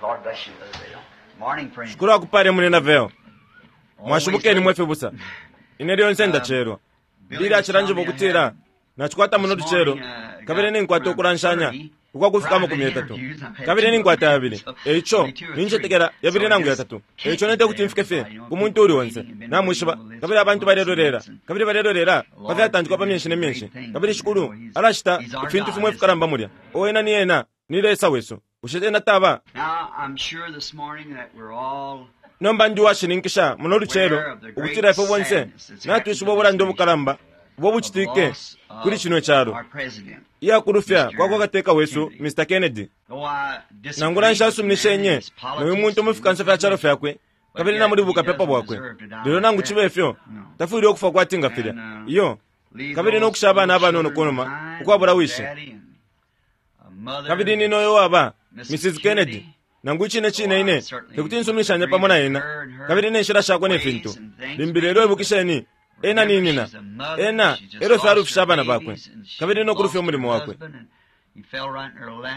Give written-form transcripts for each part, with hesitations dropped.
Lord bless you, Brother Bill. Morning, friend. Shikulu akupale munyina Vayle. Mwashibukeni mwe fibusa. Ine lyonse ndacelwa. Billy acilanjiba ukutila nacikwata muno lucelo kabili ninkwata ukulanshanya ukwakufika 30 kabili ninkwata yabili. Eico nincetekela yabili nangu yatatu. Eico nete kuti mfike fye ku muntu uli onse. Namwishiba kabili abantu balelolela kabili balelolela pa fyatantikwa pa myenshi ne myenshi kabili Shikulu alacita ifintu fimo ifikalamba mulya. O ena ni ena ni Lesa wesu. Bushe ena taba? Now, I'm sure this morning that we're all Nomba ndi uwashininkisha muno lucelo ukutila ifwe bonse natwishiba ubulanda ubukalamba ubo bucitike kuli cino calo our president. iya kulufya kwa kwa kateka wesu Mr. Kennedy. Though I disagree Nangula with the nshasuminishenye man and his no uyu muntu mu politics fikansa fya calo fyakwe kabili na muli bukapepa bwakwe, lelo nangu cibe fyo tafwile ukufwa kwati nga filya. Iyo, leave kabili no those kusha abana little abanono children kunuma behind, ukwabula wishi. daddy and a mother Kabili ni noyo waba Mrs. Kennedy nangu icine cine ine tekuti nsumishanye pamo na ena kabili ne nshila shakwe ne fintu limbi. Lelo ibukisheni, ena ni nina, ena elyo fye alufisha abana bakwe kabili no kulufya umulimo wakwe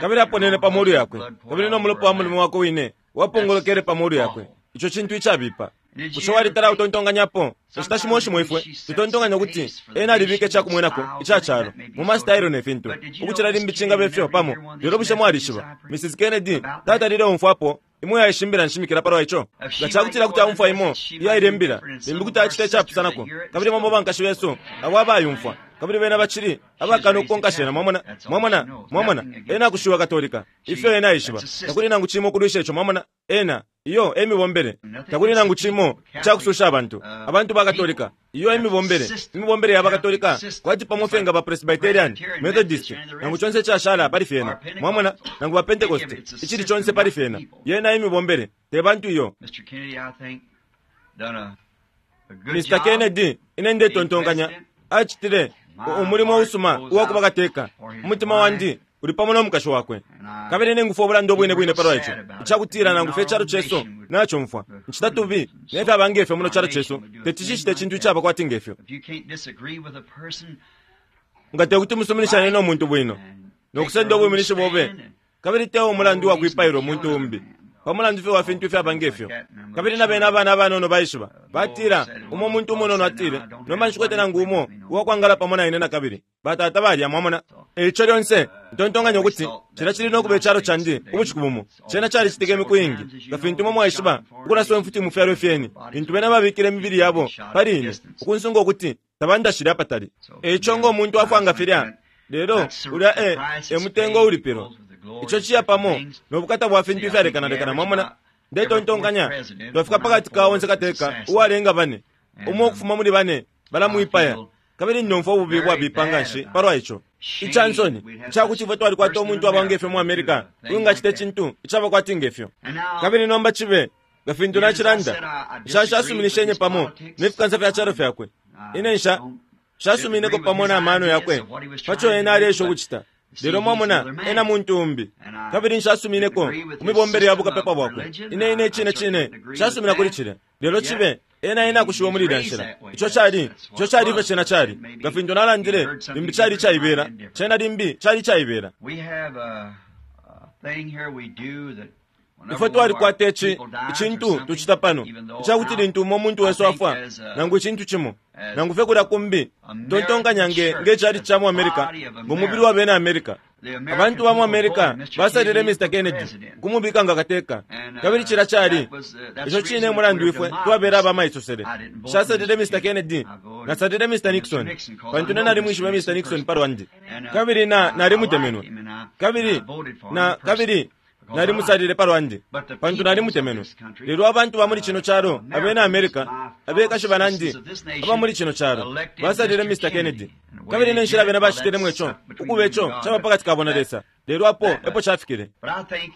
kabili aponene pa molu yakwe kabili no mulopa wa mulimo wakwe wine wapongolokele pa molu yakwe. Ico cintu icabipa. Bushe walitala utontonkanyapo? Inshita shimo shimo ifwe tutontonkanya ukuti ena alibika icakumwenako ica calo mu masitailo ne fintu ukucila limbi cingaba ifyo pamo. Lelo bushe mwalishiba Mrs. Kennedy tatalile umfwapo imo yaishimbila nshimikila palwa ico? Nga cakutila kuti aumfwa imo iyaile imbila, limbi kuti acita icapusanako. Kabili bamo bankashi besu abo abayumfwa kabili bena bacili abakana ukukonka shena. Mwamona, mwamona, mwamona, ena akushiwa Katolika. Ifyo ena aishiba, takuli nangu cimo ukulwisha ico. Mwamona, ena iyo emibombele. Takuli nangu cimo icakususha abantu, abantu ba Katolika. Iyo emibombele, imibombele ya bakatolika, kwati pamo fye nga ba Presbyterian, Methodist, nangu conse icashala pali fyena. Mwamona, nangu ba Pentecost, icili conse pali fyena. Yena imibombele, te bantu iyo. Mr. Kennedy, I think, done a good Mr. job. Kennedy, ine ndetontonkanya, acitile umulimo usuma uwa kuba kateka. Umutima wandi uli pamo no mukashi wakwe. Kabili ningufwa ubulanda ubwine bwine palwa ico icakutila nangu fye icalo cesu nacumfwa ncita tubi ne fyaba ngefyo muno calo cesu teti cicite icintu icaba kwati ngefyo. If you can't disagree with a person Nga tekuti musuminishanye no muntu bwino no kusenda ubwiminishi bobe kabili te umulandu wa kwipaila umuntu umbi pa mulandu fye wa fintu ifyaba ngefyo. Kabili na bena abana abanono baishiba batila umo muntu umunono atile, nomba nshikwete nangu umo uwakwangala pamo na ine na kabili batata balya. Mwamona, eico lyonse ntontonkanya ukuti cilya cili no kuba icalo candi ubushiku bumo. Cena calicitike imiku iingi, nga fintu imwe mwaishiba, ukulaswa imfuti mu fyalo ifyeni lintu bena babikile imibili yabo pali ine ukunsunga ukuti tabandashile apatali. Eico ngo muntu afwa nga filya, lelo ulya e e mutengo ulipilwa, ico ciya pamo no bukata bwa fintu ifyalekanalekana. Mwamona, ndetontonkanya twafika pakati ka onse kateka uwalenga bane, umo ukufuma muli bane balamwipaya. Kabili ndomfwa ububi bwabipa nganshi palwa ico, ica nsoni icakuti ifwe twalikwata umuntu aba ngefyo mu America uwingacita icintu icaba kwati ngefyo. Kabili nomba cibe nga fintu nacilanda, nshashasuminishenye pamo ne fikansa fya calo fyakwe. Ine nsha nshasumineko pamo na mano yakwe paco ena aleesha ukucita. Lelo mwamona, ena muntu umbi. Kabili nshasumineko ku mibombele ya bukapepa bwakwe. Ine ine icine cine nshasumina kuli cilya. Lelo cibe ena ena akushiwe muli ilya nshila. Ico cali, ico cali ifyo cena cali. Nga fintu nalandile, limbi cali icaibela. Cena limbi cali icaibela. We have a thing here we do that whenever Ifwe one of our twalikwata ici people dies or icintu something, tucita pano even though icakuti now, lintu umo muntu I wesu think afwa as a- nangu icintu cimo as nangu fye kulya kumbi, tontonkanya nge nge cali ca mu America, ngo mubili wa bena America. the American Abantu ba mu people America voted Mr. basalile Kennedy Mr. for Kennedy president. kumubika nga kateka. And, Kabili cilya cali that was, that's ico the cine reason mulandu we're ifwe democrats. twabela abamaisosele. I didn't vote for Nshasatile Mr. Mr. Kennedy, I voted nasalile Mr. Mr. Nixon, Nixon, 'cause pantu I ne know nalimwishibe Mr. Mr. Nixon Nixon pa lwandi And, kabili na I- I nalimutemenwe like him and I- kabili I voted for him na personally kabili because I nalimusalile pa lwandi But the pantu peoples of nalimutemenwe. this country, Lelo abantu ba muli cino calo, abena America, Americans, my abekashi fellow banandi citizens of this nation, aba muli cino calo elected basalile Mr. Mr. Kennedy. Kennedy. And the way Kabili they ne nshila did bena it, well, bacitilemo that's ico up between ukuba them ico and God, caba but pakati kabo na that- Lesa. Lelo apo that- epo cafikile. But I think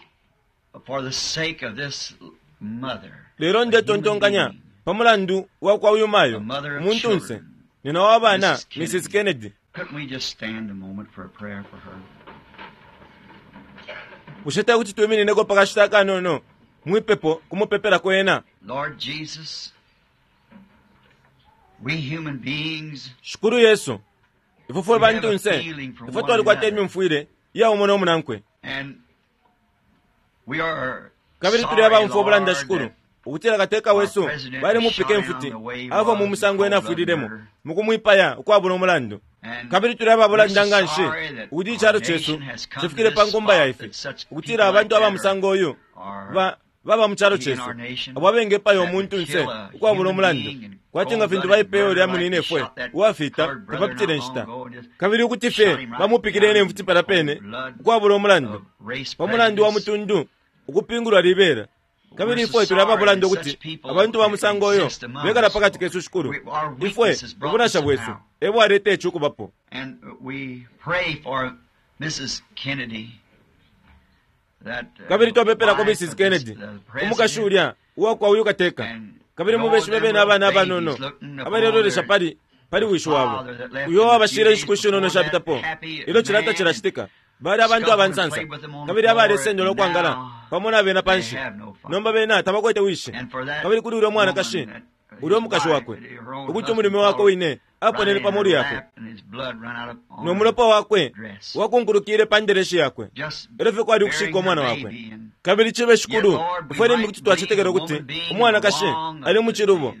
for the sake of this mother, Lelo a human ndetontonkanya being, pa mulandu wa kwa uyu mayo A mother of umuntunse children, nina wa bana Mrs. Kennedy. Mrs. Kennedy, couldn't we just stand a moment for a prayer for her? Bushe te kuti twiminineko pa kashita akanono mwipepo kumupepelako ena? Lord Jesus, we human beings, Shikulu Yesu, ifwe fwe We have a bantunse feeling for ifwe one twalikwata another. imyumfwile iya umo no munankwe. And we are Kabili tuli abaumfwa ubulanda, Shikulu, ukutila kateka wesu balimupika imfuti, afwa mu musango ena afwililemo, mukumwipaya ukwabula umulandu. Kabili tuli ababulanda nganshi ukuti icalo cesu cifikile pa nkumba ya ifi, ukutila abantu aba musango uyu ba baba mu calo cesu, abo abengepaya umuntunse ukwabula umulandu, kwati nga fintu baipeye ulya muninefwe uwafita tapapitile nshita, kabili ukuti fye bamupikile ne mfuti palya pene ukwabula umulandu, pa mulandu wa mutundu ukupingulwa libela. Kabili ifwe tuli ababulanda ukuti abantu ba musango uyo bekala pakati kesu, Shikulu. Ifwe, ubunasha bwesu e bwaleta ici ukubapo. And we pray for Mrs. Kennedy. Kabili twapepelako Mrs. Kennedy, umukashi ulya uwakwa uyu kateka, kabili mubeshibe bene abana abanono abalelolesha pali pali wishi wabo uyo wabashile inshiku ishinono shapitapo ilyo cilata cilacitika. Bali abantu abansansa kabili abalesendela ukwangala pamo na bena panshi. Nomba bena tabakwete wishi. Kabili kuli ulya mwanakashi, ulya umukashi wakwe, ukuti umulume wakwe wine aponene pa molu yakwe, no mulopa wakwe wakunkulukile pa ndereshi yakwe, elyo fye kwali ukushika umwana wakwe. Kabili cibe, Shikulu, ifwe limbi kuti twacetekela ukuti umwanakashi ali mu cilubo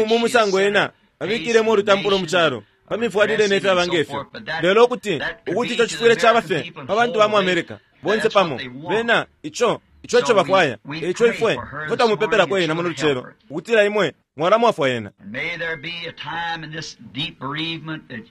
mu musango ena abikilemo ulutampulo mu calo pa mifwalile ne fyaba nge fyo, lelo ukuti ukuti ico cifwile caba fye pa bantu ba mu America bonse pamo, bena ico ico ico bafwaya. Eico ifwe ifwe twamupepelako ena muno lucelo, ukutila imwe mwalamwafwa ena. And may there be a time in this deep bereavement that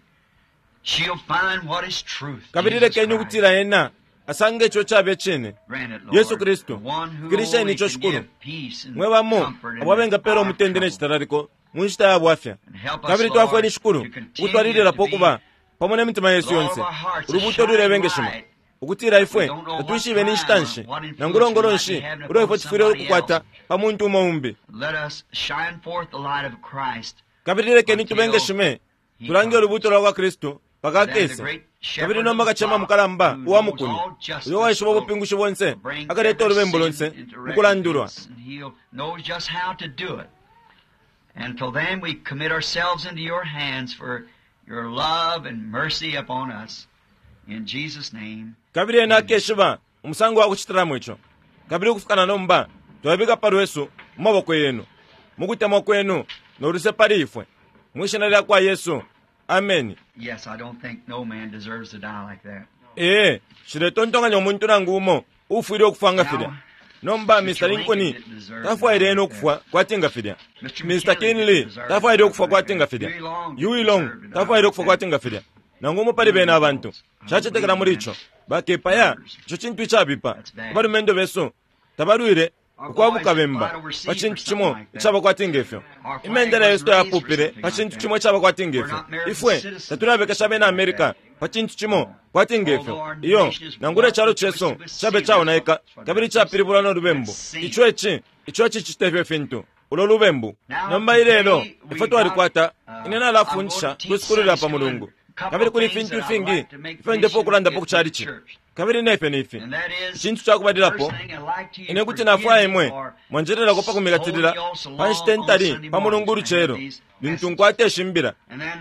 she'll find what is truth. Kabili Jesus lekeni Christ. ukutila ena asange ico cabe cine, Grant it, Lord, Yesu Kristu. the one who Fikilisheni only ico, can Shikulu. give peace and Mwe bamo comfort in abo abengapela our umutende ne trouble. citalaliko mu nshita ya bwafya. And help us, Kabili Lord, twafweni, Shikulu, to continue ukutwalililapo to be ukuba pamo ne mitima yesu with all yonse of our hearts a ulubuuto shining lulebengeshima, light. ukutila ifwe We don't know what tatwishibe ni nshita time nshi or what influence nangula we might nshi be having ulo upon ifwe tufwile somebody ukukwata else. pa muntu umo umbi. Let us shine forth the light of Christ. Kabili lekeni tubengeshime, He tulange comes. ulubuuto lwa kwa Kristu mpaka Then the akese. great Kabili shepherd nomba of the kacema flock, mukalamba who uwa knows mukuni, all justice, uyo waishiba will ubupingushi bonse, bring akaleta every ulubembu sin lonse into mu kulandulwa. recompense, and he'll knows just how to do it. And till then we commit ourselves into your hands for your love and mercy upon us. In Jesus' name. Kabili ena akeshiba umusango wa kucitilamo ico. Kabili ukufikana nomba twabika pa lwesu mu maboko yenu, mu kutemwa kwenu no luse pali ifwe, mwi shina lya kwa Yesu, ameni. Yes, I don't think no man deserves to die like that. Ee, nshiletontonkanya umuntu nangu umo uufwile ukufwa nga filya. Nomba Mr. Lincoln tafwaile ena ukufwa kwati nga filya. Mr. Kinley tafwaile ukufwa kwati nga filya. Huey Long tafwaile ukufwa kwati nga filya. Nangu umo pali bena abantu. Nshacetekela muli ico. Bakepaya, ico cintu icabipa. Abalumendo besu tabalwile ukwabuka bemba pa cintu cimo icaba kwati ngefyo. Imendela yesu tayapupile pa cintu cimo icaba kwati ngefyo. Ifwe tatulabekesha abena America pa cintu cimo kwati ngefyo. Iyo, nangula icalo cesu cabe caonaika kabili capilibulwa no lubembu. Ico eci, ico ecicita ifyo fintu. Ulo lubembu. Nomba ilelo, ifwe twalikwata, ine nalafundisha kwi sukulu lya pa Mulungu. Kabili kuli ifintu ifingi ifyo ndefwaya ukulandapo ku chalichi. Kabili nefyo ni ifi. Icintu ca kubalilapo, ine kuti nafwaya imwe mwanjelelako pa kumikatilila pa nshita intali pa Mulungu ulucelo lintu nkwata ishimbila.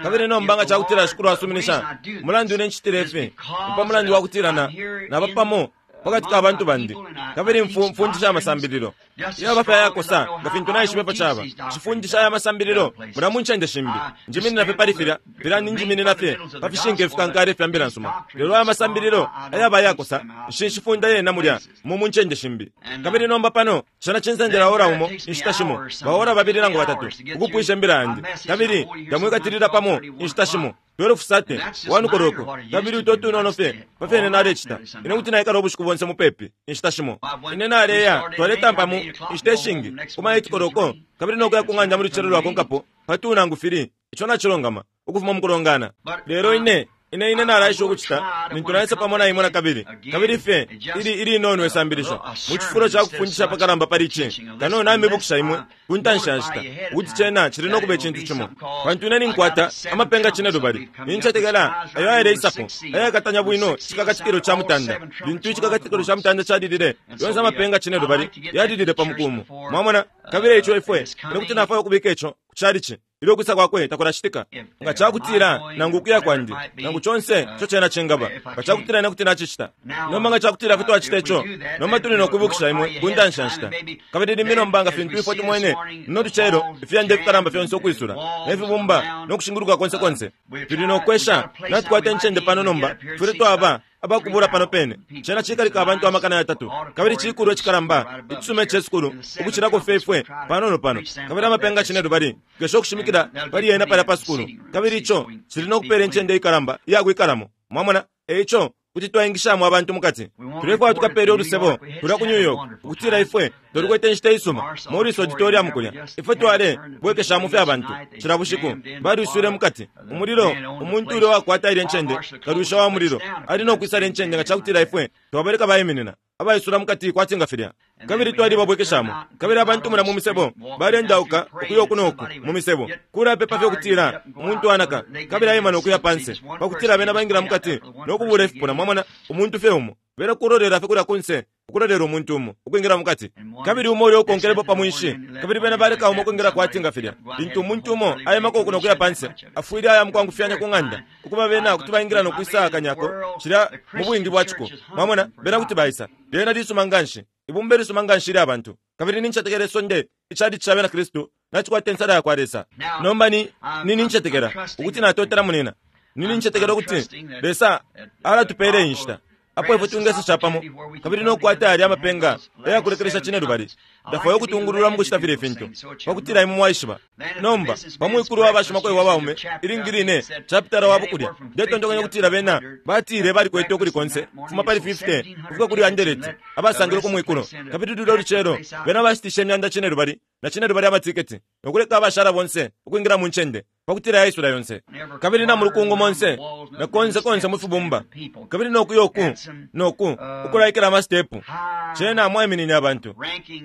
Kabili nomba nga ca kutila Shikulu asuminisha, umulandu ine ncitile ifi ni pa mulandu wa kutila na naba pamo pakati ka bantu bandi, kabili mfundisha amasambililo yaba fye ayakosa nga fintu naishiba ifyo caba. Nshifundisha aya masambililo mulya mu ncende shimbi. Njiminina fye pali filya filya ninjiminina fye pa fishinka ifikankala ifya mbila nsuma. Lelo aya masambililo ayaba ayakosa, nshishifunda yena mulya mu ncende shimbi. Kabili nomba pano cena cinsendela ora umo, inshita shimo ba ora babili nangu batatu, ukupwisha imbila yandi. Kabili ndamwikatilila pamo inshita shimo 12:30, 1 koloko, kabili uto tunono fye pa fyo ine nalecita. Ine kuti naikala ubushiku bonse mupepi inshita shimo. Ine naleya, twaletampa mu inshita ishingi kuma 8 koloko, kabili no kuya ku ng'anda mu lucelo lwakonkapo pa 2 nangu 3, ico nacilongama, ukufuma mu kulongana. Lelo ine ine ine nalaisha ukucita lintu naisa pamo na imwe na kabili, kabili fye ili ilinono isambilisho mu cifulo ca kufundisha apakalamba pali ici, kano namibukisha imwe ku ntanshi ya nshita ukuti cena cili no kuba icintu cimo, pantu ine ninkwata amapenga cinelubali, nincetekela, ayo ayaleisapo ayakatanya bwino icikakatikilo ca mutanda. Lintu icikakatikilo ca mutanda calilile, yonse amapenga cinelubali yalilile pa muku umo, mwamona. Kabili eico ifwe ine kuti nafwaya ukubika ico ku chalichi ilyo kwisa kwakwe takulacitika. Nga cakutila nangu ukuya kwandi, nangu conse ico cena cingaba, nga cakutila ine kuti nacicita. Nomba nga cakutila kuti twacita ico, nomba tuli nokwibukisha imwe ku ntanshi ya nshita. Kabili limbi nomba nga fintu ifwe tumwene muno lucelo, ifiyanda ifikalamba fyonse ukwisula, ne fibumba no kushinguluka konse konse, tuli nokwesha. Natukwata incende pano nomba, tufwile twaba abakubula pano pene. Cena cikalika abantu 3,000, kabili cikulwa icikalamba icisuma ice sukulu ukucilako fye ifwe panono pano. Kabili amapenga 7 tukesha ukushimikila pali yena palya pa sukulu, kabili ico cili no kupela incende ikalamba iya kwikalamo. Mwamona? E ico kuti twaingishamo abantu mukati. Tulefwaya tukapele ulusebo kulya ku New York, ukutila ifwe twalikwete inshita isuma Morris Auditorium kulya. Ifwe twale bwekeshamo fye abantu cila bushiku, baliswile mukati umulilo. Umuntu ulya wakwata ilya ncende, kalwisha wa mulilo, ali no kwisala incende nga cakutila ifwe twabaleka baiminina abaisula mukati kwati nga filya. Kabili twalibabwekeshamo, kabili abantu mula mu misebo balendauka ukuya uku noku mu misebo, kulapepa fye ukutila umuntu anaka kabili aima no kuya panse, pakutila bena baingila mukati no kubula ifipuna. Mwamona, umuntu fye umo bena kulolela fye kulya kunse, ukulolela umuntu umo ukwingila mukati, kabili umo ulya ukonkelepo pa mwinshi, kabili bena baleka umo ukwingila kwati nga filya. Lintu umuntu umo aimako uku no kuya panse, afwile aya mukwangufyanya ku ng'anda, ukuba bena kuti baingila no kwisa akanyako cilya mu bwingi bwa ciko. Mwamona, bena kuti baisa. Lyena lisuma nganshi, ibumba lisuma nganshi ilya bantu. Kabili nincetekela isonde icalichi ca bena Kristu nacikwata insala yakwa Lesa. Nomba ni ni nincetekela ukuti natotela munina. Ni nincetekela ukuti Lesa alatupela iyi nshita apo ifwe twingesa capamo kabili no kukwata yalya amapenga ayakulekelesha 7. Ndafwaya ukutungulula mukucita filya ifintu pakutila imwe mwaishiba. Nomba pa mwikulu wa bashimakwebo abaume, ilingi line chapitala wabo kulya, ndetontonkanya ukutila bena batile balikwete ukuli konse kufuma pali 50 ukufika kuli 100 abasangilwe ku mwikulo. Kabili lulya lucelo bena bashitishe 97,000 amatiketi no kuleka abashala bonse ukwingila mu ncende pakutila yaisula yonse. Kabili na mulukungu monse na konse konse mu fibumba, kabili no kuya uku noku ukulaikila amastepu, cena mwaiminine abantu,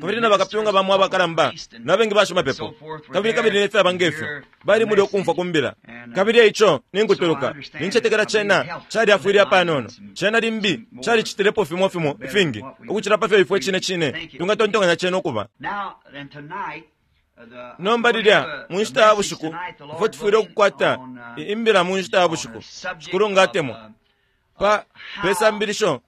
kabili na bakapyunga bamo abakalamba na bengi bashimapepo, kabili kabili ne fyaba ngefyo bali mulya ukumfwa ku mbila. Kabili eico ninkutuluka, nincetekela cena calyafwile apanono. Cena limbi calicitilepo fimo fimo ifingi ukucila pafyo ifwe cine cine twingatontonkanya cena ukuba. Nomba lilya mu nshita ya bushiku ifwe tufwile ukukwata imbila mu nshita ya bushiku, Shikulu nga atemwa, pa pesambilisho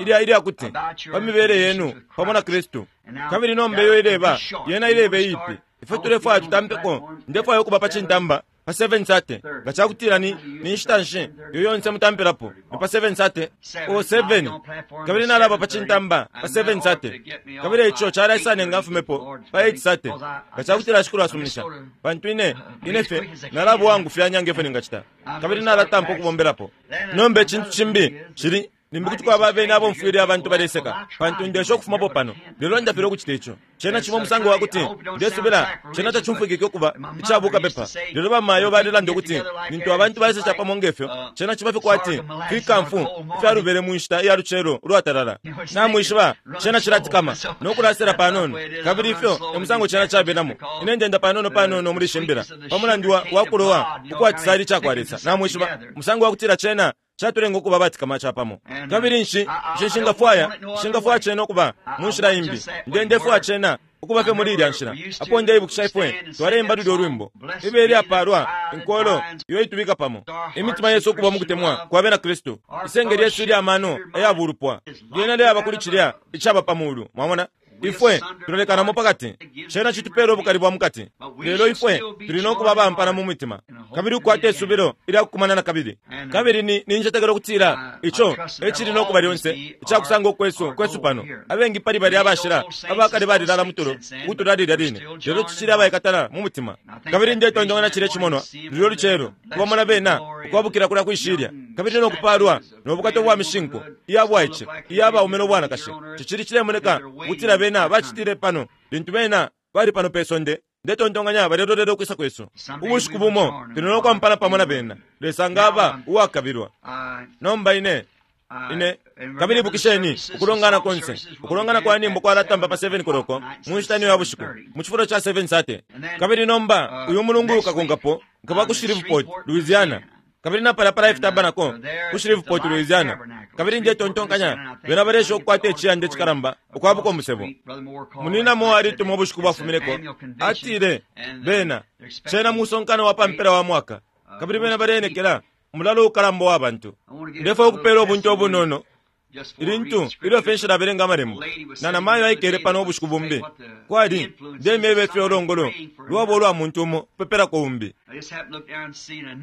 ilya ilya kuti pa mibele yenu pamo na Kristu. Kabili nomba iyo ileba yena ileba iyipi, ifwe tulefwaya tutampeko. Ndefwaya ukuba pa cintamba pa 7:30. Nga cakutila ni ni nshita nshi iyo yonse mutampilapo, ni pa 7:30 o 7, kabili nalaba pa cintamba pa 7:30, kabili ico calaisa nenga mfumepo pa 8:30, nga cakutila Shikulu asuminisha, pantu ine ine fye nalaba uwangufyanya nge fyo ningacita, kabili nalatampa ukubombelapo. Nomba icintu cimbi cili, limbi kuti kwaba abeni abomfwile abantu baleseka, pantu ndesha ukufumapo pano, lelo ndafilwa ukucita ico. Cena cimo umusango wa kuti ndesubila cena tacumfwikike ukuba icabuka pepa, lelo bamayo balelanda ukuti lintu abantu baisa capamo ngefyo, cena ciba fye kwati fikamfu ifyalubele mu nshita iya lucelo ulwatalala. Namwishiba, cena cilatikama no kulasela panono, kabili ifyo e musango cena cabelamo. Ine ndenda panono panono muli ishi mbila pa mulandu wa, wa kulowa ukwa cisali cakwa Lesa. Namwishiba, umusango wa kutila cena catulenga ukuba abatikama capamo. Kabili nshi, nshi nshingafwaya, nshingafwaya cena ukuba mu nshila imbi. Nde, ndefwaya cena ukuba fye muli ilya nshila. Apo ndeibukisha ifwe twaleimba lulyo lwimbo, ibe ilyapalwa inkolo iyo itubika pamo, imitima yesu ukuba mu kutemwa kwa bena Kristu, isenge lyesu ilya mano aya bulupwa lyena lyaba kuli cilya icaba pa mulu. Mwamona? Ifwe tulalekanamo pakati, cena citupela ubukali bwa mukati, lelo ifwe tuli no kuba abampana mu mitima kabili ukukwata isubilo ilya kukumana na kabili. Kabili ni nincetekela ukutila ico e cili no kuba lyonse icakusanga ukwesu kwesu pano. Abengi pali balya abashila abakale balilala mutulo ukutula lilya line, lelo tucili abaikatana mu mutima. Kabili ndetontonkanya cilya cimonwa lulyo lucelo, kubamona bena ukwabukila kulya kwishilya, kabili no kupalwa no bukata ubwa mishinku iya bwaice iya baume no bwanakashi. Cicili cilemoneka ukutila bena bacitile pano lintu bena bali pano pe sonde. Ndetontonkanya balelolela ukwisa kwesu. Ubushiku bumo tuli no kwampana pamo na bena, Lesa nga aba uwakabilwa. Nomba ine ine kabili ibukisheni ukulongana konse, ukulongana kwa nyimbo kwalatamba pa 7 koloko mu nshita niyo ya bushiku mu cifulo ca 7:30. Kabili nomba uyu mulungu ukakonkapo nkaba ku Shreveport, Louisiana. Kabili napalya pa Life Tabernacle ku Shreveport, Louisiana. Kabili ndetontonkanya bena baleesha ukukwata iciyanda icikalamba ukwabuka umusebo. Munina Moore alituma ubushiku bwafumineko, atile, Bena, cena musonkano wa pa mpela wa mwaka, kabili bena baleenekela umulalo ukalamba uwa bantu. Ndefwaya ukupela ubunte ubunono ilintu ilyo fye nshilabelenga Amalembo. Na namayo aikele pano ubushiku bumbi, kwali, ndemyeba ifyo ulongolo lwaba ulwa muntu umo kupepelako umbi.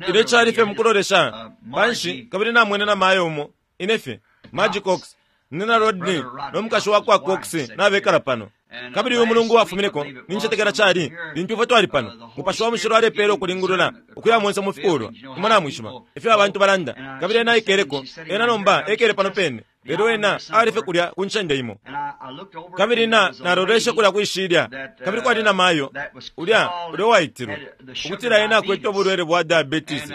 Ilyo cali fye mukulolesha panshi kabili namwene namayo umo, ine fye, Margie Cox, Nina Rodney no mukashi wa kwa Cox nabekala pano. Kabili uyu mulungu wafumineko, nincetekela cali, lintu ifwe twali pano, Mupashi wa Mushilo alepela ukulingulula, ukuya monse mu fikulwa, imwe namwishiba, ifyo abantu balanda. Kabili ena aikeleko, ena nomba ekele pano pene, lelo ena ali fye kulya ku ncende imo. Kabili na, naloleshe kulya kwi shilya, kabili kwali na mayo, ulya, ulya uwaitilwe, ukutila ena akwete ubulwele bwa diabetes.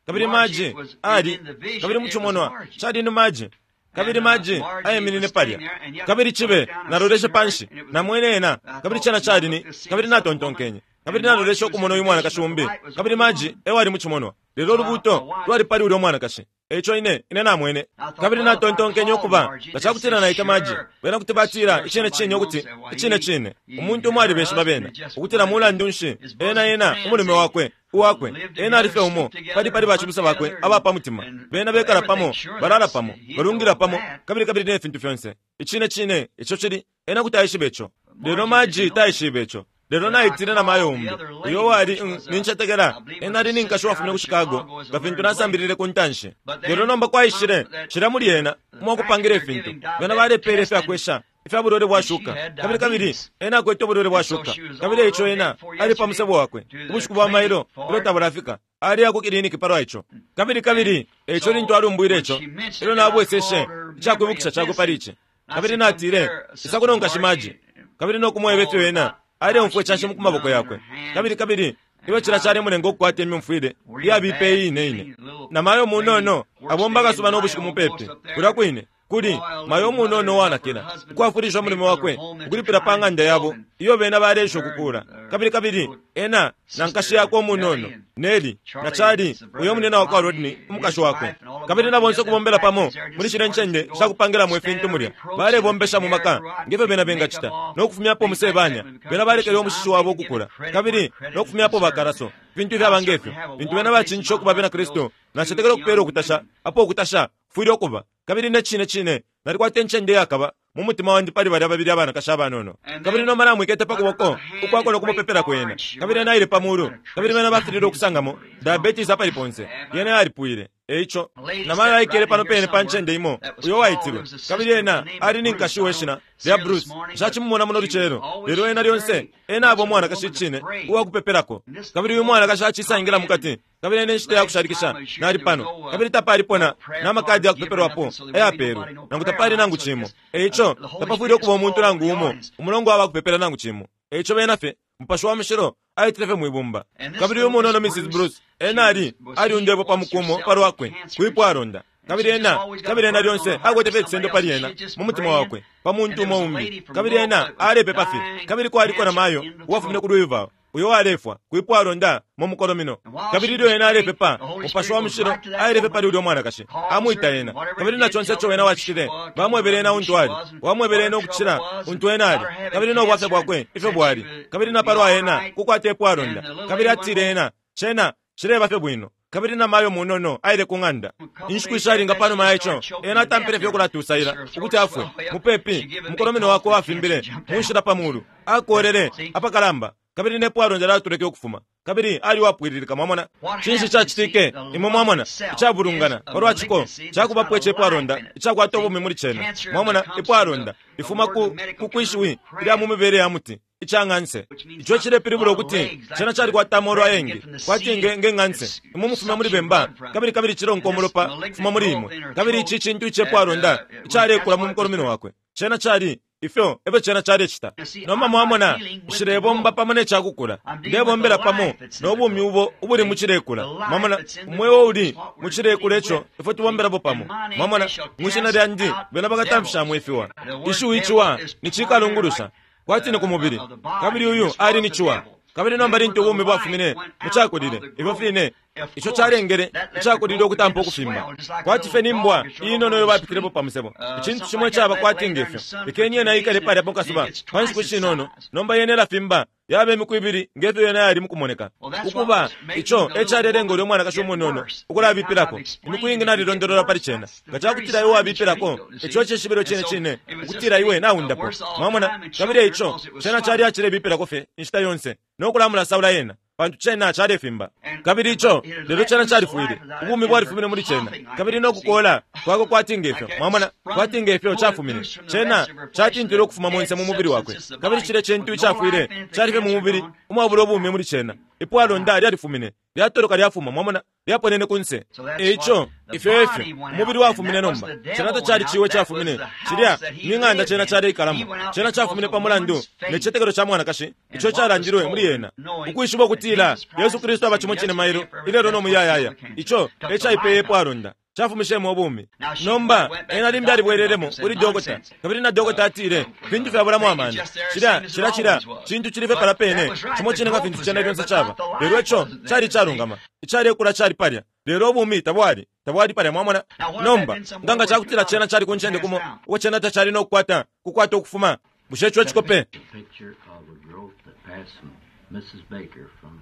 Kabili Margie ali, kabili mucimonwa, cali ni Margie. Kabili Margie aiminine palya. Kabili cibe, naloleshe panshi, namwene ena, kabili cena cali ni, kabili natontonkenye. Kabili naloleshe ukumona uyu mwanakashi umbi, kabili Margie ewali mucimonwa, lelo ulubuuto lwali pali ulya mwanakashi. Eico ine, ine namwene. Kabili natontonkenye ukuba, nga cakutila naita Margie, bena kuti batila icine cine ukuti, icine cine, umuntu umo alibeshiba bena, ukutila mulandu nshi, ena ena, umulume wakwe, uwakwe, ena ali fye umo, pali pali bacibusa bakwe aba pa mutima. Bena bekala pamo, balala pamo, balungila pamo, kabili kabili ne fintu fyonse. Icine cine, ico cili, ena kuti aishiba ico. Lelo Margie taishibe ico. Lelo naitile na mayo umbi, uyo wali, nincetekela, ena ali ni nkashi uwafumine ku Chicago, nga fintu nasambilile ku ntanshi. Lelo nomba kwaishile, cilya muli ena, umwakupangila ifintu, bena balepela ifyakwesha ifya bulwele bwa shuka. Kabili, kabili ena akwete ubulwele bwa shuka. Kabili eico ena ali pa musebo wakwe, ubushiku bwa mailo, ilyo tabulafika, aliya ku kiliniki palwa ico. Kabili, kabili eico lintu alumbwile ico, elyo nabweseshe icakwibukisha cakwe pali ici. Kabili natile, Isa kuno nkashi Margie, kabili no kumweba ifyo ena aleumfwa icanshi ku maboko yakwe. Kabili, kabili ilyo cila calemulenga ukukwata imyumfwile iyabipa iine ine. Na mayo munono abomba akasuba no bushiku mupepi, kulya kwine kuli mayo munono uwanakila, ukwafwilisha umulume wakwe ukulipila pa ng'anda yabo iyo bena baleesha ukukuula. Kabili, kabili ena na nkashi yakwe umunono Nellie, na Charlie, uyo munena wakwa Rodney, umukashi wakwe, kabili na bonse ukubombela pamo muli shilya ncende shakupangilamo ifintu mulya, balebombesha mu maka ngefyo bena bengacita, no kufumyapo umusebanya. Bena balekele umushishi wabo ukukula, kabili no kufumyapo bakaraso, fintu ifyaba ngefyo. Lintu bena bacincisha ukuba abena Kristu, nacetekela ukupela ukutasha apo ukutasha kufwile ukuba. Kabili ne cine cine nalikwata incende iyakaba mu mutima wandi pali balya babili abanakashi abanono. Kabili nomba namwikete pa kuboko ukwako no kumupepelako ena. Kabili ena aile pa mulu, kabili bena bafililwe ukusangamo diabetes apali ponse. Yena yalipwile. Eico, namayo aikele pano pene pa ncende imo, uyo waitilwe. Kabili ena ali ni nkashi we shina lya Bruce. Nshacimumona muno lucelo, lelo ena lyonse, ena aba umwanakashi icine uwa kupepelako. Kabili uyu mwanakashi acisangila mukati. Kabili ena inshita ya kushalikisha nali pano, kabili tapalipo na, na makadi ya kupepelwapo ayapelwe, nangu tapali nangu cimo. Eico, tapafwile ukuba umuntu nangu umo umulongo wa bakupepela nangu cimo. Eico bena fye, Mupashi wa Mushilo aitile fye mwibumba. Kabili uyu munono Mrs. Bruce, ena ali, aliundepwe pa mukumo palwakwe, kwipwalonda. Kabili ena, kabili ena lyonse akwete fye icisendo pali ena, mu mutima wakwe, pa muntu umo umbi. Kabili ena alepepa fye. Kabili kwaliko na mayo uwafumine ku Louisville, uyo walefwa kwipwalonda mu mukolomino. Kabili ilyo ena alepepa, Mupashi wa Mushilo aile pali ulyo mwanakashi, amwita ena. Kabili na conse ico ena wacitile, bamwebele ena untu ali, wamwebele ena ukucila untu ena ali, kabili no bwafya bwakwe ifyo bwali, kabili na palwa ena kukwata ipwalonda. Kabili atile ena, cena cileba fye bwino. Kabili na mayo munono aile ku ng'anda. Inshiku ishalinga panuma ya ico, ena atampile fye ukulatusaila ukuti afwe. Mupepi, umukolomino wakwe wafimbile mu nshila pa mulu, akolele apakalamba, kabili ne pwalonda lyatuleke ukufuma. Kabili ali uwapwililika, mwamona. Cinshi cacitike? Imwe mwamona, icabulungana palwa ciko cakubapo icepwalonda icakwata ubumi muli cena. Mwamona, ipwalonda lifuma ku, ku kwishiwi ilya mu mibele ya muti, ica ng'anse. Ico cilepilibula ukuti cena calikwata amolu ayengi, kwati nge, nge ng'anse. Imwe mufuma muli bemba, kabili kabili cilonka umulopa kufuma muli imwe. Kabili ici cintu icepwalonda icalekula mu mukolomino wakwe. Cena cali ifyo efyo cena calecita. Nomba mwamona, nshilebomba pamo ne cakukula. Ndebombela pamo no bumi ubo ubuli mu cilekula. Mwamona, umweo uli mu cilekula ico ifwe tubombelapo pamo. Mwamona, mwi shina lyandi bena bakatamfishamo ifiwa. Ishiwi iciwa ni cikalungulusha, kwati ni ku mubili. Kabili uyu ali ni ciwa. Kabili nomba lintu ubumi bwafumine mucakulile, ifyo fine ico calengele icakulile ukutampa ukufimba, kwati fye ni mbwa iinono iyo bapitilepo pa musebo, icintu cimo icaba kwati ngefyo. Lekeni yena ikale palya pa kasuba pa nshiku shinono, nomba yena ilafimba yaba imiku ibili ngefyo yena yali mukumoneka. Ukuba, ico e calelenga ulya umwanakashi umunono ukulabipilako. Imiku iingi nalilondolola pali cena. Nga cakutila iwe wabipilako, ico cishibilo cine cine ukutila iwe naundapwa. Mwamona? Kabili eico cena cali acilebipilako fye inshita yonse no kulamulasaula yena, pantu cena calefimba. Kabili ico, lelo cena califwile, ubumi bwalifumine muli cena, kabili no kukola kwakwe kwati ngefyo, mwamona, kwati ngefyo cafumine. Cena catintwile ukufuma monse mu mubili wakwe, kabili cilya cintu icafwile cali fye mu mubili umwabula ubumi muli cena. Ipwalonda lyalifumine, lyatoloka lyafuma, mwamona, lyaponene kunse. Eico ifyo efyo umubili wafumine nomba. Cena tacali ciwe cafumine, cilya ni ng'anda cena caleikalamo. Cena cafumine pa mulandu ne citetekelo ca mwanakashi ico calandilwe muli ena, ukwishiba ukutila Yesu Kristu aba cimo cine mailo, ilelo no muyayaya. Ico e caipeye ipwalonda, cafumishemo ubumi. Nomba ena limbi alibwelelemo kuli dokota, kabili na dokota atile, Fintu fyabulamo amano. Cilya, cilya, cilya cintu cili fye palya pene, cimo cine nga fintu cena lyonse caba. Lelo ico cali icalungama. Icalekula cali palya, lelo ubumi tabwali, tabwali palya. Mwamona? Nomba nga nga cakutila cena cali ku ncende kumo uko cena tacali no kukwata, kukwata ukufuma, bushe ico cikope? Picture of a growth that passed from Mrs. Baker from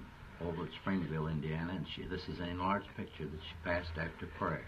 over at Springville, Indiana, and she, this is an enlarged picture that she passed after prayer.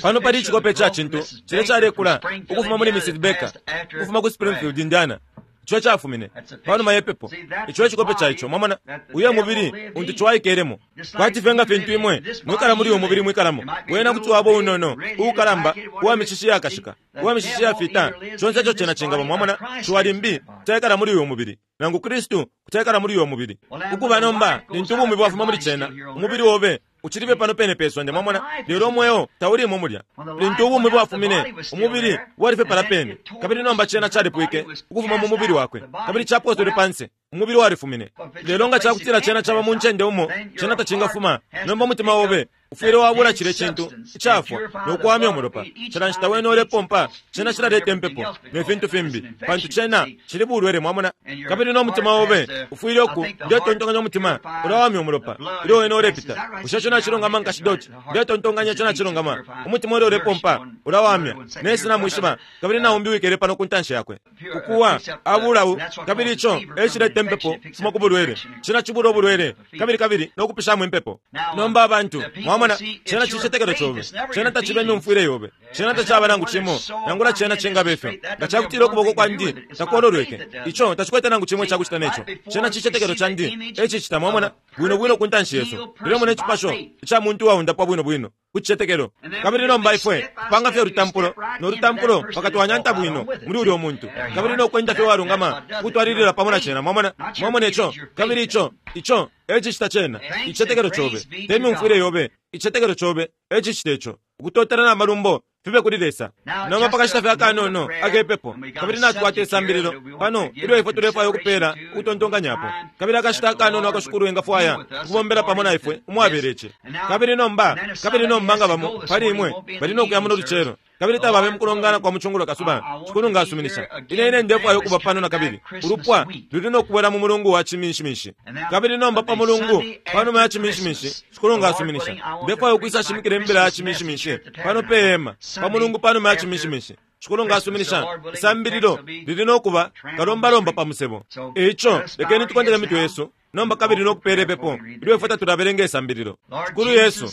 Pano pali icikope ca cintu cilya calekula ukufuma muli Mrs. Baker ukufuma ku Springfield, Indiana, ico cafumine panuma ye pepo. Ico ecikope ca ico. Mwamona, uyo mubili untu cwaikelemo, kwati fye nga fintu imwe mwikala muli uyu mubili mwikalamo. Wena kuti waba unono, uukalamba, uwa mishishi yakashika, uwa mishishi yafita, conse ico cena cingaba. Mwamona, ciwa limbi taikala muli uyu mubili, nangu Kristu kutaikala muli uyo mubili. Ukuba nomba, lintu ubumi bwafuma muli cena, umubili obe ucili fye pano pene pe sonde, mwamona, lelo umweo taulimo mulya. Lintu ubumi bwafumine, umubili wali fye palya pene, kabili nomba cena calipwike ukufuma mu mubili wakwe, kabili caposelwe panse, umubili walifumine. Lelo nga cakutila cena caba mu ncende umo cena tacingafuma, nomba umutima obe ufwile wabula cilya cintu icafwa no kuwamya umulopa. Cila nshita wene ulepompa, cena cilaleta impepo ne fintu fimbi, pantu cena cili bulwele, mwamona. Kabili no mutima obe ufwile uku, ndetontonkanya umutima ulawamya umulopa ilyo wene ulepita. Bushe ico nacilungama, nkashi Dot? Ndetontonkanya ico nacilungama. Umutima ilyo ulepompa ulawamya. Nesi namwishiba, kabili naumbi wikele pano ku ntanshi yakwe. Ukuwa abula, kabili ico e cileta impepo kufuma ku bulwele. Cena cibula ubulwele, kabili kabili no kupishamo impepo. Nomba abantu, mwamona, cena cicetekelo cobe, cena taciba imyumfwile yobe, cena tacaba nangu cimo, nangula cena cingaba ifyo. Nga cakutila ukuboko kwandi takololweke, ico tacikwete nangu cimo icakucita neco. Cena cicetekelo candi e cicita, mwamona, bwino bwino ku ntanshi yesu. Tulemona icipasho ica muntu uwaundapwa bwino bwino ku cicetekelo. Kabili nomba ifwe tupanga fye ulutampulo no lutampulo mpaka twanyanta bwino muli ulyo muntu, kabili no kwenda fye walungama ukutwalilila pamo na cena. Mwamona? Mwamona ico? Kabili ico, ico e cicita cena, icicetekelo cobe, te myumfwile yobe, icicetekelo cobe e cicita ico. Ukutotela na malumbo fibe kuli Lesa. Nomba pakashita fye akanono akepepo, kabili natukwata isambililo pano ilyo ifwe tulefwaya ukupela ukutontonkanyapo, kabili akashita akanono ako Shikulu engafwaya ukubombela pamo na ifwe umwabela ici. Kabili nomba, kabili nomba nga bamo pali imwe bali no kuya muno lucelo, kabili tababe mukulongana kwa mucungulo kasuba, Shikulu nga asuminisha, ine ine ndefwaya ukuba pano na kabili. Ulupwa luli no kubwela mu mulungu wa Ciminshiminshi. Kabili nomba pa mulungu panuma ya Ciminshiminshi, Shikulu nga asuminisha, ndefwaya ukwisa shimikila imbila ya Ciminshiminshi pano pe hema pa mulungu panuma ya Ciminshiminshi. Shikulu nga asuminisha, isambililo lili no kuba kalombalomba pa musebo. Eico lekeni tukondele imitwe yesu nomba kabili no kupela ipepo ilyo ifwe tatulabelenga isambililo. Shikulu Yesu,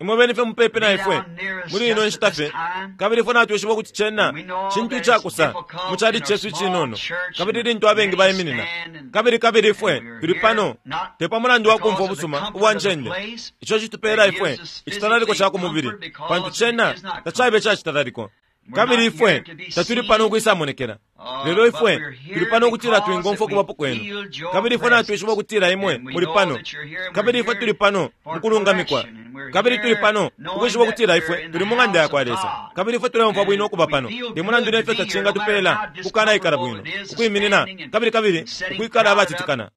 imwe beni fye mupepi na ifwe muli ino nshita fye, kabili ifwe natwishiba ukuti cena cintu icakusa mu cali cesu icinono, kabili lintu abengi baiminina, kabili kabili ifwe tuli pano te pa mulandu wa kumfwa ubusuma ubwa ncende ico citupela ifwe icitalaliko ca ku mubili, pantu cena tacabe icacitalaliko. Kabili ifwe tatuli pano ukwisamonekela, lelo ifwe tuli pano ukutila twingomfwa ukubapo kwenu. Kabili ifwe natwishiba ukutila imwe muli pano, kabili ifwe tuli pano mukulungamikwa, kabili tuli pano ukwishiba ukutila ifwe tuli mu ng'anda yakwa Lesa, kabili ifwe tuleumfwa bwino ukuba pano. Te mulandu nefyo tacingatupela ukukanaikala bwino, ukwiminina, kabili kabili ukwikala abatitikana,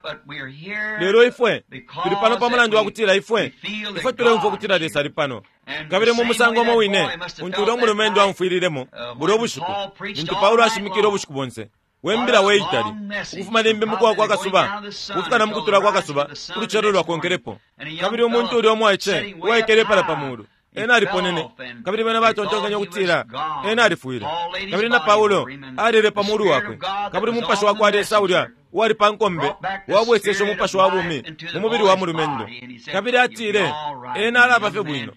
lelo ifwe tuli pano pa mulandu wa kutila ifwe ifwe tuleumfwa ukutila Lesa ali pano. Kabili mu musango umo wine untu ulya umulumendo aumfwililemo bulya ubushiku lintu Paulo ashimikile ubushiku bonse. We mbila we itali, ukufuma limbi mukuwa kwa kasuba ukufika na mukutula kwa kasuba ulucelo lwakonkelepo. Kabili umuntu ulya umwaice uwaikele pala pa mulu, ena aliponene, kabili bena batontonkanya ukutila ena alifwile. Kabili na Paulo alele pa mulu wakwe, kabili umupashi wa kwa Lesa ulya uwali pa nkombe wabweseshe umupashi wa bumi mu mubili wa mulumendo, kabili atile ena alaba fye bwino.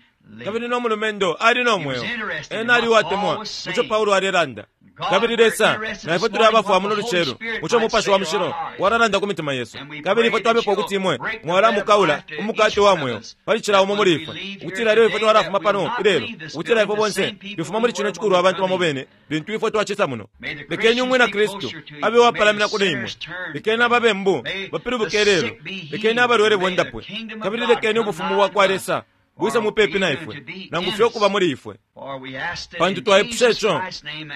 Kabili no mulumendo ali no mweo, ena ali uwatemwa muco Paulo alelanda. Kabili Lesa, na ifwe tuli abafwa muno lucelo muco Umupashi wa Mushilo walalanda ku mitima yesu. Kabili ifwe twapepa ukuti imwe mwalamukaula umukate wa mweo pali cila umo muli ifwe, ukutila ilyo ifwe twalafuma pano ilelo, ukutila ifwe bonse twifuma muli cino cikulu abantu bamo bene lintu ifwe twacisa muno. Lekeni umwina Kristu abe uwapalamina kuli imwe, lekeni ababembu bapilibuke lelo, lekeni abalwele bondapwe, kabili lekeni ubufumu bwa kwa Lesa bwise mupepi na ifwe, nangu fye ukuba muli ifwe. Pantu twaipusha ico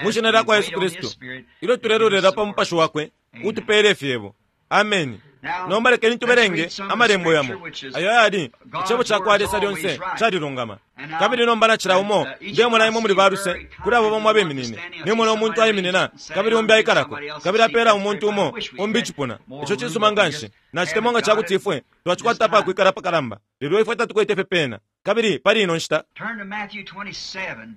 mu shina lya kwa Yesu Kristu, ilyo tulelolela pa mupashi wakwe utupele ifyebo. Ameni. Nomba lekeni tubelenge amalembo yamo ayo ayali icebo ca kwa Lesa lyonse calilungama. Kabili nomba na cila umo ndemona imwe muli baluse kuli abo bamo abeminine. Nimona umuntu aiminina kabili umbi aikalako, kabili apela umuntu umo umbi icipuna. Ico cisuma nganshi. Nacitemwa nga cakuti ifwe twacikwata apakwikala apakalamba, lelo ifwe tatukwete fye pena. Kabili pali ino nshita Turn to Matthew 27,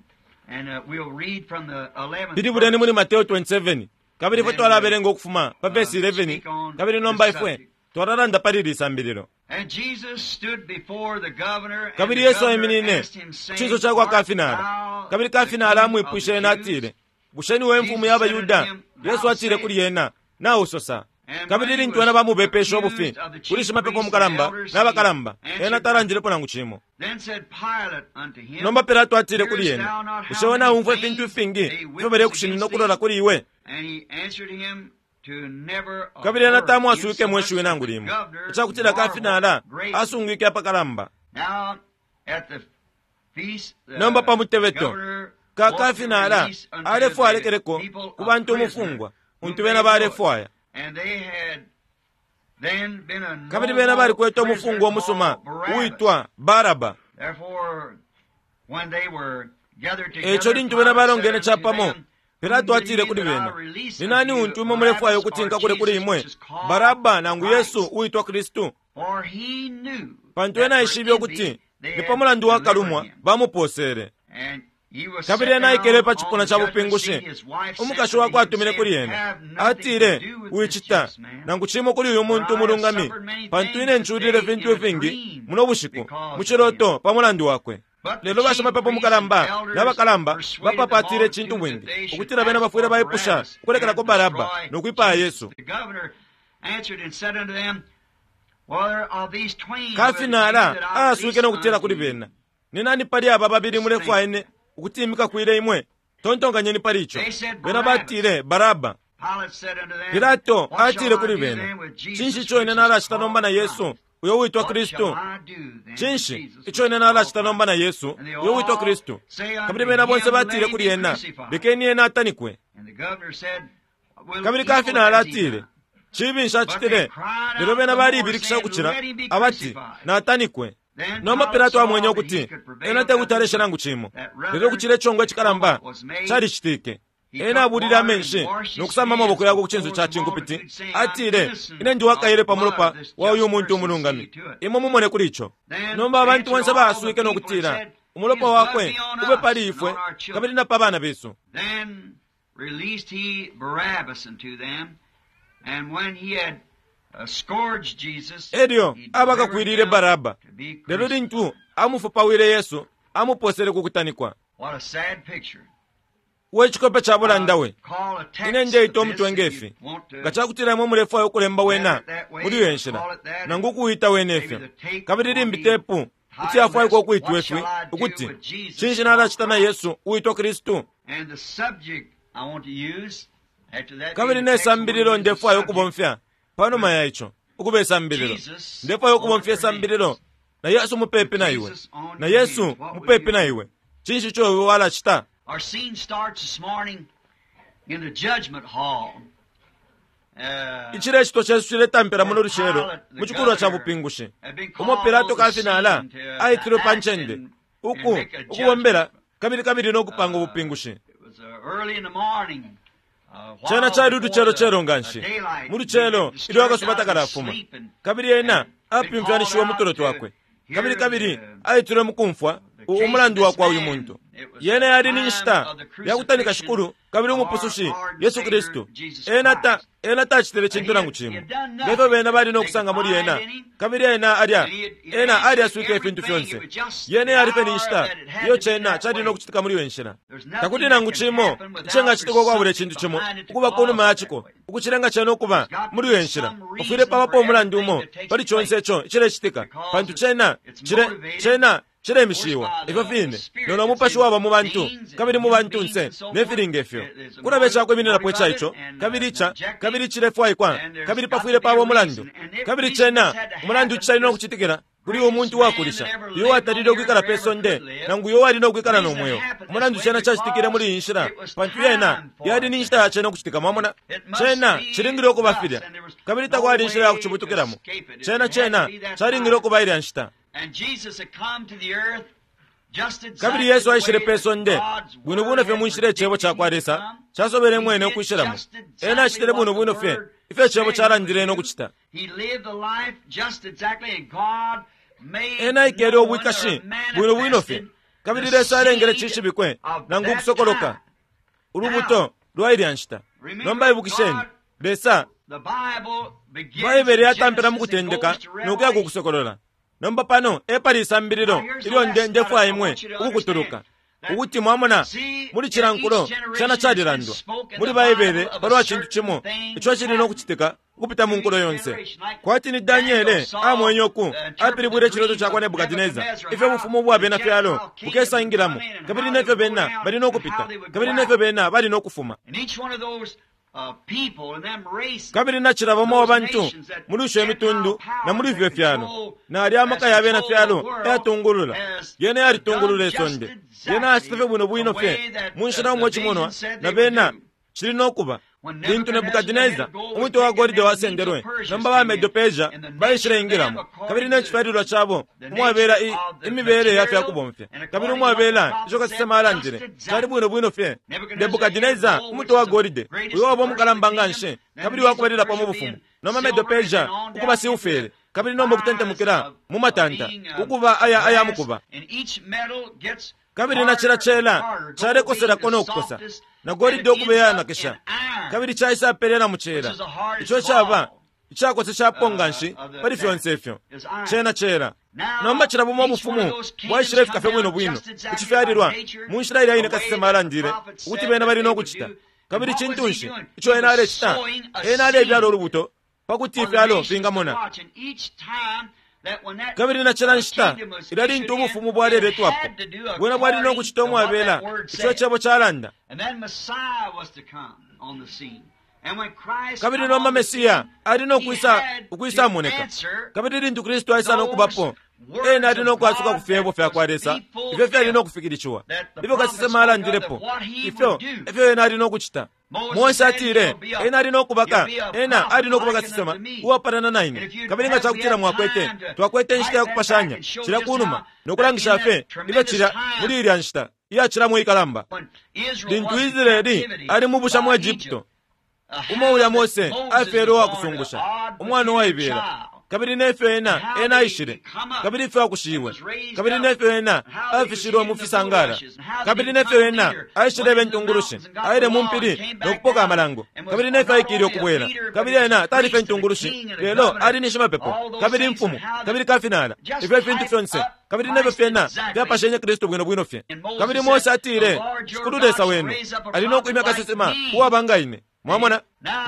and we'll read from the 11th pilibuleni muli verse. Mateo 27, kabili ifwe twalabelenga ukufuma pa vesi 11, kabili nomba ifwe twalalanda pali ili sambililo. And Jesus stood before the governor, and Kabili the Yesu governor aiminine asked him, ku saying, cinso ca kwa Art kafinala, thou kabili the kafinala king of amwipwishe the ena Jews? atile, bushe niwe mfumu ya Bayuda? Yesu atile kuli ena, nausosa. Kabili lintu ena bamubepeshe ubufi kuli shimapepo mukalamba n'abakalamba, ena talandilepo nangu cimo. Then said Pilate unto him, Nomba Pilato atile kuli Hearest ena, thou not bushe how we many naumfwa things ifintu ifingi they ifyo witness balekushinina against ukulola thee? kuli iwe? And he answered him to never a Kabili ena word, tamwaswike mwe insomuch shiwi that nangu the limo, governor icakutila kafinala marveled greatly. asungwike apakalamba. Now, at the feast, the Nomba pa mutebeto, governor ka wanted to kafinala release unto alefwaya the alekeleko people ku a bantu prisoner umufungwa whom untu they bena would. balefwaya. And they had then been a Kabili bena noble balikwete prisoner umufungwa umusuma called Barabbas. uitwa Baraba. Therefore, when they were gathered together, Eco lintu bena Pilate said balongene unto capamo, them, Pilato Whom will atile ye kuli that I bena, release ni nani unto you, untu imwe mulefwaya Barabbas ukuti or nkakule kuli Jesus, imwe, which is called Baraba nangu Christ? Yesu uitwa Kristu? For he knew Pantu that ena for aishibe ukuti envy they ni had pa mulandu wa delivered kalumwa him. bamuposele. And he was Kabili set ena aikele down pa on cipuna the ca judgment bupingushi. seat. His wife sent Umukashi unto wakwe him, atumine kuli saying, ena, Have nothing to atile, do with this wicita just man, nangu cimo kuli uyu for muntu I have umulungami, suffered many pantu things ine nculile this day ifintu in a ifingi dream muno bushiku because mu of him. ciloto pa mulandu wakwe. But the Lelo chief bashimapepo priests and mukalamba elders n'abakalamba persuaded the bapapatile icintu multitude that bwingi they should ukutila bena ask bafwile for baipusha Barabbas ukulekelako and Baraba destroy nokwipaya Jesus. Yesu. The governor answered and said unto them, Whether of these twain will ye Kafinala that I aaswike release nokutila unto kuli you? bena, ni nani pali aba babili Just mulefwaya think. ine ukuti imikakwile imwe? Tontonkanyeni pali ico. They said, Bena Barabbas. batile Baraba. Pilate said unto them, Pilato What shall atile I kuli do bena, then with cinshi Jesus ico ine which is nalacita nomba called na Yesu Christ? uyo uitwa What Kristu? shall I do then with Cinshi Jesus ico which ine is called nalacita nomba na Christ? Yesu And they uyo uitwa all Kristu? say Kabili unto bena bonse him, batile Let him kuli be ena, crucified. lekeni ena atanikwe. And the governor said, Will Kabili evil kafinala has he atile, done? cibi But they nshacitile. cried Lelo out bena the more, balibilikisha saying, ukucila Let him be abati, crucified. natanikwe. Then Nomba Pilate Pilato saw amwenye that he ukuti could prevail ena tekuti nothing, alesha nangu cimo, that lelo rather ukucila icongwe a icikalamba tumult was made. calicitike. He Ena took abulile water and amenshi washed his nokusamba hands amaboko yakwe ku cinso before ca the cinkupiti, multitude, saying, I'm atile, innocent ine ndi wakaele of pa the blood mulopa of this wa uyu just muntu person. See umulungami. to it. Imwe mumone kuli ico. Then Nomba abantu answered bonse all the baaswike people and nokutila, said, umulopa His blood wakwe be on ube us pali and ifwe on our children. kabili na pa bana besu. Then released he Barabbas unto them, and when he had scourged Jesus, Elyo he delivered abakakwilile him Baraba. to be Lelo crucified. lintu amufupawile Yesu, amuposele ku kutanikwa. What a sad picture. We cikope ca bulanda we. Call a text Ine ndeita of this umutwe if ngefi. you want to Nga cakutila imwe mulefwaya ukulemba wena have it that way, muli iyo nshila, call it that, nangu ukuwita wene maybe ifyo. the tape Kabili will limbi be tepu kuti yafwaikwa ukuitwa What ifi, shall I do ukuti with Jesus cinshi nalacita na called Yesu uitwa Kristu? And the subject I want to use after that Kabili being the ne text, I want to sambililo use the ndefwaya subject, ukubomfya panuma ya ico, ukuba isambililo. Jesus Ndefwaya ukubomfya on your isambililo hands. na Yesu mupepi na iwe, Jesus on na your Yesu hands. What will mupepi you na do? iwe. Cinshi ico iwe walacita? Our scene starts this morning in the judgment hall. Icilecito cesu ciletampila muno lucelo mu cikulwa ca bupingushi, umo Pilato kafinala aitilwe pa ncende uku ukubombela kabili kabili no kupanga ubupingushi. It was early in the morning. Cena cali ulucelocelo nga nshi, mu lucelo ilyo akasuba takalafuma, kabili ena apimfyanishiwe mu tulo twakwe, kabili kabili aitilwe mukumfwa umulandu wakwa uyu muntu. Yena yali ni nshita ya kutanika Shikulu kabili Umupusushi Yesu Kristu. Ena ta ena tacitile cintu nangu cimo ngefyo bena bali no kusanga muli ena, kabili ena alya ena alyaswike ifintu fyonse. Yena yali fye ni nshita iyo cena cali no kucitika muli iyo nshila. Takuli nangu cimo icingacitika ukwabula icintu cimo ukuba kunuma ya ciko ukucilenga cena ukuba muli iyo nshila. Pafwile pabapo umulandu umo pali conse ico icilecitika, pantu cena cile cena cilemishiwa ifyo fine lelo umupashi waba mu bantu kabili mu bantunse ne fili nge fyo. Kulaba icakwimininapo ica ico, kabili ica, kabili cilefwaikwa, kabili pafwile paba umulandu. Kabili cena umulandu cali no kucitikila kuli umuntu wakulisha uyo watalile ukwikala pe sonde nangu uyo wali no kwikala no mweo. Umulandu cena cacitikile muli iyi nshila, pantu yena yali ni nshita ya cena ukucitika. Mwamona, cena cilingile ukuba filya, kabili takwali inshila ya kucibutukilamo. Cena cena calingile ukuba ilya nshita. Kabili Yesu aishile pe sonde bwino bwino fye mu nshila Icebo cakwa Lesa casobele mwene ukwishilamo. Ena acitile bwino bwino fye ifyo Icebo calandile no kucita. Ena aikele ubwikashi bwino bwino fye, kabili Lesa alengele cishibikwe nangu ukusokoloka ulubuto lwa ilya nshita. Nomba ibukisheni, Lesa, Baibele yatampila mu Kutendeka no kuya ku Kusokolola. Nomba pano epali isambililo ilyo nde ndefwaya imwe ukukutuluka, ukuti mwamona muli cila nkulo cena calilandwa muli Baibele palwa cintu cimo ico cili no kucitika ukupita mu nkulo yonse. Kwati ni Daniele amwenye uku apilibwile iciloto cakwa Nebukadineza, ifyo ubufumu ubwa bena fyalo bukesaingilamo, kabili nefyo bena bali no kupita, kabili nefyo bena bali no kufuma. Kabili nacila bamo abantu muli isho imitundu na muli ifyo fyalo, nali amaka ya bena fyalo ayatungulula. Yena yalitungulula isonde. Yena acita fye bwino bwino fye mu nshila umo cimonwa na bena cili no kuba. Lintu Nebukadineza umutwe wa golide wasendelwe, nomba ba Medo-Persia baishileingilamo, kabili ne cifyalilwa cabo umwabela i, imibele ya fya kubomfya, kabili umwabela ico kasesema alandile, cali bwino bwino fye. Nebukadineza umutwe wa golide, uyo waba umukalamba nga nshi, kabili wakubalilapo mu bufumu, nomba Medo-Persia ukuba silfere, kabili nomba ukutentemukila mu matanta, ukuba aya aya mukuba. Kabili na cila cela calekoselako no kukosa, na golide ukuba iyanakisha, kabili caisapelela mu cela, ico caba icakoseshapo nga nshi pali fyonse ifyo cena cela. Nomba cila bumo ubufumu bwaishilefika fye bwino bwino ku cifyalilwa mu nshila ilya ine kasesema alandile ukuti bena bali no kucita. Kabili cintu nshi ico ena alecita? Ena alebyala ulubuto pa kuti ifyalo fingamona. Kabili na cila nshita ilya lintu ubufumu bwaleletwapo, bwena bwali no kucita umwabela ico Cebo calanda. Kabili nomba Mesiya ali no kwisa ukwisamoneka. Kabili lintu Kristu aisa no kubapo, ena ali no kwasuka ku fyebo fya kwa Lesa ifyo fyali no kufikilishiwa, ifyo kasesema alandilepo, ifyo ifyo ena ali no kucita. Mose atile ena ali no kubaka, ena ali no kuba kasesema uwapalana na ine. Kabili nga cakutila mwakwete, twakwete inshita ya kupashanya cilya kunuma no kulangisha fye ifyo cilya muli ilya nshita iyacilamo ikalamba. Lintu Israeli ali mu busha mu Egupto, umo ulya Mose afyelwe uwakusungusha, umwana uwaibela, kabili nefyo ena ena aishile, kabili ifyo akushiwe, kabili nefyo ena afishilwe mu fisangala, kabili nefyo ena aishileba intungulushi, aile mu mpili no kupoka amalango, kabili nefyo aikile ukubwela, kabili ena tali fye intungulushi, lelo ali ni shimapepo, kabili imfumu, kabili kafinala, ifyo ifintu fyonse, kabili nefyo fyena fyapashenye Kristu bwino bwino fye. Kabili Mose atile, Shikulu Lesa wenu ali no kwimya kasesema uwaba nga ine. Mwamona?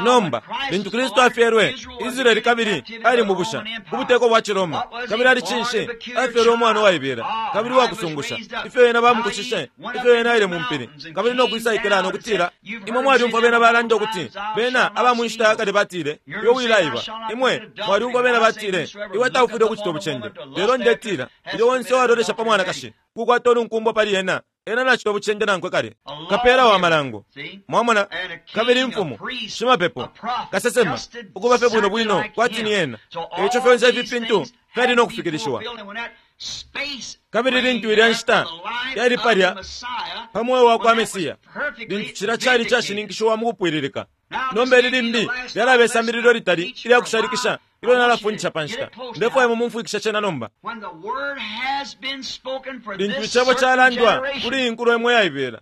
Nomba, lintu Kristu afyelwe, Israeli kabili ali mu busha, ubuteko bwa ciRoma. Kabili ali cinshi? Afyelwe umwana uwaibela, kabili uwakusungusha. Ifyo ena bamukushishe, ifyo ena aile mu mpili, kabili no kwisaikila no kutila, imwe mwalyumfwa bena balanda ukuti, bena aba mu nshita ya kale batile, iwe wilaiba. Imwe mwalyumfwa bena batile, iwe taufwile ukucita ubucende. Lelo ndetila, ilyo onse uwalolesha pa mwanakashi, kukwata ulunkumbwa pali ena, ena nacita ubucende nankwe kale. Kapela wa malango, mwamona, kabili imfumu, shimapepo, kasesema, ukuba fye bwino bwino kwati ni ena. Eico fyonse ifi fintu fyali no kufikilishiwa. Kabili lintu ilya nshita yali palya pa mweo wa kwa Mesiya, lintu cilya cali cashininkishiwa mu kupwililika. Nomba ili limbi lyalaba isambililo litali ilya kushalikisha ilyo nalafundisha pa nshita. Ndefwaya mumfwikisha cena nomba. Lintu icebo calandwa kuli iyi nkulo imo iyaibela,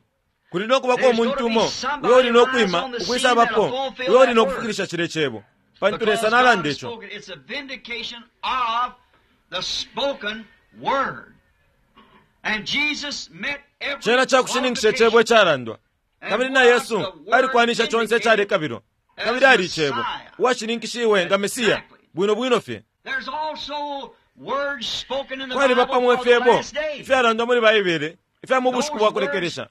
kuli no kubako umuntu umo uyo uli no kwima ukwisabapo, uyo uli no kufikilisha cilya cebo, pantu Lesa nalanda ico. Cena cakushininkisha icebo icalandwa, kabili na Yesu alikwanisha conse icalekabilwa, kabili ali icebo uwashininkishiwe nga Mesiya bwino bwino fye. Kwaliba pamo ifyebo ifyalandwa muli Baibele ifya mu bushiku bwa kulekelesha.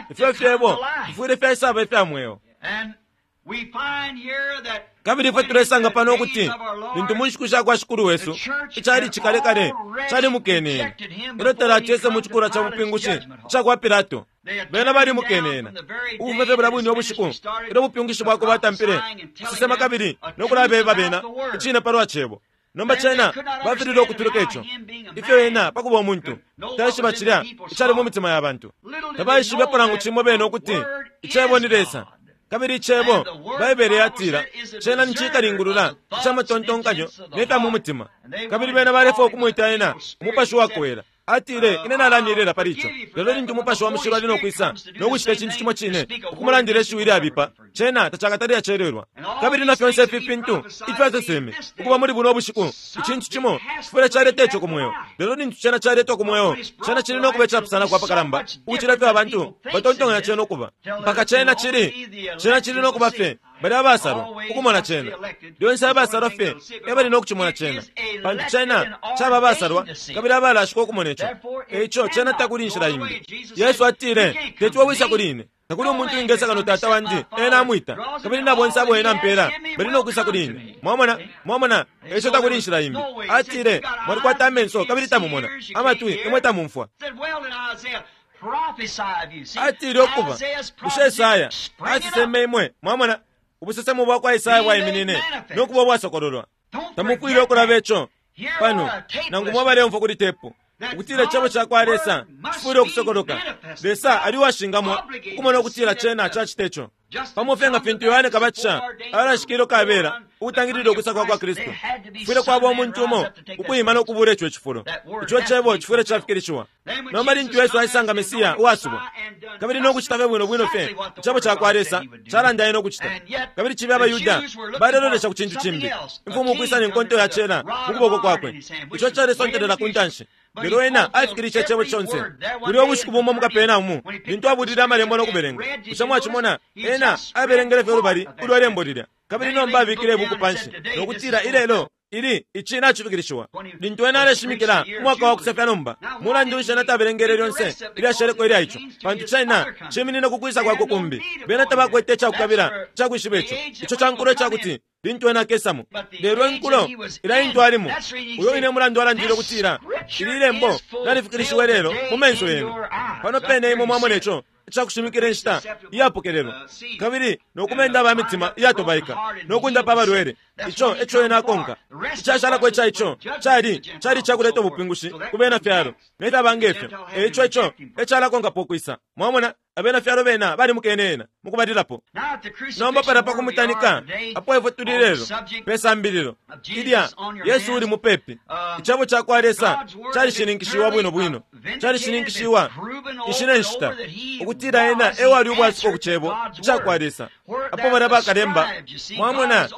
Ifyo fyebo bifwile fyaisaba ifya mweo. Kabili ifwe tulesanga pano ukuti lintu mu nshiku sha kwa Shikulu wesu icali cikalekale calimukene ena ilyo talacese mu cikulwa ca bupingushi ica kwa Pilato. Bena balimukene ena ukufuma fye bulya bwine ubushiku ilyo ubupingushi bwakwe bwatampile kusesema kabili no kulabeba bena icine palwa cebo. Nomba cena bafilile ukutuluka ico ifyo ena pakuba umuntu taishiba cilya icali mu mitima ya bantu. Tabaishibepo nangu cimo bene ukuti icebo ni Lesa. Kabili icebo, Baibele yatila, cena ni cikalingulula ica matontonkanyo ne fya mu mutima. Kabili bena balefwaya ukumwita ena umupashi wakowela. Atile, ine nalamilela pali ico. Lelo lintu umupashi wa mushilo ali no kwisa no kucita icintu cimo cine, ukumulandila ishiwi ilyabipa, cena tacakatale acelelwa. Kabili na fyonse ifi fintu ifyo aseseme ukuba muli buno bushiku, icintu cimo cifwile caleta ico ku mweo. Lelo lintu cena caletwa ku mweo, cena cili no kuba icapusanako apakalamba ukucila ifyo abantu batontonkanya cena ukuba. Mpaka cena cili, cena cili no kuba fye bali abasalwa ukumona cena. Lyonse abasalwa fye ebali no kucimona cena, pantu cena caba abasalwa kabili abalashikwa ukumona ico. Eico cena takuli inshila imbi. Yesu atile, teti wisa kuli ine, takuli umuntu wingesa kano Tata wandi ena amwita, kabili na bonse abo ena ampela bali no kwisa kuli ine. Mwamona, mwamona, eico takuli inshila imbi. Atile, mwalikwata amenso kabili tamumona, amatwi imwe tamumfwa. Atile ukuba bushe Esaya aseseme imwe, mwamona, ubusesemo bwa kwa Esaya bwaiminine no kuba ubwasokololwa. Tamufwile ukulaba ico pano, nangu mwabaleumfwa kuli tepu, ukutila icebo ca kwa Lesa cifwile ukusokoloka. Lesa ali uwashingamwa ukumona ukutila cena cacita ico. Pamo fye nga fintu Yohane Kabatisha alashikile ukabela ukutangilila ukwisa kwa kwa Kristu, kufwile kwaba umuntu umo ukwima no kubula ico cifulo. Ico cebo cifwile cafikilishiwa. Nomba lintu Yesu aisanga Mesiya uwasubwa, kabili no kucita fye bwino bwino fye icebo ca kwa Lesa calanda ena ukucita, kabili cibe abaYuda balelolesha ku cintu cimbi, imfumu ukwisa ne nkonto ya cela mu kuboko kwakwe, ico calesontelela ku ntanshi. Lelo ena afikilishe icebo conse. Kulya ubushiku bumo mu Kapernahumu, lintu abulile amalembo no kubelenga, bushe mwacimona ena abelengele fye ulubali ulwa lembo lilya, kabili nomba abikile ibuku panshi no kutila, ilelo ili ici nacifikilishiwa. Lintu ena aleshimikila umwaka wa kusefya nomba, mulandu nshi ena tabelengele lyonse ilyasheleko ilya ico? Pantu cena ciminine ku kwisa kwakwe kumbi. Bena tabakwete icakukabila icakwishiba ico. Ico ca nkulo icakuti lintu ena akesamo. Lelo inkulo ilya intu alimo, uyo ine mulandu alandile ukutila, ili lembo nalifikilishiwe lelo mu menso yenu. Pano pene imwe mwamona ico icakushimikila inshita iyapokelelwa, kabili no kumenda aba mitima iyatobaika no kundapa abalwele. Ico eco ena akonka. Icashalako ica ico cali cali cakuleta ubupingushi ku bena fyalo ne fyaba ngefyo. Eico ico ecalakonkapo ukwisa. Mwamona, abena fyalo bena balimukene ena mukubalilapo. Nomba palya pa kumutanika apo ifwe tuli lelo pe sambililo ilya Yesu uli mupepi. Icebo ca kwa Lesa calishininkishiwa bwino bwino, calishininkishiwa ishi ne nshita ukutila ena ewali ubwasuko ku cebo ica kwa Lesa. Apo balya bakalemba, mwamona,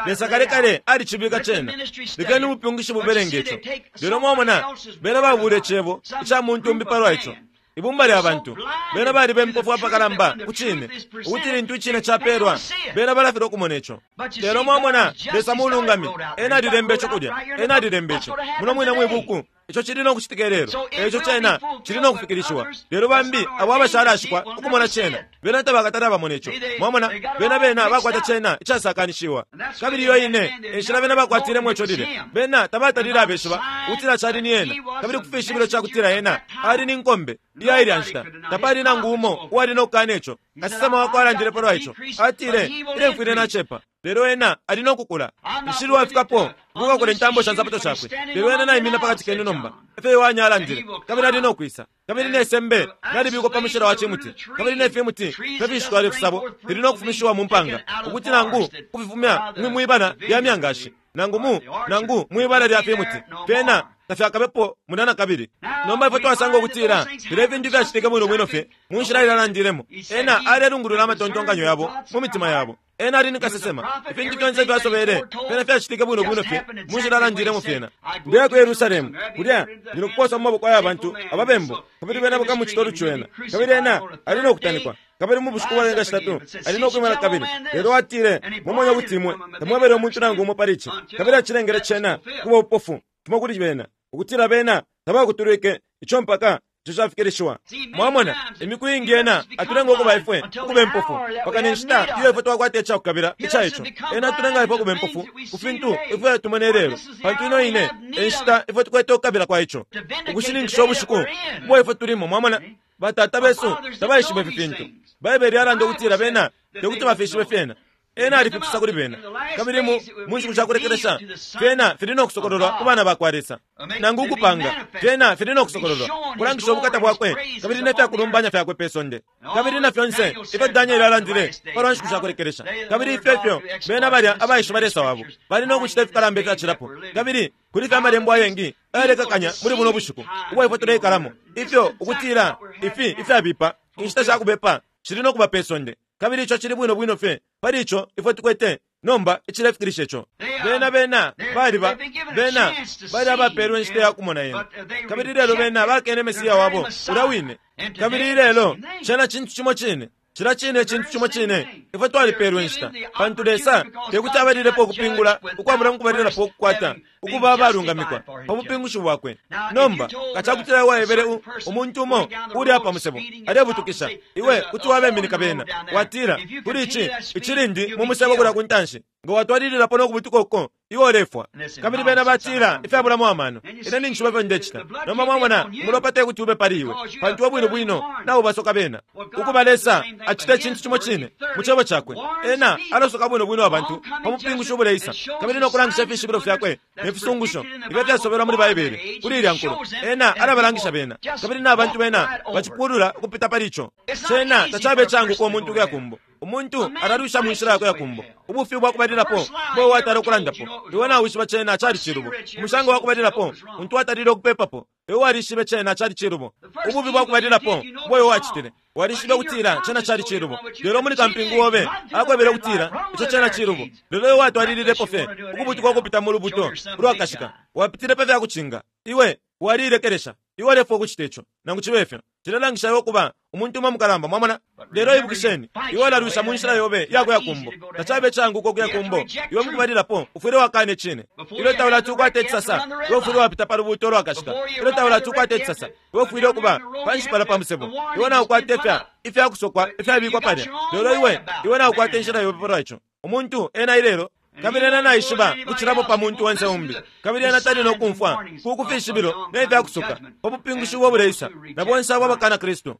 Lesa kale kale alicibika cena. Lekeni ubupingushi bubelenge ico. Lelo mwamona, bena babule cebo ica muntu umbi palwa ico. Ibumba lya bantu bena bali bempofu apakalamba ku cine, ukuti lintu icine capelwa bena balafilwa ukumona ico. Lelo mwamona, Lesa mulungami, ena alilemba ico kulya, ena alilemba ico muno mwine mwibuku. Ico cili no kucitika lelo, eico cena cili no kufikilishiwa. Lelo bambi abo abashalashikwa ukumona cena, bena tabakatale abamona ico. Mwamona, bena bena bakwata cena icasakanishiwa. Kabili iyo ine enshila bena bakwatilemo ico lile, bena tabatalile abeshiba ukutila cali ni ena, kabili ku fishibilo ca kutila ena ali ni nkombe iya ilya nshita. Tapali nangu umo uwali no kukana ico. Kasesema wakwe alandile palwa ico, atile, ine mfwile nacepa, Lelo ena ali no kukula. Nshili wafikapo ukukakula intambo sha nsapato shakwe, lelo ena naimina pakati kenu nomba, efyo Yohane alandile, kabili ali no kwisa. Kabili ne sembe nalibikwa pa mushila wa cimuti, kabili ne fimuti fye fishitwala ifisabo fili no kufumishiwa mu mpanga, ukuti nangu kufifumya mwibala lya myangashi nangu mu nangu mwibala lya fimuti, fyena tafyakabepo mulya na kabili. Nomba ifwe twasanga ukutila filya ifintu fyacitike bwino bwino fye mu nshila ilalandilemo. Ena alelungulula amatontonkanyo yabo mu mitima yabo. Ena ali ni kasesema. Ifintu fyonse fyasobele fyena fyacitike bwino bwino fye mu nshila alandilemo fyena. Ndeya ku Yerusalemu, kulya ndi nokuposa mu maboko aya bantu ababembu, kabili bena bakamucita ulucu ena. Kabili ena ali no kutanikwa, kabili mu bushiku bwalenga shitatu ali no kwima na kabili. Lelo atile, Mwamona ukuti imwe tamwebele umuntu nangu umo pali ici. Kabili acilengele cena kuba ubupofu fimo kuli bena, ukutila bena tabakutulwike ico mpaka ico cafikilishiwa. Mwamona, imiku iingi ena atulenga ukuba ifwe ukuba impofu mpaka ne nshita iyo ifwe twakwata icakukabila ica ico. Ena atulenga ifwe ukuba impofu ku fintu ifwe tumona ilelo, pantu ino ine e nshita ifwe tukwete ukukabila kwa ico, ukushininkisha ubushiku ubo ifwe tulimo. Mwamona, batata besu tabaishiba ifi fintu. Baibele yalanda ukutila bena tekuti bafishibe fyena. Ena alifipisa kuli bena, kabili mu nshiku shakulekelesha fyena fili no kusokololwa ku bana bakwa Lesa. Nangu ukupanga fyena fili no kusokololwa, kulangisha ubukata bwakwe kabili ne fyakulumbanya fyakwe pe sonde, kabili na fyonse ifyo Danieli alandile palwa nshiku shakulekelesha. Kabili ifyo ifyo bena balya abaishiba Lesa wabo bali no kucita ifikalamba ifyacilapo. Kabili kuli fye amalembo ayengi ayalekakanya muli buno bushiku ubwa ifwe tuleikalamo, ifyo ukutila ifi ifyabipa inshita shakubepa shili no kuba pe sonde. Kabili ico cili bwino bwino fye pali ico ifwe tukwete nomba icilefikilisha ico. Bena bena baliba bena bali abapelwe inshita ya kumona yena, kabili lelo bena bakene Mesiya wabo ulya wine. Kabili ilelo cena cintu cimo cine, cila cine cintu cimo cine. Ifwe twalipelwe inshita, pantu Lesa tekuti abalilepo ukupingula ukwabula mukubalilapo ukukwata ukuba abalungamikwa pa bupingushi bwakwe. Nomba nga cakutila iwe waebele umuntu umo uli apa musebo alebutukisha, iwe kuti wabeminika bena, watila kuli ici icilindi mu musebo kulya ku ntanshi, nga watwalililapo no kubutuka uko, iwe ulefwa. Kabili bena batila ifyabulamo amano, ine ninjishiba ifyo ndecita. Nomba mwamona, umulopa tekuti ube pali iwe, pantu iwe bwino bwino naubasoka bena. Ukuba Lesa acita icintu cimo cine mu Cebo cakwe, ena alasoka bwino bwino abantu pa bupingushi ubuleisa, kabili no kulangisha ifishibilo fyakwe ne fisungusho ifyo fyasobelwa muli Baibele kuli ilya nkulo. Ena alabalangisha bena, kabili na bantu bena bacipulula ukupita pali ico. Cena tacabe icaanguka umuntu ukuya kumbo. Umuntu alalwisha mu nshila yakwe yakumbo. Ubufi ubwakubalilapo ubo watala ukulandapo, iwe nawishiba cena cali cilubo. Umusango wakubalilapo untu watalile ukupepapo, iwe walishibe cena cali cilubo. Ububi bwakubalilapo ubo iwe wacitile, walishibe ukutila cena cali cilubo. Lelo muli kampingu obe akwebele ukutila ico cena cilubo. Lelo iwe watwalililepo fye ukubutuka ukupita mu lubuto ulwakashika, wapitile pa fyakucinga. Iwe waliilekelesha. Iwe walefwa ukucita ico. Nangu cibe fyo, cilelangisha iwe ukuba umuntu umo mukalamba, mwamona. Lelo ibukisheni, iwe ulalwisha mu nshila yobe iyakuya kumbo. Tacabe icaanguka ukuya kumbo. Iwe mukubalilapo ufwile wakana icine. Ilyo taulati ukwate icisasa, iwe ufwile wapita pa lubuuto ulwakashika. Ilyo taulati ukwate icisasa, iwe ufwile ukuba panshi palya pa musebo. Iwe naukwata ifya ifyakusokwa ifyabikwa palya, lelo iwe iwe naukwata inshila yobe palwa ico. Umuntu ena ilelo, kabili ena naishiba ukucilapo pa muntu onse umbi, kabili ena tali no kumfwa ku kufishibilo ne fyakusoka pa bupingushi ubo buleisa na bonse abo abakana Kristu.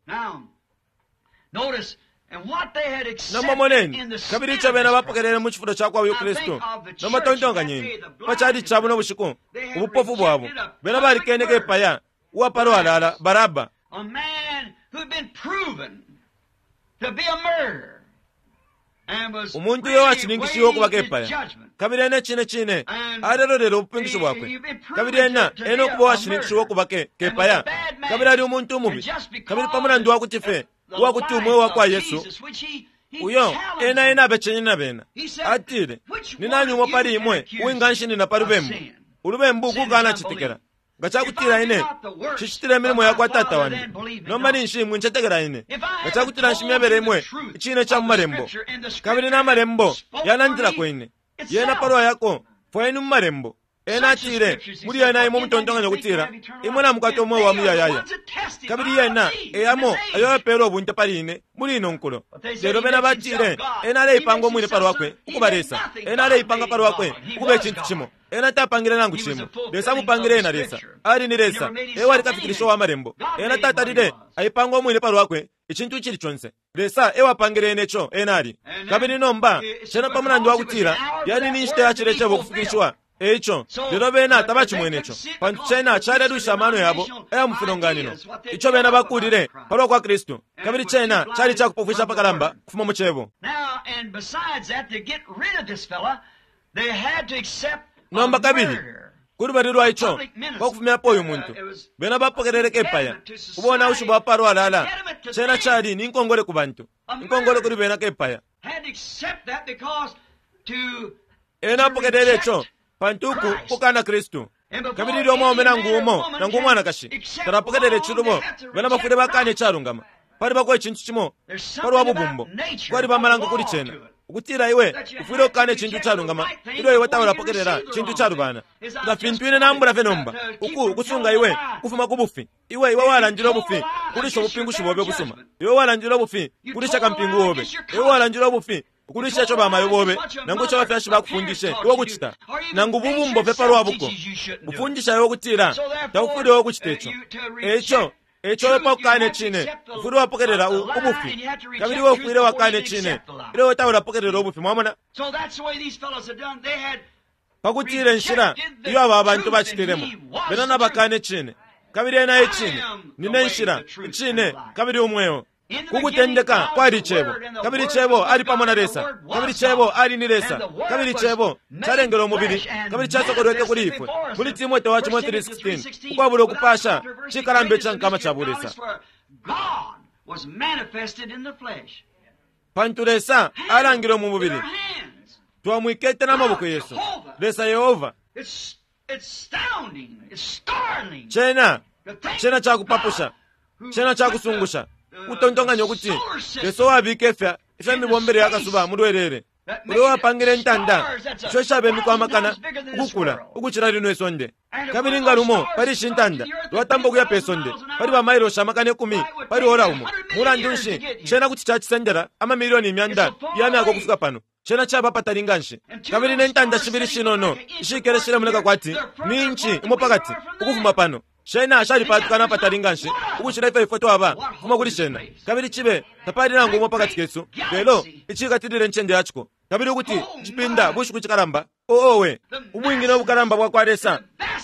Nomba moneni, kabili ico bena bapokelele mu cifulo ca kwa uyu Kristu. Nomba tontonkanyeni pa cali cabo no bushiku, ubupofu bwabo. Bena balikene kepaya uwa palwalala Baraba, umuntu uyo washininkishiwe ukuba kepaya, kabili ena icine cine alelolele ubupingushi bwakwe, kabili ena ena ukuba uwashininkishiwe ukuba kepaya, kabili ali umuntu umubi, kabili pa mulandu wa kuti fye uwa kuti umweo wa kwa Yesu uyo ena ena abecenye na bena, atile, ni nani umo pali imwe uwinganshinina pa lubembu? Ulubembu kukanacetekela. Nga cakutila ine nshicitile imilimo ya kwa Tata wandi, nomba ninshi mwincetekela ine. Nga cakutila nshimyebele imwe icine ca mu Malembo, kabili na Malembo yalandilako ine, yena palwa yako, fwayeni mu Malembo. Ena atile muli yena imwe mutontonkanya ukutila imwe namukwata umweo wa muyayaya, kabili yena eyamo ayo yapeelwa ubunte pali ine muli ino nkulo. Lelo bena batile ena aleipanga umwine palwakwe ukuba Lesa, ena aleipanga palwakwe ukuba icintu cimo. Ena tapangile nangu cimo, Lesa amupangile ena. Lesa ali ni Lesa, ewali kafikilisho wa malembo. Ena tatalile aipanga umwine palwakwe icintu icili conse, Lesa ewapangile ena ico ena ali. Kabili nomba cena pa mulandu wa kutila yali ni nshita ya cile cebo ukufikilishiwa, eico lelo bena tabacimwene ico, pantu cena calelwisha amano yabo aya mu filonganino ico bena bakulile palwa kwa Kristu, kabili cena cali cakupofwisha apakalamba kufuma mu cebo. Nomba kabili kulubali lwa ico, kwakufumyapo uyu muntu, bena bapokelele kepaya ubonaushi bwa palwalala. Cena cali ni nkongole ku bantu, inkongole kuli bena kepaya. Ena apokelele ico pantu uku kukana Kristu. Kabili ilyo umwaume nangu umo nangu umwanakashi talapokelele icilubo, bena bafwile bakana icalungama. Palibako icintu cimo palwa bubumbo, kwaliba amalango kuli cena ukutila iwe ufwile ukukana icintu icalungama ilyo iwe taulapokelela cintu icalubana. Nga fintu ine nambula fye nomba uku ukusunga iwe ukufuma ku bufi, iwe walandile ubufi kulisha ubupingushi bobe busuma, iwe walandile ubufi kulisha kampingu obe, iwe walandile ubufi ukulisha ico bamayo bobe nangu ico abafyashi bakufundishe iwe kucita, nangu bubumbo fye palwa buko bufundisha iwe ukutila taufwile iwe kucita ico. Eico eco iwe pakukana icine ufwile wapokelela ubufi, kabili iwe ufwile wakana icine ilyo iwe taulapokelela ubufi. Mwamona? Pakutila inshila iyo aba bantu bacitilemo, bena nabakana icine, kabili ena icine. Nine nshila, icine, kabili umweo. Kukutendeka kwali icebo, kabili icebo ali pamo na Lesa, kabili icebo ali ni Lesa, kabili icebo calengele umubili, kabili casokolweke kuli ifwe. Muli Timote wa cimo 3:16, ukwabula ukupasha cikalamba ica nkama ca bulesa, pantu Lesa alangile mu mubili, twamwikete n'amaboko yesu. Lesa Yehova. Cena cena cakupapusha, cena cakusungusha kutontonkanya ukuti Lesa uwabika ifya mibombele ya kasuba mulwelele, uyo wapangile intanda isho ishabemikwa amakana ukukula ukucila lino isonde, kabili nga lumo pali ishi ntanda lwatamba ukuya pe sonde pali bamailoshi amakana 10 pali ora umo, mulandu nshi cena kuti cacisendela amamilioni imyanda ya myaka ukufika pano? Cena caba patali nganshi. Kabili ne ntanda shibili shinono ishikele shilemoneka kwati ni inchi imo pakati ukufuma pano, shena shalipatukana apatali nganshi ukucila ifyo ifwe twaba kufuma kuli shena, kabili cibe tapali nangu umo pakati kesu lelo icikatilile incende yaciko. Kabili ukuti cipinda bushiku cikalamba, oowe ubwingi no bukalamba bwa kwa Lesa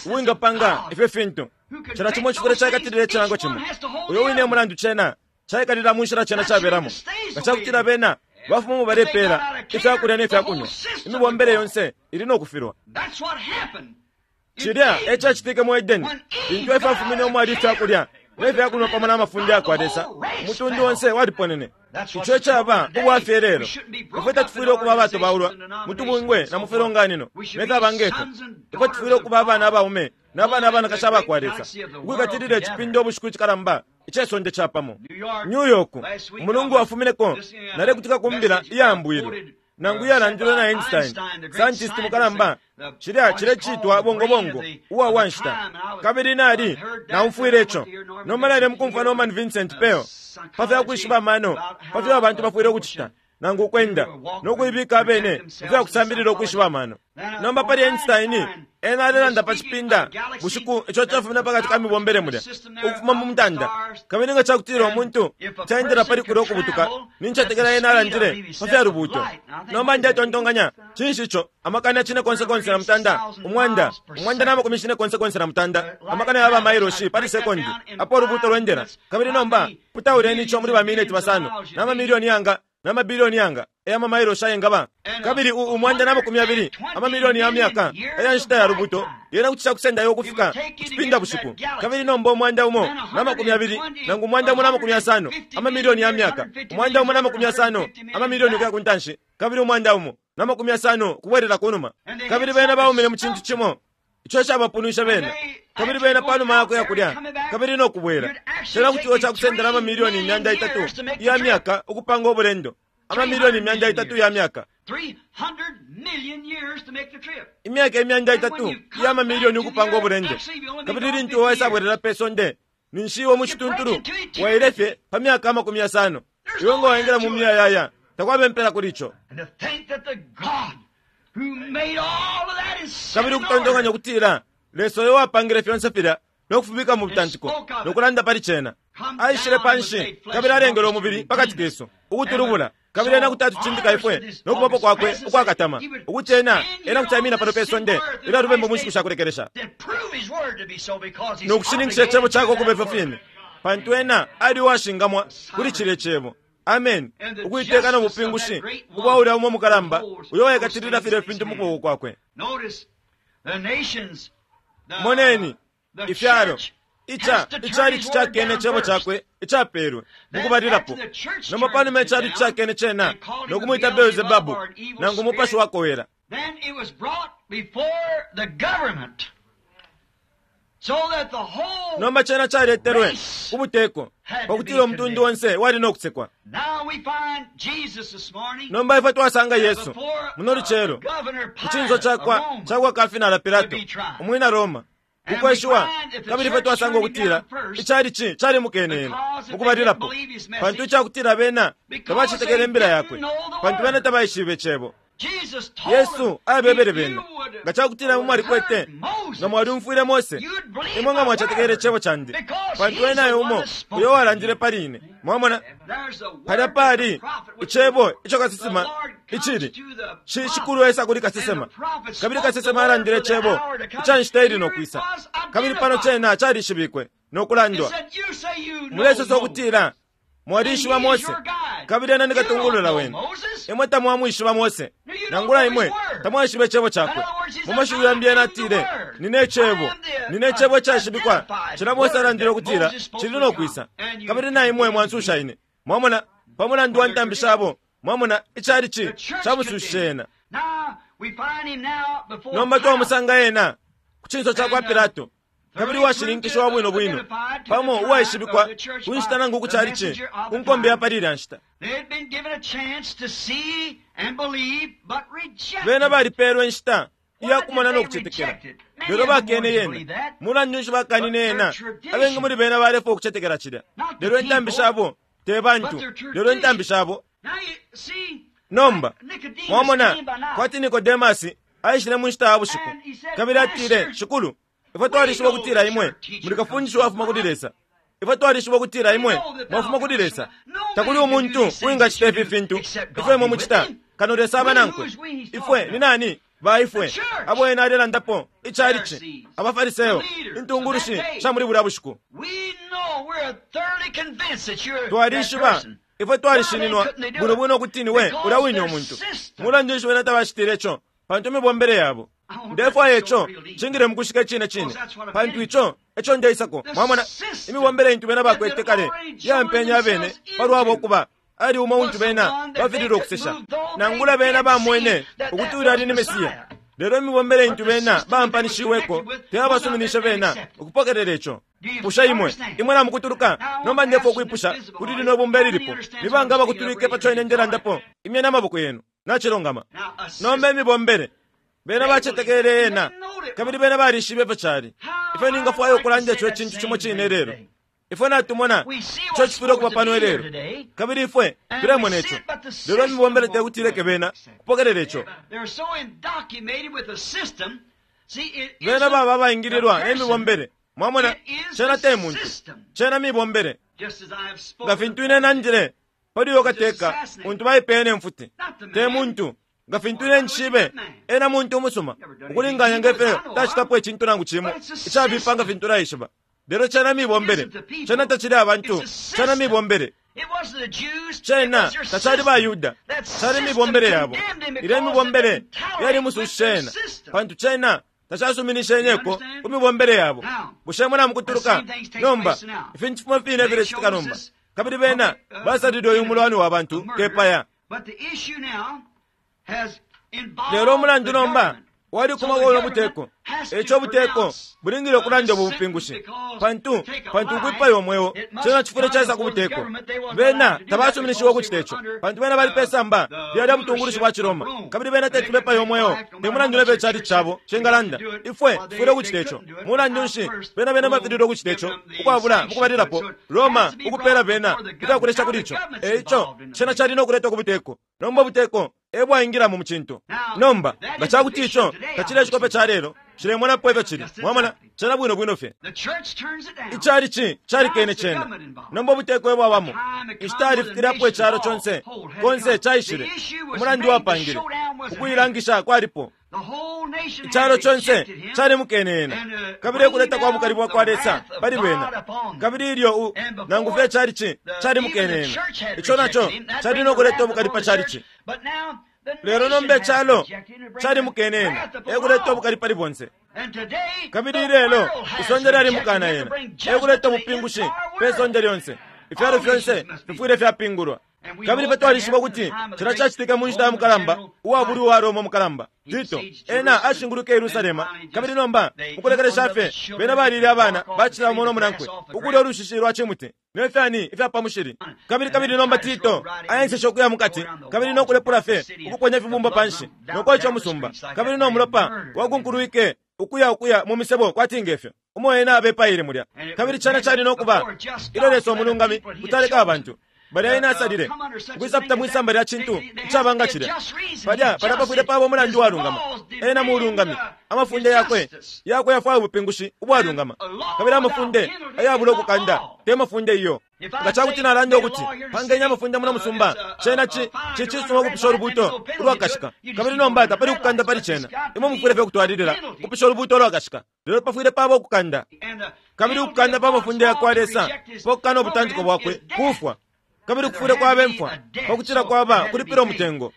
ubwingapanga ifyo fintu. Cila cimo cifwile caikatilile icilango cimo, uyo wine mulandu cena caikalila mu nshila cena caberamo. Nga cakutila bena bafumu balepeela ifyakulya ne fyakunywa, imibombele yonse ili no kufilwa. Cilya e cacitike mu Edeni lintu Efa afumine umwali ifyakulya ne fyakunywa pamo na mafunde ya kwa Lesa, umutundu onse waliponene. Ico ecaba ubwafya lelo. Ifwe tatufwile ukuba abatobaulwa mu tubungwe na mu filonganino ne fyaba ngefyo. Ifwe tufwile ukuba abana abaume na bana abanakashi aba kwa Lesa, ukwikatilila icipinda ubushiku icikalamba icesonde capamo. New York, umulungu wafumineko nalekutika ku mbila iyambwilwe nangu iyalandilwe na Einstein, scientist mukalamba, cilya cilecitwa bongobongo uwa wanshita. Kabili nali naumfwile ico. Nomba nali mukumfwa Norman Vincent Peale pa fya kwishiba amano pa fyo abantu bafwile ukucita nangu ukwenda no kuibika abene ifya kusambilila ukwishiba amano. Nomba pali Einstein, ena alelanda pa cipinda bushiku ico cafumine pakati ka mibombele mulya ukufuma mu mutanda, kabili nga cakutila umuntu caendela pali kulya ukubutuka, nincetekela ena alandile pa fya lubuuto. Nomba ndetontonkanya cinshi ico amakana cine konse konse na mutanda, umwanda umwanda na makumi cine konse konse na mutanda, amakana ya bamailoshi pali sekondi apo ulubuuto lwendela. Kabili nomba putauleni ico muli bamineti basano na mamilioni yanga na mabilioni yanga eya mamailoshi ayengaba, kabili umwanda na makumi abili amamilioni ya myaka eya nshita ya lubuto yena kuti cakusendayo ukufika kucipinda bushiku. Kabili nomba umwanda umo na makumi abili nangu umwanda umo na makumi asano amamilioni ya myaka, umwanda umo na makumi asano amamilioni ukuya kuntanshi, kabili umwanda umo na makumi asano kubwelela kunuma. Kabili bena baumile mu cintu cimo ico cabapunwisha bena, kabili bena panuma yakuya kulya kabili no kubwela, cena kuti iwo cakusendela amamilioni imyanda itatu iya myaka ukupanga ubulendo. Amamilioni 300 ya myaka. Imyaka 300 iya mamilioni ukupanga ubulendo. Kabili lintu waisabwelela pe sonde, ninshi iwe mu cituntulu waile fye pa myaka 50. Iwe nga waingila mu muyayaya, takwaba impela kuli ico. Kabili ukutontonkanya ukutila Lesa uyo wapangile fyonse filya no kufibika mu butantiko no kulanda pali cena, aishile panshi kabili alengele umubili pakati kesu ukutulubula, kabili ena kuti atucindika ifwe no kubapo kwakwe ukwakatama, ukuti ena ena kuti aimina pano pe sonde ilyo lubembu mu nshiku sha kulekelesha no kushininkisha icebo cakwe ukuba ifyo fine, pantu ena ali uwashingamwa kuli cilya cebo. Amen. Ukuiteka no bupingushi ubwa ulya umo mukalamba uyo waikatilila filya fintu mu kuboko kwakwe. Moneni ifyalo ica icalici cakene cebo cakwe icapelwe mukubalilapo. Nomba panuma icalici cakene cena no kumwita Beelzebabu nangu umupashi wakowela. Nomba cena caletelwe ku buteko pakutila umutundu onse wali no kusekwa. Nomba ifwe twasanga Yesu muno lucelo ku cinso cakwa cakwa kafinala Pilato umwina Roma ukweshiwa, kabili ifwe twasanga ukutila icalici calimukene ena mukubalilapo, pantu icakutila bena tabacetekele imbila yakwe, pantu bena tabaishibe cebo. Yesu abebele bena, nga cakutila imwe mwalikwete, nga mwaliumfwile Mose, imwe nga mwacetekele icebo candi, pantu ena e umo uyo walandile pali ine. Mwamona, palya pali icebo ico kasesema icili shikulu esa kuli kasesema, kabili kasesema alandile icebo ica nshita ili no kwisa, kabili pano cena calishibikwe no kulandwa. Mulesosa ukutila mwalishiba Mose, kabili ena ni katungulula wenu. Imwe tamwamwishiba Mose, nangula imwe tamwaishiba icebo cakwe. Mu mashiwi yambi ena atile, nine icebo, nine icebo icashibikwa cila Mose alandile ukutila cili no kwisa, kabili na imwe mwansusha ine. Mwamona, pa mulandu wa ntambi shabo, mwamona, icalici camusushishe ena. Nomba twamusanga ena ku cinso cakwa Pilato, kabili uwashininkishiwa bwino bwino pamo uwaishibikwa ku nshita nangu ku calici ku nkombe ya pali ilya nshita. Bena balipelwe inshita iya kumona no kucetekela, lelo bakene yena. Mulandu nshi bakanine yena? Abengi muli bena balefwaya ukucetekela cilya, lelo intambi shabo te bantu, lelo intambi shabo. Nomba mwamona kwati Nikodemasi aishile mu nshita ya bushiku, kabili atile, Shikulu, ifwe twalishiba ukutila imwe muli kafundisha uwafuma kuli Lesa. Ifwe twalishiba ukutila imwe mwafuma kuli Lesa. Takuli umuntu uwingacita ifi fintu ifyo imwe mucita, kano Lesa aba nankwe. Ifwe ni nani? Ba ifwe abo ena alelandapo, icalici, abaFariseo, intungulushi sha muli bulya bushiku. Twalishiba, ifwe twalishininwa bwino bwino ukuti niwe ulya wine umuntu. Mulandu nshi bena tabacitile ico? Pantu imibombele yabo. Ndefwaya ico cingile mukushika icine cine, pantu ico eco ndeisako. Mwamona, imibombele intu bena bakwete kale yampenya abene palwabo ukuba ali umo untu bena bafililwe ukusesha, nangula bena bamwene ukuti ulya ali ni Mesiya. Lelo imibombele intu bena bampanishiweko teyabasuminishe bena ukupokelela ico. Bushe imwe imwe namukutuluka? Nomba ndefwaya ukwipusha kuli lino ibumba ililipo, ni banga abakutulwike paco ine ndelandapo? Imyeni amaboko yenu. Nacilungama. Nomba imibombele bena bacetekele ena, kabili bena balishibe ifyo cali. Ifyo ningafwaya ukulanda ico cintu cimo cine lelo. Ifwe natumona ico cifwile ukuba pano ilelo, kabili ifwe tulemona ico. Lelo imibombele tekuti ileke bena kupokelela ico. Bena baba abaingililwa ne mibombele. Mwamona, cena te muntu, cena mibombele. Nga fintu ine nandile pali uyo kateka untu baipeye ne mfuti, te muntu. Nga fintu ine nshibe, ena muntu umusuma ukulinganya nge fyo tacitapo icintu nangu cimo icabipa nga fintu naishiba. Lelo cena mibombele, cena tacili abantu, cena mibombele. Cena tacali baYuda, cali mibombele yabo. Ilya mibombele yalimusushishe ena, pantu cena tacasuminishenyeko ku mibombele yabo. Bushe mwe namukutuluka? Nomba ifintu fimo fine filecitika nomba, kabili bena basalile uyu mulwani wa bantu kepaya. Lelo umulandu nomba Walikuma kwa buteko. Eco buteko bulingile ukulanda ubu bupingushi. Pantu ukwipaya umweo cena chifule chaisa ku buteko. Bena tabasuminishiwe ukuchita ico. Pantu bena bali pesamba lyali butungulushi bwa Chiroma. Kabili bena teti bepaya umweo. Te mulandu nebe chali chabo chengalanda. Ifwe tufwile ukuchita ico. Mulandu nshi bena bena bafilile ukuchita ico. Ukwabula mukubalilapo Roma ukupela bena itakulesha kuli ico. Eco cena chali nokuletwa ku buteko. Nomba buteko ebwaingira mu muchinto. Nomba nga chakuti ico tachile chikope cha lero chilemonapo ifyo chili. Mwamona chena bwino bwino fye. Ichali chali kene chena. Nomba buteko ebwabamo. Ishitali fikirapo echalo chonse. Konse chaishire. Umulandu wapangire. Ukuyilangisha kwalipo. Ichalo chonse chali mukenena. Kabili kuleta kwa bukali bwa kwa Lesa pali bwena. Kabili ilyo nangu fye chali chali mukenena. Icho nacho chali nokuleta obukali pa chali chi. Lero nombe chalo chali mukenena. Ekuleta obukali pali bonse. Kabili lelo isonde lyali mukana yena. Ekuleta obupingushi pe sonde lyonse. Ifyalo fyonse bifwile fyapingulwa. Kabili patwalishiba kuti chila chachitika mu nshita ya mukalamba uwabuli wa Roma mukalamba Tito ena ashinguluka Yerusalema. Kabili nomba mukulekelesha fye bena balile abana bachila muno munankwe ukulya olushishi lwa chimuti nefyani ifyapamushili. Kabili nomba Tito aensesha okuya mukati kabili nokulepula fye ukuponya fibumba panshi nokwacha musumba. Kabili nomulopa wakunkulwike ukuya mu misebo kwatingefyo umo ena abepaile mulya. Kabili chana chali nokuba ilo Lesa omulungami kutaleka abantu balya ena asalile ukwisapita mwisamba lya chintu icabanga chilya palya palapafwile pabo mulandu walungama ena mulungami amafunde yakwe yafwaya ubupingushi ubwalungama. Kabili amafunde ayabula okukanda te mafunde iyo. Nga chakuti nalanda ukuti pangenya amafunde muno musumba chena chichisuma okupisha olubuto ulwakashika. Kabili nomba tapali kukanda pali chena imwe mufwile fye okutwalilila kupisha olubuto ulwakashika. Lelo pafwile pabo okukanda. Kabili ukukanda pa mafunde yakwa Lesa pokukana obutantiko bwakwe kufwa. Kabili kufwile kwaba emfwa pakuchila kwaba kulipira omutengo.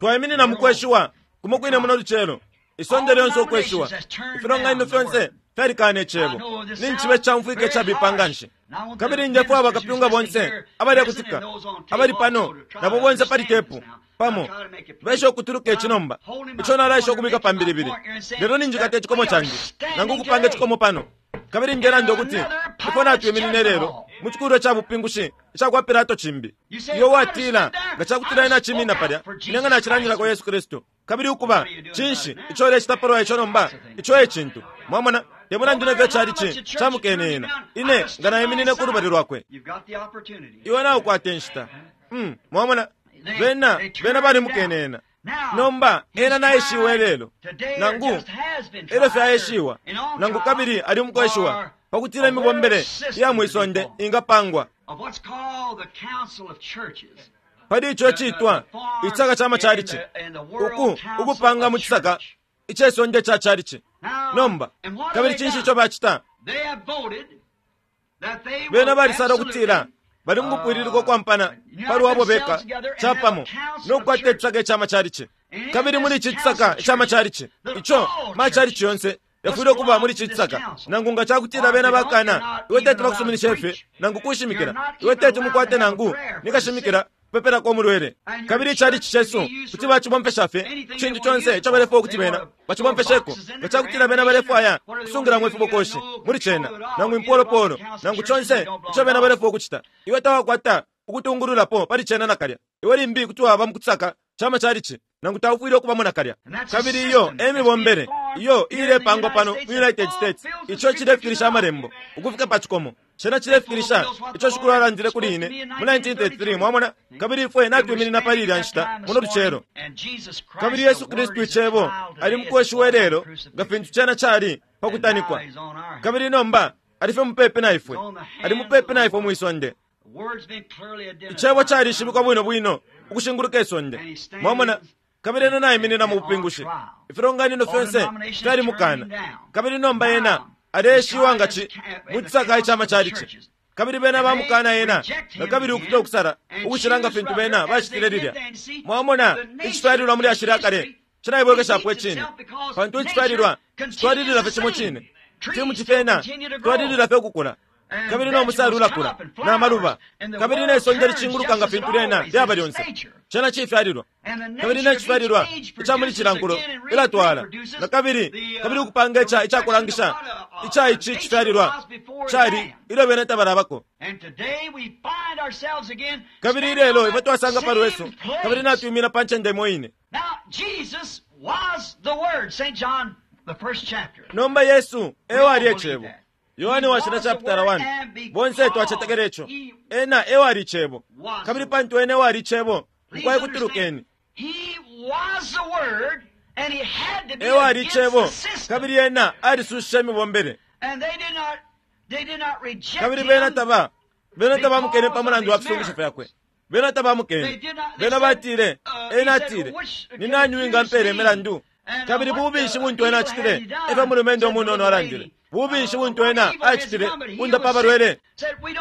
Twayiminina mukweshiwa kumo kwine muno luchelo. Isonde lyonse okweshiwa. Ifilonganino fyonse fyalikana echebo. Ninchibe chamfwike chabipa nshi. Kabili ndefwa abakapyunga bonse abali kutika abali pano nabo bonse pali tepu pamo besha okutuluka echinomba icho nalaisha okubika pambilibili. Lero ninjikata echikomo change nangu kupanga echikomo pano. Kabili ngelanda okuti ifo natwiminine lero mu chikulo cha bupingushi ichakwa Pilato chimbi. Iyo watila nga chakutila ina chimina palya inanga nachilandilako Yesu Kristu. Kabili ukuba chinshi icho lechitapalwa icho nomba icho echintu. Mwamona te mulandu nefyo chali chi chamukenena. Ine nga nayiminine ku lubali lwakwe. Iwe naukwata enshita. Mwamona bena bali mukenena. Nomba ena naishiwe lelo nangu elo fyaishiwa nangu kabili ali mukweshiwa pakutila imibombele ya mwisonde ingapangwa pali icho chitwa ichisaka cha machalichi uku ukupanga mu chisaka ichesonde cha chalichi. Nomba kabili chinshi icho bachita bena balisala okutila bali mukupwililika okwampana pali wabo beka chapamo nokukwata echisaka echa machalichi. Kabili muli ichi chisaka echa machalichi icho machalichi yonse yafwile okuba muli ichi chisaka nangu nga chakutila bena bakana iwe teti bakusuminisha ife nangu kushimikila iwe teti mukwate nangu nikashimikila kupepelako omulwele. Kabili ichalichi chesu kuti bachibompesha fye chintu chonse icho balefwa okuti bena bachibompesheko nga chakutila bena balefwaya kusungilamo ifibokoshi muli chena nangu impolopolo nangu chonse icho bena balefwa okuchita. Iwe tawakwata ukutungululapo pali chena nakalya. Iwe limbi kuti waba mukutsaka chama chalichi nangu taufwile okubamo nakalya. Kabili iyo emibombele iyo ilepangwa pano mu United States icho chilefikilisha amalembo ukufika pa chikomo. Chena chilefikilisha icho shikulu alandile kuli ine mu 1933. Mwamona kabili ifwe natwiminina pali ilya nshita muno luchelo. Kabili Yesu Kristu ichebo ali mukweshiwa lelo nga fintu chena chali pakutanikwa. Kabili nomba alife mupepe na ifwe. Ali mupepe na ifwe mwisonde. Ichebo chalishibikwa bwino bwino ukushinguluka isonde. Mwamona kabili ena nayiminina mu bupingushi. Ifilonganino fyonse fyali mukana. Kabili nomba ena aleshiwa nga chi mu chisaka ichama chalichi. Kabili bena bamukana ena nga kabili ukuta okusala ukushilanga fintu bena bachitile lilya. Mwamona ichitwalilwa muli ashili akale chinayibwekeshapo echine. Pantu ichitwalilwa chitwalilila fye chimo chine. Chimu chifena chitwalilila fye okukula. Kabili no musalu ulakula na maluba, kabili ne sonde licinguluka nga fintu lyena lyaba lyonse. Cena cifyalilwa. Kabili ne cifyalilwa ica muli cila nkulo ilatwala na kabili, kabili ukupanga ica icakulangisha ica ici cifyalilwa cali ilyo bena tabalabako. Kabili ilelo ifwe twasanga pa lwesu, kabili natwimina pa ncende imo ine. Nomba Yesu e wali e Cebo. Yohane Washila chapitala 1. Bonse twacetekela ico. Ena e wali Cebo. Kabili pantu ena e wali Cebo, mukwai kutulukeni. E wali Cebo, kabili ena alisushishe imibombele. Kabili bena taba, bena tabamukene pa mulandu wa fisungusho fyakwe. Bena tabamukene. Bena batile, ena atile, ni nani uwingampela imilandu? Kabili bubi nshi buntu ena acitile? Efyo mulumendo umunono alandile. Bubi nshi buntu ena acitile kundapa abalwele?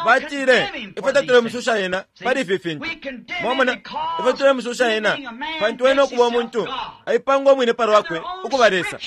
Batile, ifwe tatulemususha ena pali ifi fintu. Mwamona, ifwe tulemususha ena pantu ena ukuba umuntu aipanga umwine pa lwakwe ukuba Lesa.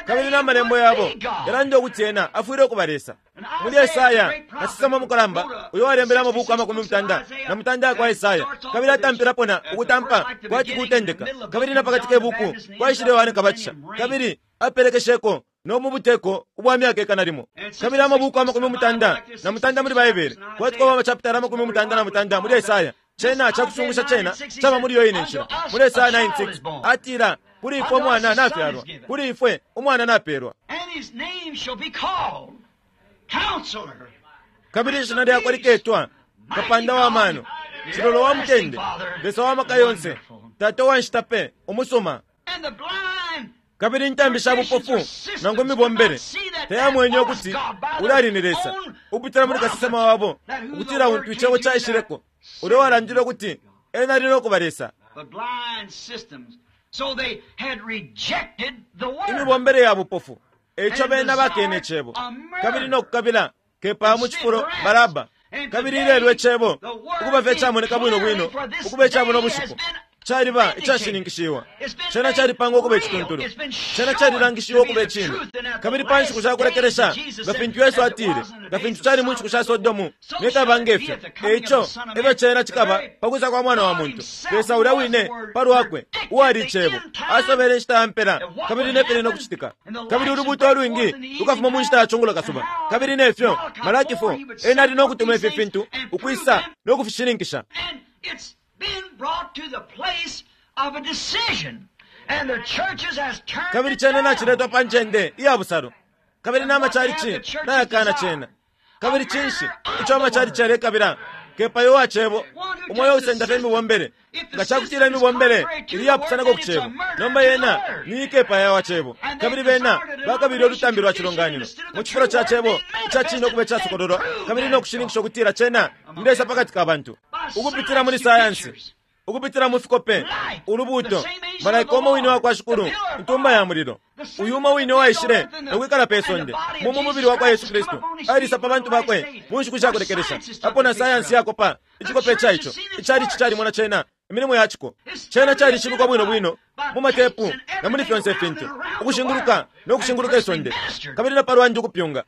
Kabili na malembo yabo yalanda ukuti ena afwile ukuba Lesa. Muli Esaya, kasesema mukalamba uyo walembele amabuku 66 yakwa Esaya, kabili atampilapo na ukutampa kwati kutendeka, kabili na pakati ke buku kwaishile Yohane Kabatisha, kabili apelekesheko no mu buteko ubwa myaka ikana limo. Kabili amabuku 66 muli Baibele, kwati kwaba amachapitala 66 muli Esaya. Cena cakusungusha cena caba muli yo ine nshila. Muli Esaya 9:6 atila, kuli ifwe umwana nafyalwa, kuli ifwe umwana napelwa. Kabili ishina lyakwe liketwa Kapanda wa mano, Cilolo wa mutende, Lesa wa maka yonse, Tata wa nshita pe, umusuma. Kabili intambi sha bupofu nangu imibombele tayamwenye ukuti ulali ni Lesa ukupitila muli kasesema wabo, ukutila untu icebo caishileko ulyo walandile ukuti ena ali no kuba Lesa. Imibombele ya bupofu, eico bena bakene icebo, kabili no kukabila kepaya mu cifulo Baraba. Kabili ilelo icebo ukuba fye camoneka bwino bwino ukuba icabo no bushiku caliba icashininkishiwa. Cena calipangwa ukuba icituntulu. Cena calilangishiwa ukuba icine. Kabili pa nshiku sha kulekelesha, nga fintu Yesu atile, nga fintu cali mu nshiku sha Sodomu, ne kaba nge fyo, eico efyo cena cikaba pa kwisa kwa Mwana wa muntu. Lesa ulya wine pa lwakwe, uwali Icebo, asobele inshita ya mpela, kabili ne fili no kucitika. Kabili ulubuuto ulwingi lukafuma mu nshita ya cungulo kasuba. Kabili ne fyo, Malaki 4, ena ali no kutuma ifi fintu ukwisa no kufishininkisha. Kabili cena naciletwa pa ncende iya busalo, kabili na macalici nayakana cena. Kabili cinshi ico amacalici yalekabila? Kepayo wa cebo, umoyo usenda fye imibombele. Nga cakutila imibombele ili yapusanako ku cebo, nomba yena ni kepaya wa cebo. Kabili bena bakabile ulutambi lwa cilonganino mu cifulo ca cebo ica cine ukuba icasokololwa, kabili no kushininkisha ukutila cena ni Lesa pakati ka bantu, ukupitila muli sayansi, ukupitila mu fikope, ulubuuto, malaika umo wine wa kwa Shikulu, intumba ya mulilo. Uyu umo wine waishile no kwikala pe sonde mu mubili wa kwa Yesu Kristu, alisa pa bantu bakwe mu nshiku sha kulekelesha. Apo na sayansi yakopa icikope ca ico, icalici calimona cena, imilimo ya ciko. Cena calishibikwa bwino bwino mu matepu na muli fyonse ifintu, ukushinguluka no kushinguluka isonde, kabili na palwandi ukupyunga.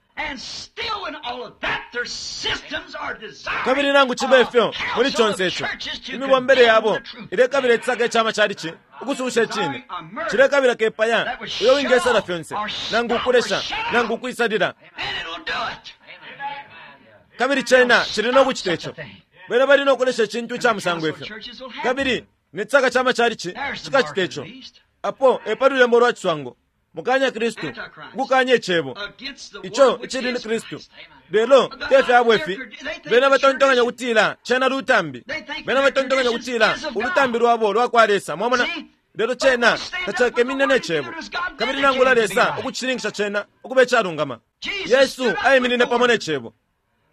Kabili nangu cibe ifyo, muli conse ico, imibombele yabo ilekabila icisaka ica macalici ukususha icine. Cilekabila kepaya uyo wingesala fyonse, nangu ukulesha, nangu ukwisalila. Kabili cena cili no kucita ico. Bena bali no kulesha icintu ica musango ifyo. Kabili ne cisaka ca macalici cikacita ico. Apo e pa lulembo lwa ciswango, mukanya Kristu, ukukanya icebo, ico icili ni Kristu. Lelo te fyabo ifi, bena batontonkanya ukutila cena lutambi. Bena batontonkanya ukutila ulutambi lwabo lwa kwa Lesa. Mwamona? Lelo cena tacakeminine ne cebo. Kabili nangula Lesa ukucishininkisha cena ukuba icalungama. Yesu aiminine pamo ne cebo,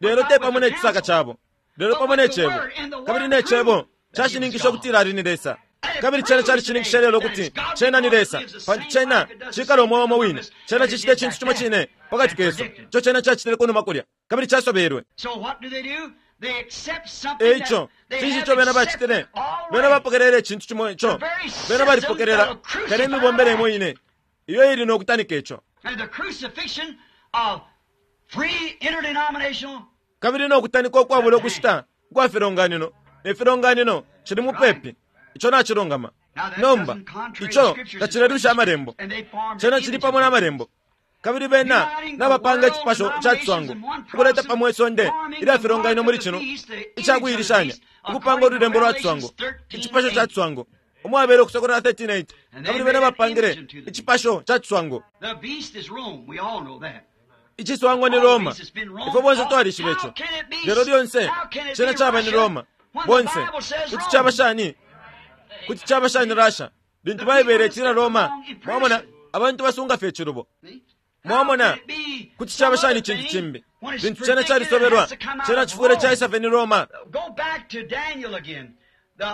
lelo te pamo ne cisaka cabo, lelo pamo ne cebo. Kabili ne cebo cashininkisha ukutila ali ni Lesa. Kabili cena calishininkisha lelo ukuti cena ni Lesa, pantu cena cikala umweo umo wine. Cena cicita icintu cimo cine pakati kesu ico cena cacitile kunuma kulya, kabili casobelwe. Eico cinshi ico bena bacitile? Bena bapokelele icintu cimo ico bena balipokelela kale, imibombele imo ine iyo ili no kutanika ico. Kabili no kutanika ukwabula ukushita ukwa filonganino ne filonganino cili mupepi. Ico nacilungama. Nomba ico tacilelusha amalembo, cena cili pamo na malembo. Kabili bena nabapanga icipasho ca ciswango, ukuleta pamo isonde ilya filonganino muli cino icakuilishanya, ukupanga ululembo lwa ciswango, icipasho ca ciswango umwabele Ukusokolola 13:8. Kabili bena bapangile icipasho ca ciswango. Iciswango ni Roma, ifwe bonse twalishiba ico. Lelo lyonse cena caba ni Roma. Bonse kuti caba shani? Kuti caba shani Russia lintu Baibele itila Roma? Mwamona, abantu basunga fye icilubo. Mwamona, kuti caba shani icintu cimbi lintu cena calisobelwa? Cena cifwile caisa fye ni Roma.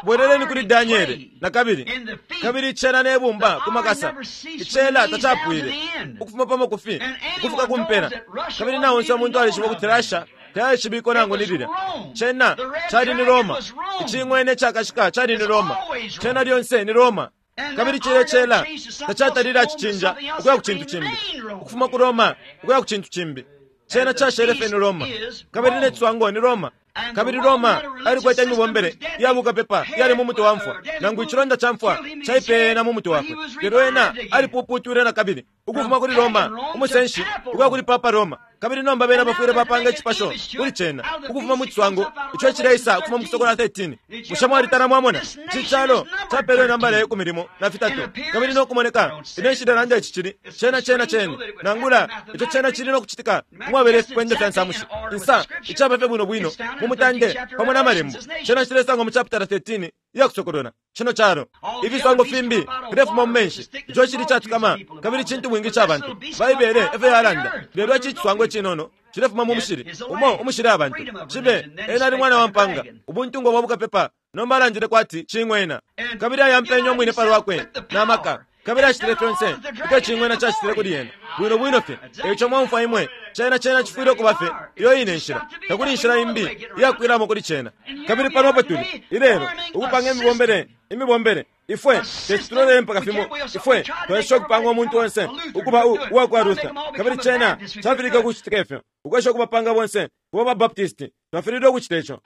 Bweleleni kuli Daniele na kabili. Kabili icela ne bumba ku makasa, icela tacapwile ukufuma pa makufi ukufika ku mpela. Kabili na onse umuntu alishiba ukuti Russia tayaishibikwe nangu ni lilya. Cena cali ni Roma. Icing'wene icakashika cali ni Roma. Cena lyonse ni Roma. Kabili cilya cela tacatalile acicinja ukuya ku cintu cimbi, ukufuma ku Roma ukuya ku cintu cimbi. Cena cashele fye ni Roma. Kabili ne ciswango ni Roma. Kabili Roma alikwete imibombele iya bukapepa iyali mu mutwe wa mfwa, nangu icilonda ca mfwa caipeye ena mu mutwe wakwe. Lelo ena alipuputwile na kabili, ukufuma kuli Roma umusenshi ukuya kuli Papa Roma. Kabili nomba bena bafwile bapanga icipasho kuli cena, ukufuma mu ciswango ico icileisa ukufuma mu Kusokolola 13. Bushe mwalitala mwamona? Ici calo capelwe inambala ye kumi limo na fitatu, kabili no kumoneka ine nshilelanda ici cili cena cena cene, nangula ico cena cili no kucitika umwabela ifikwende fya nsamushi insa, icaba fye bwino bwino mu mutande pamo na malembo. Cena cilesangwa mu chapitala 13 iya Kusokolola. Cino calo ifiswango fimbi filefuma mu menshi, ico cili catukama kabili cintu bwingi ca bantu. Baibele efyo yalanda. Lelo ici ciswango icinono cilefuma mu mushili umo umushili abantu. Cibe ena ali mwana wa mpanga, ubuntungwa bwa bukapepa, nomba alandile kwati cing'wena. Kabili ayampenye umwine pa lwakwe na maka, kabili acitile fyonse ifyo cing'wena cacitile kuli yena, bwino bwino fye. Eico mwaumfwa imwe, cena cena cifwile ukuba fye iyo ine nshila. Takuli inshila imbi iyakwilamo kuli cena. Kabili pano apo tuli ilelo, ukupanga imibombele, imibombele. Ifwe teti tulolele mpaka fimo. Ifwe twesha ukupanga umuntu onse ukuba uwa kwa Luther, kabili cena cafilike ukucitika ifyo. Ukwesha ukubapanga bonse kuba ba Baptist, twafililwe ukucita ico.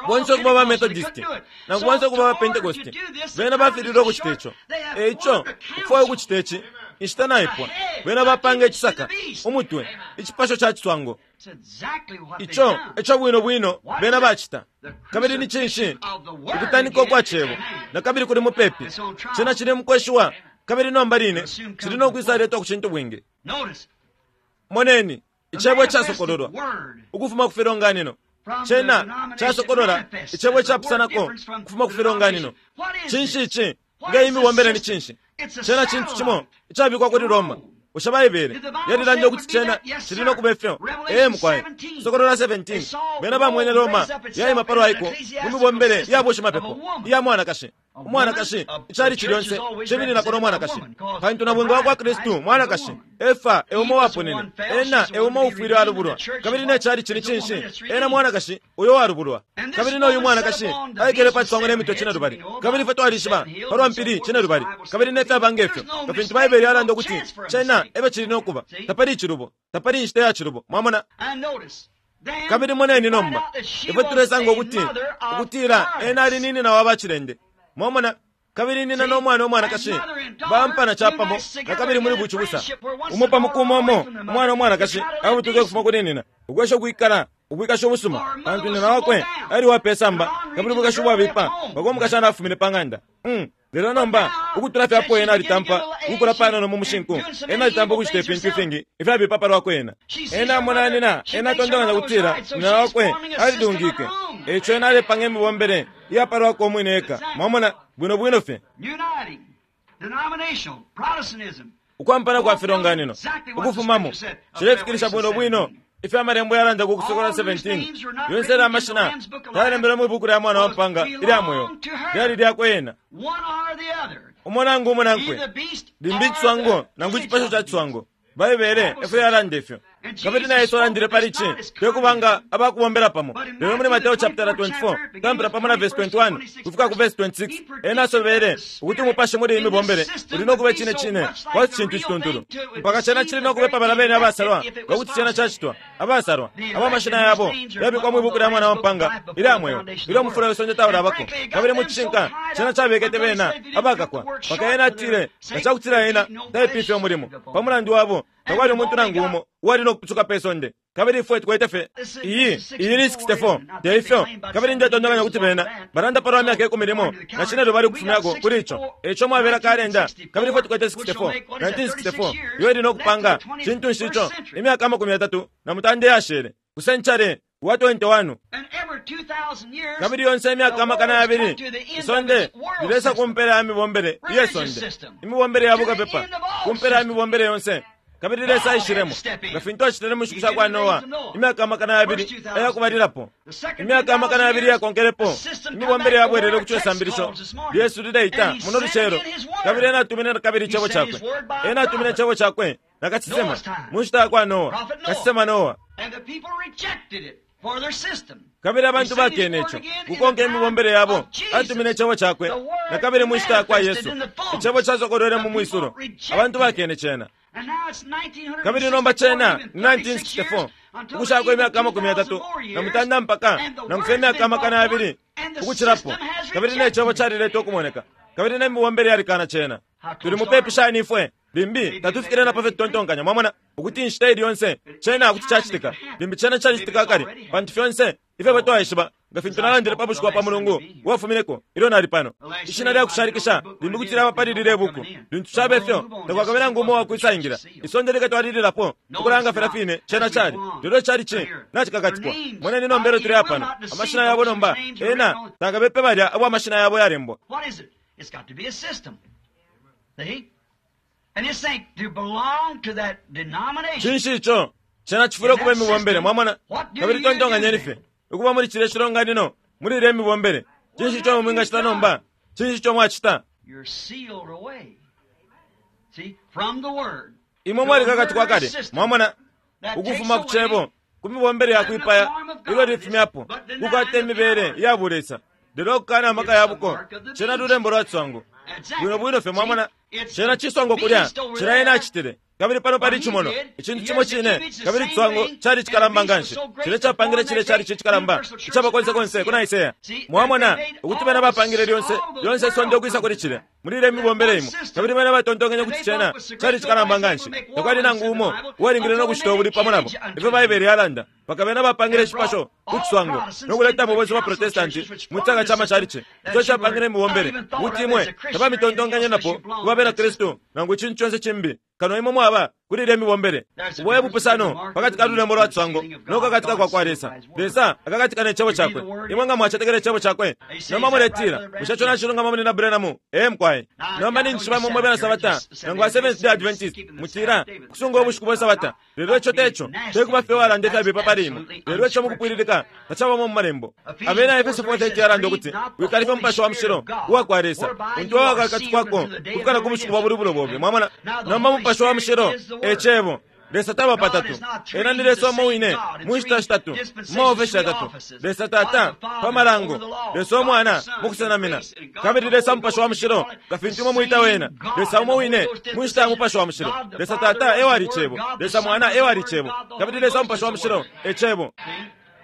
Bonse ukuba ba Methodist, nangu bonse ukuba ba Pentecost, bena bafililwe ukucita ico. E ico ukufwaya ukucita ici, inshita naipwa. Bena bapanga icisaka, umutwe, icipasho ca ciswango. Ico eco bwino bwino bena bacita. Kabili ni cinshi? Ukutanika ukwa cebo na kabili kuli mupepi. Cena cili mukweshiwa, kabili nomba line cili no kwisaletwa ku cintu bwingi. Moneni icebo icasokololwa ukufuma ku filonganino. Cena casokolola icebo icapusanako ukufuma ku filonganino. Cinshi ici? Nga imibombele ni cinshi? Cena cintu cimo icabikwa kuli Roma. Bushe Baibele yalilanda ukuti cena cili no kuba ifyo? Ee mukwai. Sokolola 17, bena bamwene Roma yaima palwa iko mu mibombele ya bushimapepo iya mwanakashi. Umwanakashi, icalici lyonse cimininako no mwanakashi, pantu nabwinga wa kwa Kristu mwanakashi. Efa e umo waponene, ena e umo ufwile alubulwa. Kabili ne calici ni cinshi? Ena mwanakashi uyo walubulwa. Kabili noyu mwanakashi aikele pa ciswango ne mitwe cinelubali. Kabili ifwe twalishiba palwa mpili cinelubali, kabili ne fyaba nge fyo, nga fintu Baibele yalanda ukuti cena efyo cili no kuba. Tapali icilubo, tapali inshita ya cilubo. Mwamona? Kabili moneni nomba, ifwe tulesanga ukuti ukutila ena ali ni nyina wa bacilende. Mwamona? Kabili nina no mwana umwanakashi bampana capamo na kabili muli bucibusa. Umo pa muku umo umo umwana umwanakashi abutuke ukufuma kuli nina, ukwesha ukwikala ubwikashi ubusuma, pantu nina wakwe ali wa pe samba kabili ubwikashi ubwabipa mpaka umukashana afumine pa ng'anda. Lelo nomba ukutula fye apo ena alitampa ukukula panono mu mushinku, ena alitampa ukucita ifintu ifingi ifyabipa pa lwakwe ena. Ena amona nina, ena atontonkanya ukutila nina wakwe alilungike. Eico ena alepanga imibombele iya pa lwakwe umwine eka. Mwamona, bwino bwino fye. Ukwampana kwa filonganino ukufumamo cilefikilisha bwino bwino ifyo amalembo yalanda ku Kusokolola 17. Yonse yalya amashina tayalembelwe mwi buku lya Mwana wa Mpanga ilya mweo, lyali lyakwe ena. Umo nangu umunankwe, limbi iciswango nangu icipasho ca ciswango. Baibele efyo yalanda ifyo. Kabili na Yesu alandile pali ici, te kuba nga abakubombela pamo. Lelo muli Mateo chapitala 24, kutampila pamo na vesi 21 kufika ku vesi 26, ena asobele ukuti umupashi muli iyi mibombele uli no kuba icine cine kwati cintu icituntulu, mpaka cena cili no kubepa balya bene abasalwa nga kuti cena cacitwa, abasalwa abo amashina yabo yabikwa mwi buku lya Mwana wa Mpanga ilya mweo ilyo umufula we sonde taulabako. Kabili mu cishinka cena cabekete bena abakakwa, mpaka ena atile nga cakutila ena taipifye umulimo pa mulandu wabo, takwali umuntu nangu umo uwali no kupusuka pe sonde. Kabili ifwe tukwete fye iyi iyi ni 64, te ifyo? Kabili ndetontonkanya ukuti bena balanda palwa myaka ikumi limo na cine lubali ukufumyako kuli ico. Eico mwabela kalenda, kabili ifwe tukwete 64, 1964, iyo ili no kupanga cintu nshi ico? Imyaka 38 iyashele ku century wa 21. Kabili yonse imyaka 2000, isonde lilesa ku mpela ya mibombele iye sonde, imibombele ya bukapepa, ku mpela ya mibombele yonse. Kabili Lesa aishilemo, nga fintu acitile mu nshiku sha kwa Noa, imyaka 2000 ayakubalilapo. Imyaka 2000 yakonkelepo, imibombele yabwelele ku cesambilisho lyesu lileita muno lucelo. Kabili ena atumine kabili icebo cakwe. Ena atumine icebo cakwe na kasesema mu nshita ya kwa Noa, kasesema Noa. Kabili abantu bakene ico, kukonka imibombele yabo. Atumine icebo cakwe na kabili mu nshita ya kwa Yesu. Icebo casokolwele mu mwisulo. Abantu bakene cena. Kabili nomba cena ni 1964, ukushako imyaka 38 mpaka nangu fye imyaka 2000 ukucilapo. Kabili ne cebo caliletwa ukumoneka, kabili ne mibombele yalikana cena. Tuli mupepi shani ifwe? Limbi tatufikile na pa fyo tutontonkanya, mwamona, ukuti inshita ili yonse cena kuti cacitika. Limbi cena calicitika kale, pantu fyonse ifyo twaishiba, nga fintu nalandile pa bushiku bwa pa Mulungu uwafumineko ilyo nali pano, ishina lya kushalikisha limbi kuti lyaba pali lilye buku. Lintu cabe fyo, takwakabe nangu umo uwakwisaingila. Isonde likatwalililapo ukulanga filya fine cena cali, lelo icalici nacikakatikwa. Moneni nomba ilyo tuli pano, amashina yabo nomba, ena takabepe balya abo amashina yabo yalembwa. What is it? It's got to be a system. See? And this ain't to belong to that denomination. Cinshi ico? Cena cifwile ukuba imibombele, mwamona. Kabili tontonkanyeni fye ukuba muli cilya cilonganino muli ilya imibombele. Cinshi ico mwingacita nomba? Cinshi ico mwacita? You're sealed away. See? From the Word. Imwe mwalikakatikwa kale, mwamona, ukufuma ku cebo, ku mibombele ya kwipaya ilyo lifumyapo kukwata imibele iya bulesa, lelo ukukana amaka ya buko. Cena lulembo lwa ciswango bwino bwino fye, mwamona. Cena ciswango kulya, cila ena acitile. Kabili pano pali icimono, icintu cimo cine, kabili iciswango cali cikalamba nganshi. Cilya capangile cilya cali cikalamba icaba konse konse ku Nicaea. Mwamona ukuti bena bapangile lyonse lyonse isonde ukwisa kuli cilya muli ilya mibombele imo. Kabili bena batontonkenye ukuti cena cali cikalamba nganshi, takwali nangu umo uwalingile no kucita ubulwi pamo nabo, ifyo Baibele yalanda, mpaka bena bapangile icipasho ku ciswango no kuletamo bonse baprotestanti mu cisaka ca macalici ico capangile imibombele ukuti imwe tabamitontonkanyenapo kuba bena Kristu nangu icintu conse cimbi kano imwe mwaba kuli ilya mibombele. Ubo e bupusano pakati ka lulembo lwa ciswango no kukakatika kwa kwa Lesa. Lesa akakatika ne cebo cakwe. Imwe nga mwacetekela icebo cakwe, nomba muletila, Bushe ico nacilungama muli Branham? Ee mukwai. Nomba ninjishiba imwe mwe bena Sabata nangu ba Seventh Day Adventist mutila kusunga ubushiku bwe Sabata. Lelo ico te co. Te kuba fye uwalanda ifyabipa pali imwe, lelo ico mukupwililika tacabamo mu Malembo. Abena Efeso 4:30 yalanda ukuti, Wikalifya Umupashi wa Mushilo uwa kwa Lesa, untu wawakakatikwako ukufika na ku bushiku bwa bulubulo bobe. Mwamona? Nomba Umupashi wa Mushilo e Cebo. Lesa taba patatu. Ena ni Lesa umo wine mu nshita shitatu, mu maofeshi yatatu. Lesa Tata pa malango, Lesa Umwana mu kusenamina, kabili Lesa Mupashi wa Mushilo nga fintu imwe mwita wena. Lesa umo wine mu nshita ya Mupashi wa Mushilo. Lesa Tata e wali Cebo, Lesa Mwana e wali Cebo, kabili Lesa Mupashi wa Mushilo e Cebo.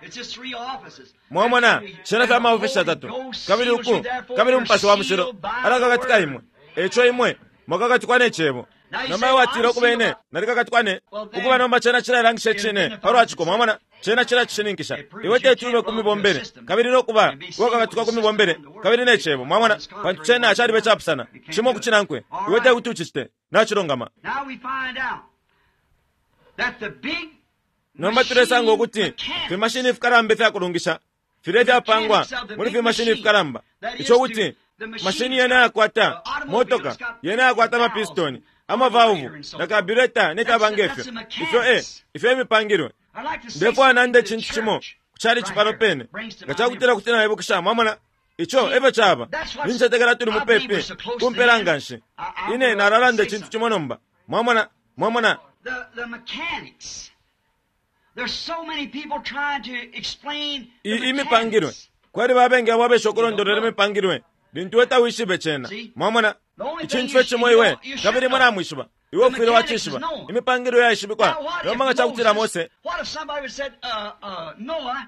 It's just three offices. Mwamona, cena fya maofeshi yatatu, kabili uku, kabili Umupashi wa Mushilo alakakatika imwe. Eco imwe mwakakatikwa ne Cebo. Nomba watila ukuba ine nalikakatikwa ne ukuba nomba cena cilalangisha icine palwa ciko, mwamona, cena cilacishininkisha. Iwe teti ube ku mibombele kabili no kuba uwakakatikwa ku mibombele kabili ne Cebo, mwamona, pantu cena calibe capusana cimo ku cinankwe. Iwe tekuti ucicite. Nacilungama. Now we find out that the big Nomba tulesanga ukuti fimashini fikalamba ifyakulungisha filya ifyapangwa muli fimashini fikalamba, ico kuti mashini yena yakwata motoka, yena yakwata amapistoni, amavauvu na kabureta ne fyaba ngefyo, ifyo e ifyo imipangilwe. I'd like to say Ndefwaya something nande to the icintu cimo church ku calici pano pene, nga cakutila kuti naibukisha, mwamona, ico efyo caba. Nincetekela tuli mupepi kumpela nganshi. Ine nalalanda icintu cimo nomba, mwamona, mwamona. The mechanics Imipangilwe kwali babengi abo abesha ukulondolola imipangilwe lintu we tawishibe cena. Mwamona, icintu fye cimo iwe kabili imwe namwishiba, iwe ufwile wacishiba imipangilwe yaishibikwa. Nomba nga cakutila Mose,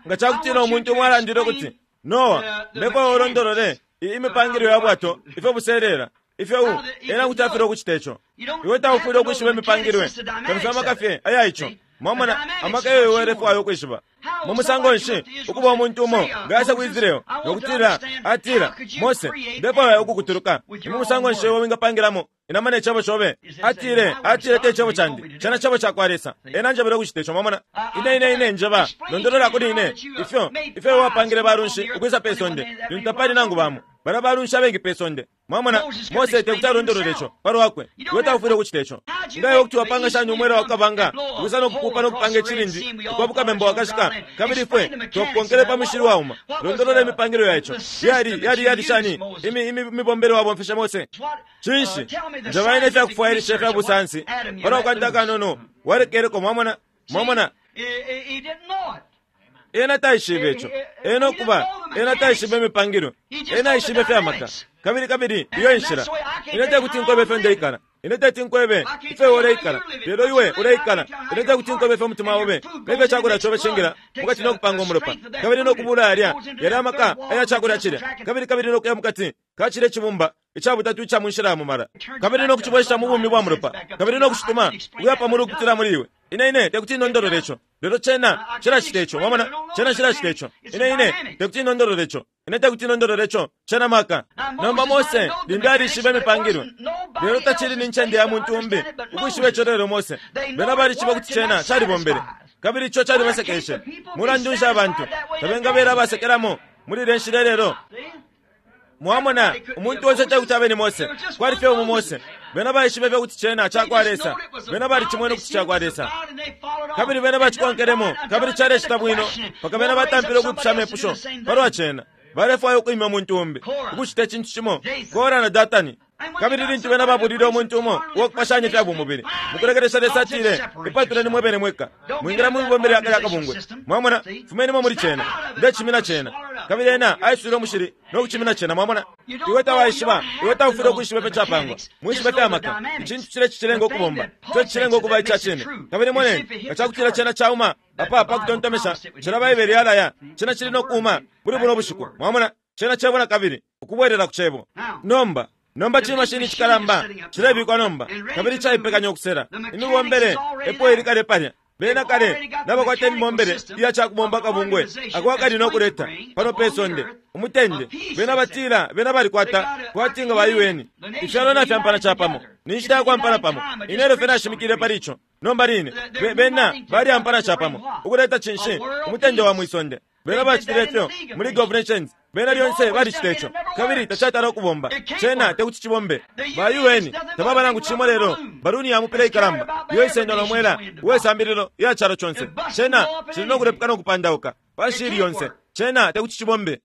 nga cakutila umuntu umwe alandile ukuti, Noa, ndefwaya ulondolole imipangilwe ya bwato ifyo buselela ifyo ena kuti afilwa ukucita ico. Iwe taufwile ukwishiba imipangilwe kabili amaka fye aya ico. Mwamona, amaka eyo iwe ulefwaya ukwishiba. Mu musango nshi ukuba umuntu umo nga aisa ku Israel nokutila, atila, Mose, ndefwaya ukukutuluka. Ni mu musango nshi iwe wingapangilamo inama ne cebo cobe? Atile, atile te cebo candi, cena cebo cakwa Lesa. Ena anjebele ukucita ico. Mwamona, ine, ine, ine njeba, londolola kuli ine ifyo, ifyo iwe wapangile balunshi ukwisa pe sonde lintu tapali nangu bamo. Balya balunshi abengi pe sonde. Mwamona, Mose tekuti alondolole ico palwakwe. Iwe taufwile ukucita ico. Nga iwe kuti wapanga shani umwela wa kukabanga ukwisa no kupupa no kupanga icilindi ukwabuka bemba wakashika, kabili ifwe twakukonkele pa mushili wauma? Londolola imipangilwe ya ico. Yali, yali, yali shani imi, imi mibombele wabomfeshe Mose? Cinshi, njeba ine ifyakufwailisha ifya busansi palwa kanta akanono walekeleko. Mwamona, mwamona. Ena taishibe ico. Ena ukuba, ena taishibe imipangilwe. Ena aishibe fye amaka. Kabili, kabili iyo enshila. Ine tekuti nkwebe ifyo ndeikala. Ine teti nkwebe ifyo iwe uleikala, lelo iwe uleikala. Ine tekuti nkwebe ifyo umutima obe nefyo icakulya cobe cingila mukati no kupanga umulopa, kabili no kubula yalya, yalya amaka aya cakulya cilya, kabili, kabili no kuya mukati ka cilya icibumba ica butatu ica munshila ya mumala, kabili no kucibwesha mu bumi bwa mulopa, kabili no kucituma ukuya pa mulu ukupitila muli iwe. Ine, ine tekuti nondolole ico, lelo cena cilacita ico. Mwamona, cena cilacita ico. Ine, ine tekuti nondolole ico. Ine tekuti nondolole ico. Cena maka. Nomba Mose limbi alishibe imipangilwe, lelo tacili ni ncende ya muntu umbi ukwishiba ico lelo Mose. Bena balishiba ukuti cena calibombele, kabili ico calibasekeshe. Mulandu nshi abantu tabengabela abasekelamo muli ilya nshila ilelo? Mwamona, umuntu onse tekuti abe ni Mose. Kwali fye umo Mose. Bena baishibe fye ukuti cena cakwa Lesa. Bena balicimwene ukuti cakwa Lesa. Kabili bena bacikonkelemo, kabili calecita bwino, mpaka bena batampile ukwipusha amepusho palwa cena. Balefwaya ukwimya umuntu umbi, ukucita icintu cimo, Kora na Datani. Kabili lintu bena babulile umuntu umo uwakupashanya ifya bumubili, mukulekelesha Lesa atile, Ipatuleni mwebene mweka. Mwingila mu mibombele ya kalya kabungwe. Mwamona? Fumenimo muli cena. Ndecimina cena. Kabili ena aiswile umushili no kucimina cena. Mwamona? Iwe tawaishiba, iwe taufwile ukwishiba ifyo capangwa. Mwishibe fya maka. Icintu cile cicilenga ukubomba, ico cicilenga ukuba ica cine. Kabili moneni, nga cakutila cena cauma apa pa kutontomesha, cila Baibele yalaya, cena cili no kuuma muli buno bushiku. Mwamona? Cena Cebo nakabili, ukubwelela ku Cebo. Nomba, nomba cimashini cikalamba cilebikwa nomba, kabili caipekanya ukusela. Imibombele epo ili kale palya. Bena kale nabakwata imibombele iya cakubomba akabungwe ako akali no kuleta pano pe sonde umutende. Bena batila bena balikwata kwati nga ba UN. Ifyalo nafyampana capamo. Ni nshita ya kwampana pamo. Ine elyo fye nashimikile pali ico nomba line. Bena balyampana capamo ukuleta cinshi? Umutende wa mwi sonde. Bena bacitile ifyo mu League of Nations. Bena lyonse balicita ico, kabili tacatala ukubomba. Cena tekuti cibombe. Ba UN tababa nangu cimo lelo baluni ya mupila ikalamba iyo isendwa no mwela uwe sambililo iya calo conse. Cena cili no kulepuka no kupandauka panshi ili yonse. Cena tekuti cibombe.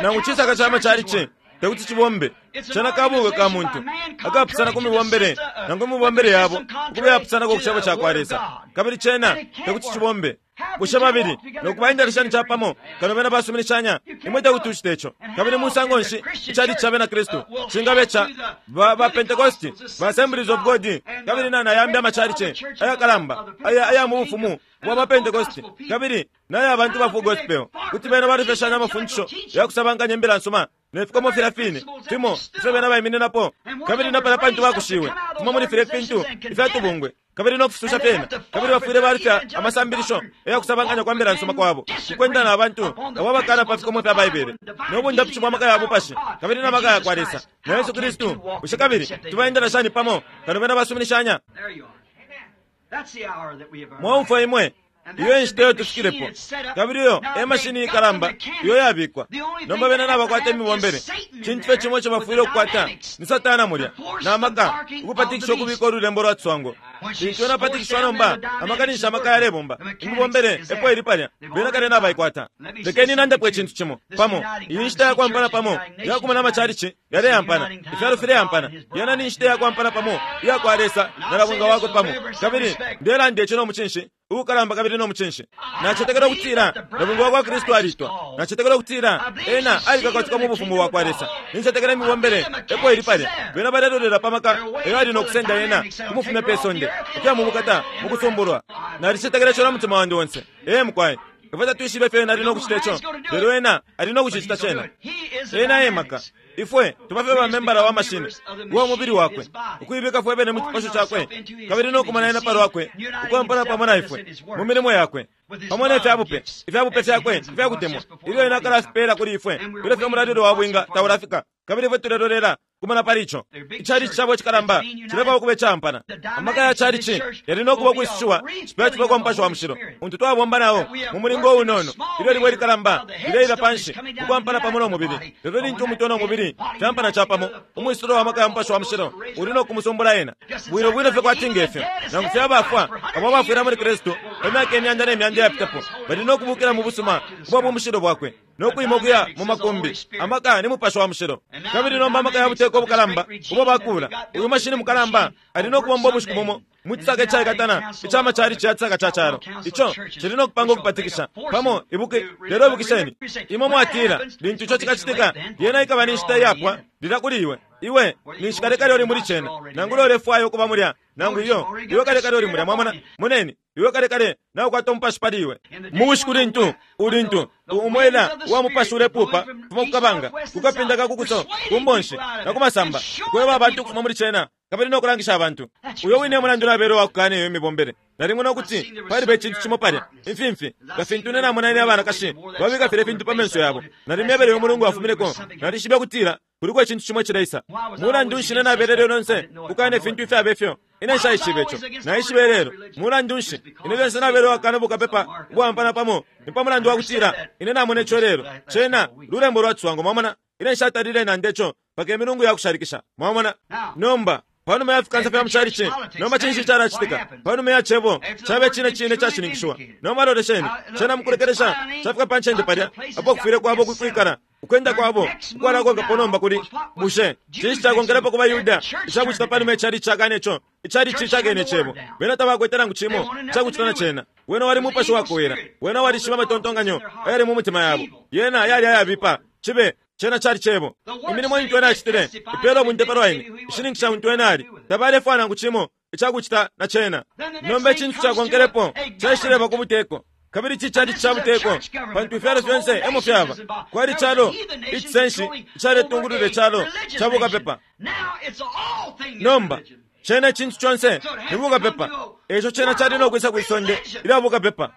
Nangu cisaka ca macalici tekuti cibombe. Cena kabungwe ka muntu akapusana ku mibombele nangu imibombele yabo ukuba iyapusanako ku Cebo cakwa Lesa, kabili cena tekuti cibombe. Bushe babili no kubaendela shani capamo kano bena basuminishanya? Imwe tekuti ucite ico. Kabili musango nshi icalici ca Bena Kristu cingaba ica ba, ba Pentecosti, ba Assemblies of God, kabili na, na yambi amacalici ayakalamba aya, aya mu bufumu bwa ba Pentecosti, kabili na ya bantu ba Full Gospel, kuti bena balufya shani amafundisho ya kusabankanya imbila nsuma ne fikomo filya fine fimo ifyo bena baimininapo, kabili na palya pantu bakushiwe fimo muli filya fintu ifya tubungwe, kabili no kufisusha fyena, kabili bafwile balufya amasambilisho ya kusabankanya kwa mbila nsuma kwabo, ukwenda na bantu abo abakana pa fikomo fya Baibele no bundapishi bwa maka ya bupashi kabili na maka ya kwa Lesa na Yesu Kristu? Bushe kabili tubaendela shani pamo kano bena basuminishanya? Mwaumfwa imwe, iyo enshita iyo tufikilepo, kabili iyo e mashini ikalamba iyo yabikwa nomba. Bena nabakwata imibombele. Cintu fye cimo ico bafwile ukukwata ni Satana mulya na maka ukupatikisha ukubika ululembo lwa ciswango. Lintu ena apatikishiwa nomba, amaka ninshi amaka yalebomba. Imibombele epo ili palya, bena kale nabaikwata. Lekeni nandepo icintu cimo pamo. Iyi nshita ya kwampana pamo yakumana amacalici yaleyampana, ifyalo fileyampana. Yena ni nshita ya kwampana pamo iya kwa Lesa na Nabwinga wakwe pamo. Kabili ndelanda ico no mucinshi. Uukalamba kabili no mucinshi. Nacetekela ukutila nabwinga wa kwa Kristu alitwa. Nacetekela ukutila ena alikakatika mu bufumu bwa kwa Lesa. Nincetekela imibombele epo ili palya. Bena balelolela pa maka eyo ali no kusenda ena kumufumya pe sonde ukuya mu bukata mu kusumbulwa. Nalicetekela ico na mutima wandi onse. Ee mukwai. Ifwe tatwishibe ifyo ena ali no kucita ico, lelo ena ali no kucicita cena. Ena e maka. Ifwe tuba fye bamembala wa mashini uwa mubili wakwe, ukuibika fwe bene mu cipasho cakwe, kabili no kumona ena pa lwakwe, ukwampana pamo na ifwe mu milimo yakwe, pamo ne fya bupe, ifya bupe fyakwe ifya kutemwa, ilyo ena akalafipeela kuli ifwe, ilyo fye umulalilo wa bwinga taulafika, kabili ifwe tulelolela kumona pali ico. Icalici cabo icikalamba cilefwaya ukuba icaampana. Amaka ya calici yali no kuba ukwisushiwa cipya cipya kwa Mupashi wa Mushilo, untu twabomba na o mu mulingo uunono, ilyo libwe likalamba lileila panshi ukwampana pamo no mubili. Lelo lintu umutwe no mubili fyampana capamo, umwisulo wa maka ya Mupashi wa Mushilo uli no kumusumbula ena. Bwino bwino fye kwati nge fyo, nangu fye abafwa abo abafwila muli Kristu pa myaka imyanda ne myanda iyapitapo bali no kubuukila mu busuma ubwa bumushilo bwakwe. no kwima ukuya mu makumbi. Amaka ni Mupashi wa Mushilo. Kabili nomba amaka ya buteko ubukalamba ubo bakuula, uyu mashini mukalamba ali no kubomba ubushiku bumo mu cisaka icaikatana ica macalici ya cisaka ca calo. Ico cili no kupanga ukupatikisha pamo. Ibuki, lelo ibukisheni, imwe mwatila, lintu ico cikacitika, lyena ikaba ni nshita iyapwa lilya kuli iwe. Iwe ninshi kale kale uli muli cena, nangula ulefwaya ukuba mulya, nangu iyo. Iwe kale kale uli mulya. Mwamona? Moneni, iwe kale kale naukwata umupashi pali iwe. Mu bushiku lintu, ulintu umwela wa mupashi ulepuupa kufuma ku kabanga, ku kapinda ka ku kuso, ku mbonshi, na ku masamba, ukweba abantu ukufuma muli cena, kabili no kulangisha abantu. Uyo wine e mulandu nabele uwa kukaana iyo imibombele. Nalimwene ukuti paliba icintu cimo palya, imfimfi, nga fintu ine namona ine abanakashi babika filya fintu pa menso yabo. Nalimyebele uyo mulungu wafumineko, nalishibe ukutila kuliko icintu cimo icileisa. Mulandu nshi ine nabelele lyonse ukukaana ifintu ifyabe fyo? Ine nshaishibe ico. Naishiba ilelo. Mulandu nshi ine lyonse nabele uwakaana bukapepa ubwaampana pamo? Ni pa mulandu wa kutila ine namona ico ilelo. Cena lulembo lwa ciswango, mwamona. Ine nshatalile nanda ico mpaka imilungu ya kushalikisha. Mwamona? Nomba, panuma ya fikansa fya mu calici, nomba cinshi icalacitika? Panuma ya Cebo caba icine cine icashininkishiwa. Nomba lolesheni, cena mukulekelesha cafika pa ncende palya apo kufwile kwabo ukwikala. Ukwenda kwabo ukwalakonkapo nomba kuli, Bushe cinshi cakonkelepo ku baYuda icakucita panuma icalici cakana ico? Icalici cakene Icebo. Bena tabakwete nangu cimo icakucita na Cena. Wena wali mupashi wakowela. Wena walishibe amatontonkanyo ayali mu mitima yabo. Yena yali ayabipa. Cibe, cena cali Cebo. Imilimo intu Ena acitile ipeela ubunte palwa Ine, ishininkisha untu Ena ali. Tabalefwaya nangu cimo icakucita na Cena. Nomba icintu cakonkelepo caishileba ku buteko. Kabili ici cali ca buteko, pantu ifyalo fyonse e mo fyaba. Kwali calo icisenshi icaletungulula icalo ca bukapepa. Nomba, cena icintu conse ni bukapepa, e ico cena cali no kwisa kwi sonde ilya bukapepa.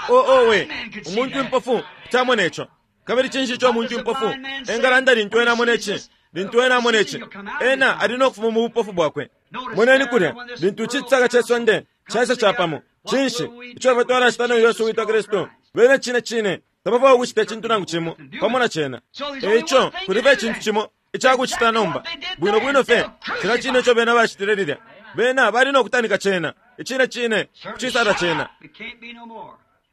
Oh, owe, umuntu impofu kuti amona ico. Kabili cinshi ico umuntu impofu engalanda lintu ena amona ici? Lintu ena amona ici, ena ali no kufuma mu bupofu bwakwe. Moneni kulya, lintu ici cisaka ce sonde caisa capamo, cinshi ico ifwe twalacita no Yesu uwitwa Kristu? Bena cine cine tabafwaya ukucita icintu nangu cimo pamo na cena. E ico kuli fye icintu cimo icakucita nomba, bwino bwino fye cilya cine ico bena bacitile lilya. Bena bali no kutanika cena, icine cine, kucisala cena.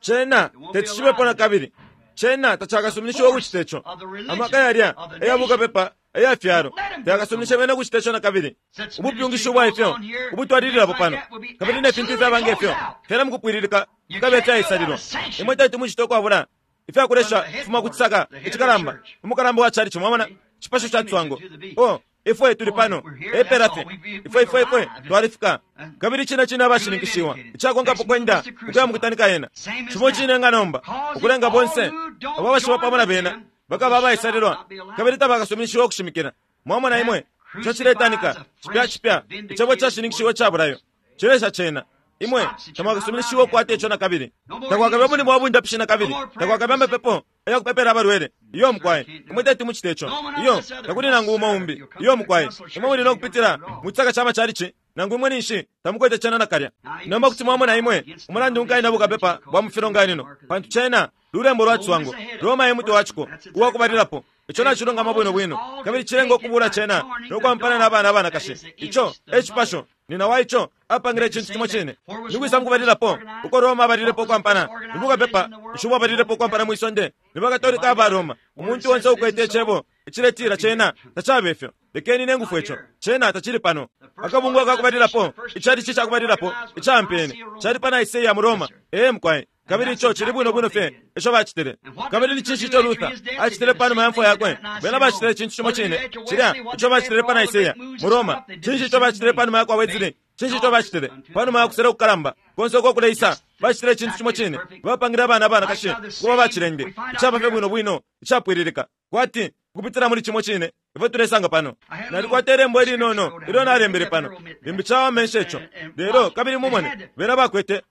Cena teti cibepo nakabili. Cena tacakasuminishiwe ukucita ico. Amaka yalya aya bukapepa aya fyalo tayakasuminishe bena ukucita ico nakabili. Ubupyungishi ubwa ifyo ubutwalililapo pano, kabili ne fintu ifyaba nge fyo, fyena mukupwililika fikabe ifyaisalilwa. Imwe teti mucite ukwabula ifyakulesha kufuma ku cisaka icikalamba, umukalamba wa chalichi, mwamona, icipasho ca ciswango. Oh, ifwe tuli pano, epela fye. Ifwe, ifwe, ifwe twalifika. Kabili cine cine abashininkishiwa, icakonkapo kwenda ukuya mukutanika yena. Cimo cine nga nomba, ukulenga bonse abo abashiba pamo na bena bakaba abaisalilwa kabili tabakasuminishiwe ukushimikila. Mwamona imwe, ico ciletanika cipya cipya Icebo cashininkishiwa ica bulayo. Cilesha cena. Imwe tamwakasuminishiwe ukukwata ico nakabili. Takwakabe umulimo wa bundapishi nakabili. Takwakabe amapepo aya kupepela abalwele. Iyo, mukwai. Imwe teti mucite ico. Iyo, takuli nangu umo umbi. Iyo, mukwai. Imwe muli no kupitila mu cisaka ca macalici, nangu imwe ninshi tamukwete cena nakalya. Nomba kuti mwamona imwe umulandu nkaina bukapepa bwa mu filonganino, pantu cena lulembo lwa ciswango. Roma e mutwe wa ciko uwa kubalilapo. Ico nacilungama bwino bwino, kabili cilenga ukubuula cena no kwampana na bana abanakashi. Ico e cipasho. Nina wa ico apangile icintu cimo cine. Ni kwisa mukubalilapo uko Roma abalilepo ukwampana? Ni bukapepa nshi ubwabalilepo ukwampana mwi sonde? Ni baKatolika aba Roma. Umuntu onse ukwete icebo iciletila cena tacaba ifyo. Lekeni ine ngufwe ico. Cena tacili pano. Akabungwe akakubalilapo, icalici cakubalilapo icaampene, cali pa Nicaea mu Roma. Ee mukwai. Kabili ico cili bwino bwino fye ico bacitile. Kabili ni cinshi ico Luther acitile pa numa ya mfwa yakwe? Bena bacitile icintu cimo cine cilya ico bacitile pa Nicaea mu Roma. Cinshi ico bacitile pa numa ya kwa Wesley? Cinshi ico bacitile pa numa ya kusela kukalamba konse uko kuleisa? Bacitile icintu cimo cine. Bapangile abana abanakashi ukuba bacilende, icaba fye bwino bwino, icapwililika, kwati ukupitila muli cimo cine ifyo tulesanga pano. Nalikwata ilembo ilinono ilyo nalembele pano, limbi cawama nshe ico. Lelo kabili mumone, bena bakwete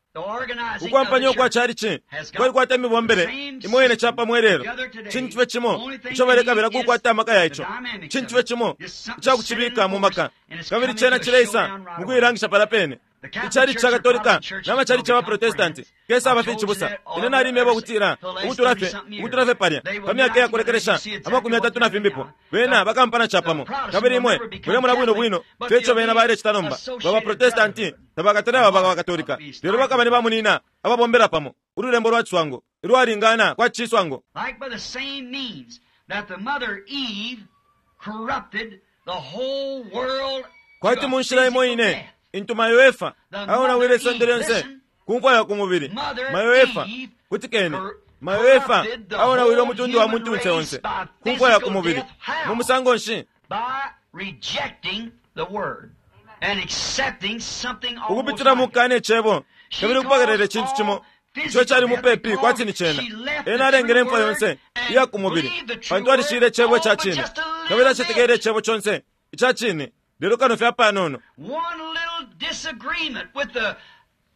ukwampanya ukwa calici kwalikwata imibombele imo ine capamo ilelo. Cintu fye cimo ico balekabila kukwata amaka ya ico, cintu fye cimo icakucibika mu maka, kabili cena cileisa mu kuilangisha palya pene. Icalici ca Katolika na macalici ya baProtestanti kesaba fye icibusa. Ine nalimyeba ukutila ukutula fye ukutula fye palya pa myaka iyakulekelesha 30 na fimbipo, bena bakampana capamo. Kabili imwe mulemona bwino bwino fye ico bena balecita nomba. Ba baProtestanti tabakatale baba baKatolika, lelo bakaba ni bamunina ababombela pamo, ululembo lwa ciswango ilwalingana kwa ciswango. Like by the same means that the mother Eve corrupted the whole world Kwati mu nshila imo ine intu mayo Efa aonawile isonde lyonse ku mfwa ya ku mubili. Mayo Efa, kutikeni, mayo Efa aonawile umutundu wa muntunse onse ku mfwa ya ku mubili. Mu musango nshi? by rejecting the word and accepting something almost Ukupitila mu like it. kukana icebo kabili ukupokelela icintu cimo ico cali mupepi kwati ni cena. Ena alengele imfwa yonse iya ku mubili pantu alishile icebo ica cine kabili acetekele icebo conse ica cine, lelo kano fye apanono. One little disagreement with the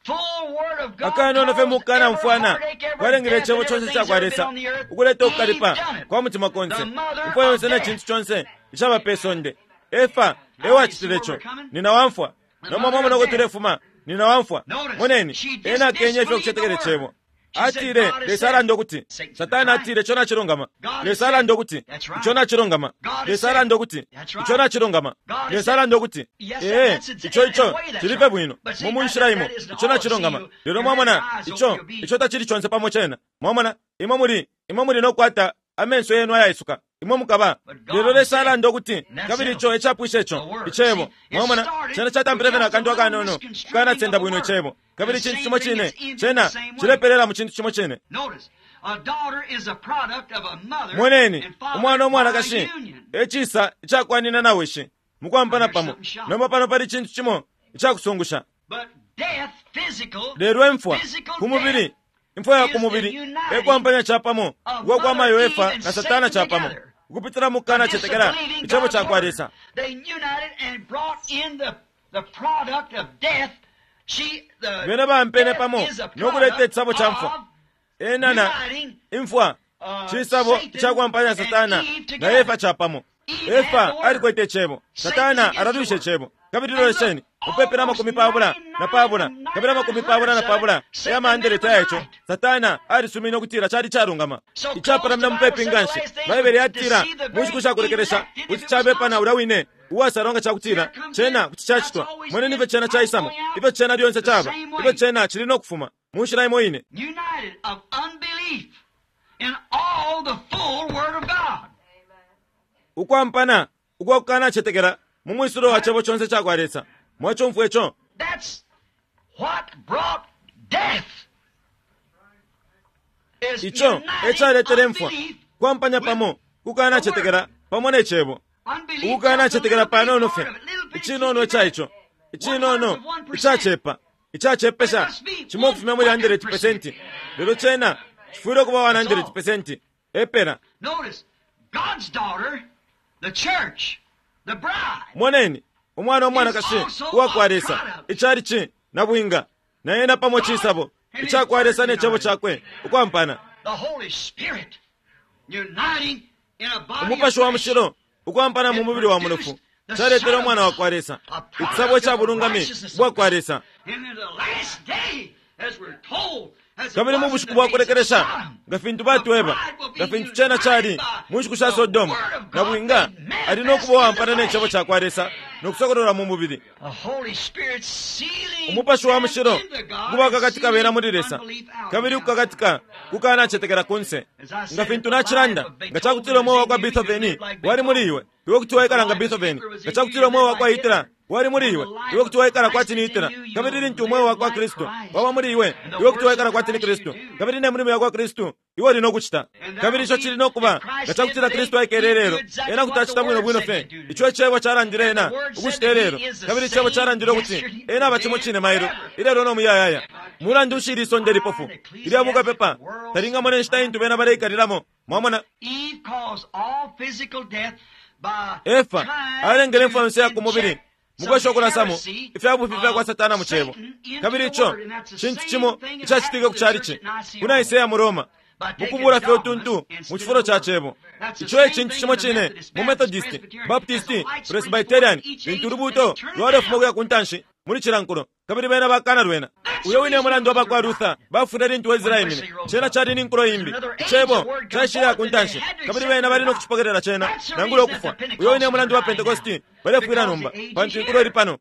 full word of God Akanono fye caused mukana every mfwana heartache, every kwalengele death, icebo and conse everything ca kwa that's ever Lesa been on the earth. ukuleta Eve ukukalipa done it. kwa mutima konse, The mother imfwa of yonse na death. cintu conse icaba pe sonde. Efa ewacitile ico. Nina wamfwa. Nomba mwamona uko tulefuma. Nina wamfwa. Moneni, ena akenye ifyo kucetekela icebo. Atile, Lesa alanda ukuti. Satana atile, ico nacilungama. Lesa alanda ukuti, ico nacilungama. Lesa alanda ukuti, ico nacilungama. Lesa alanda ukuti, ee, ico ico cili fye bwino. Mu munshila imo, ico nacilungama. Lelo mwamona, ico, ico tacili conse pamo cena. Mwamona, imwe muli, imwe muli no kukwata amenso yenu ayaisuka. Imwe mukaba. Lelo Lesa alanda ukuti, kabili ico ecapwisha ico, icebo. Mwamona, cena catampile fye na kantu akanono, kukanasenda bwino icebo. Kabili icintu cimo cine, cena cilepelela mu cintu cimo cine. Notice, a daughter is a product of a mother Moneni, and father umwana by umwanakashi union. ecisa icakwanina na wishi mukwampana pamo. Nomba pano pali cintu cimo icakusungusha. But death, physical, Lelo imfwa physical ku mubili, death imfwa ya ku mubili ekwampanya capamo ukwa kwa mayo Efa na Satana capamo ukupitila mu kukanacetekela disbelieving icebo God's ca kwa word. Lesa. They united and brought in the product of death. She, the Bena bampene death pamo is a no kuleta product icisabo ca mfwa. of Ena na uniting imfwa cisabo icakwampanya Satana na Efa capamo. Efa alikwete icebo, Satana alalwisha icebo. Kabili lolesheni, mupepi na 24 kabili 24 aya mahandeleti aya ico, Satana alisumine ukutila cali calungama. Icapalamina mupepi nga nshi. Baibele yatila mu nshiku shakulekelesha kuti cabepa na ulya wine uwasalwa nga cakutila cena kuti cacitwa. Moneni ifyo cena caisamo, ifyo cena lyonse caba, ifyo cena cili no kufuma mu nshila imo ine. united of unbelief in all the full Word of God. Ukwampana ukwa kukanacetekela mu mwisulo wa cebo conse ca kwa Lesa. Mwacumfwa ico? That's what brought death. Is Ico uniting ecaletele imfwa, unbelief kwampanya pamo kukanacetekela pamo ne cebo. Unbelief, Ukukanacetekela just a little panono bit fye, part of it, little bit, icinono ica ico, icinono 1%. icacepa, icacepesha cimo ukufumya muli 100%, lelo cena cifwile ukuba 100% epela. Notice, God's daughter, the church, the bride, Moneni, umwana umwanakashi uwa kwa Lesa, icalici na bwinga, na ena pamo cisabo ica kwa Lesa ne cebo cakwe ukwampana. the Holy Spirit, uniting in a body Umupashi of wa flesh. mushilo ukwampana mu mubili wa munofu caletele umwana wa kwa Lesa, icisabo ca bulungami bwa kwa Lesa. And in the last day, as we're told, Kabili mu bushiku bwa kulekelesha, nga fintu batweba, nga fintu cena cali mu nshiku sha Sodoma, nabwinga ali no kuba uwampana ne Cebo cakwa Lesa no kusokololwa mu mubili. Umupashi wa Mushilo ukubakakatika bena muli Lesa, kabili ukukakatika kukanacetekela kunse. Nga fintu nacilanda, nga cakutila umweo wakwa Beethoven wali muli iwe, iwe kuti waikala nga Beethoven. Nga cakutila umweo wakwa Hitler wali muli iwe, iwe kuti waikala kwati ni Hitler. Kabili lintu umweo wakwa Kristu waba muli iwe, iwe kuti waikala kwati ni Kristu. Kabili ne mulimo yakwa Kristu iwe uli no kucita. Kabili ico cili no kuba, nga cakutila Kristu aikele ilelo, ena kuti acita bwino bwino fye ico Icebo calandile ena ukucita ilelo. Kabili Icebo calandile ukuti ena aba cimo cine mailo, ilelo no muyayaya. Mulandu nshi ili isonde lipofu ilya bukapepa talingamona inshita intu bena baleikalilamo? Mwamona? Efa alengele imfwa yonse ya ku mubili mukwesha ukulasamo ifya bufi fya kwa Satana mu Cebo. Kabili ico cintu cimo icacitike ku chalichi ku Nicaea mu Roma, mukubula fye utuntu mu cifulo ca Cebo. Ico e cintu cimo cine mu Methodist, Baptist, Presbyterian, lintu ulubuuto lwalefuma ukuya ku ntanshi muli cila nkulo, kabili bena bakana lwena. Uyo wine e mulandu abakwa Luther bafwile lintu Wesley aimine. Cena cali ni nkulo imbi. Icebo caishile ku ntanshi, kabili bena bali no kucipokelela cena, nangula ukufwa. Uyo wine e mulandu ba Pentecosti balefwila nomba, pantu inkulo ili pano.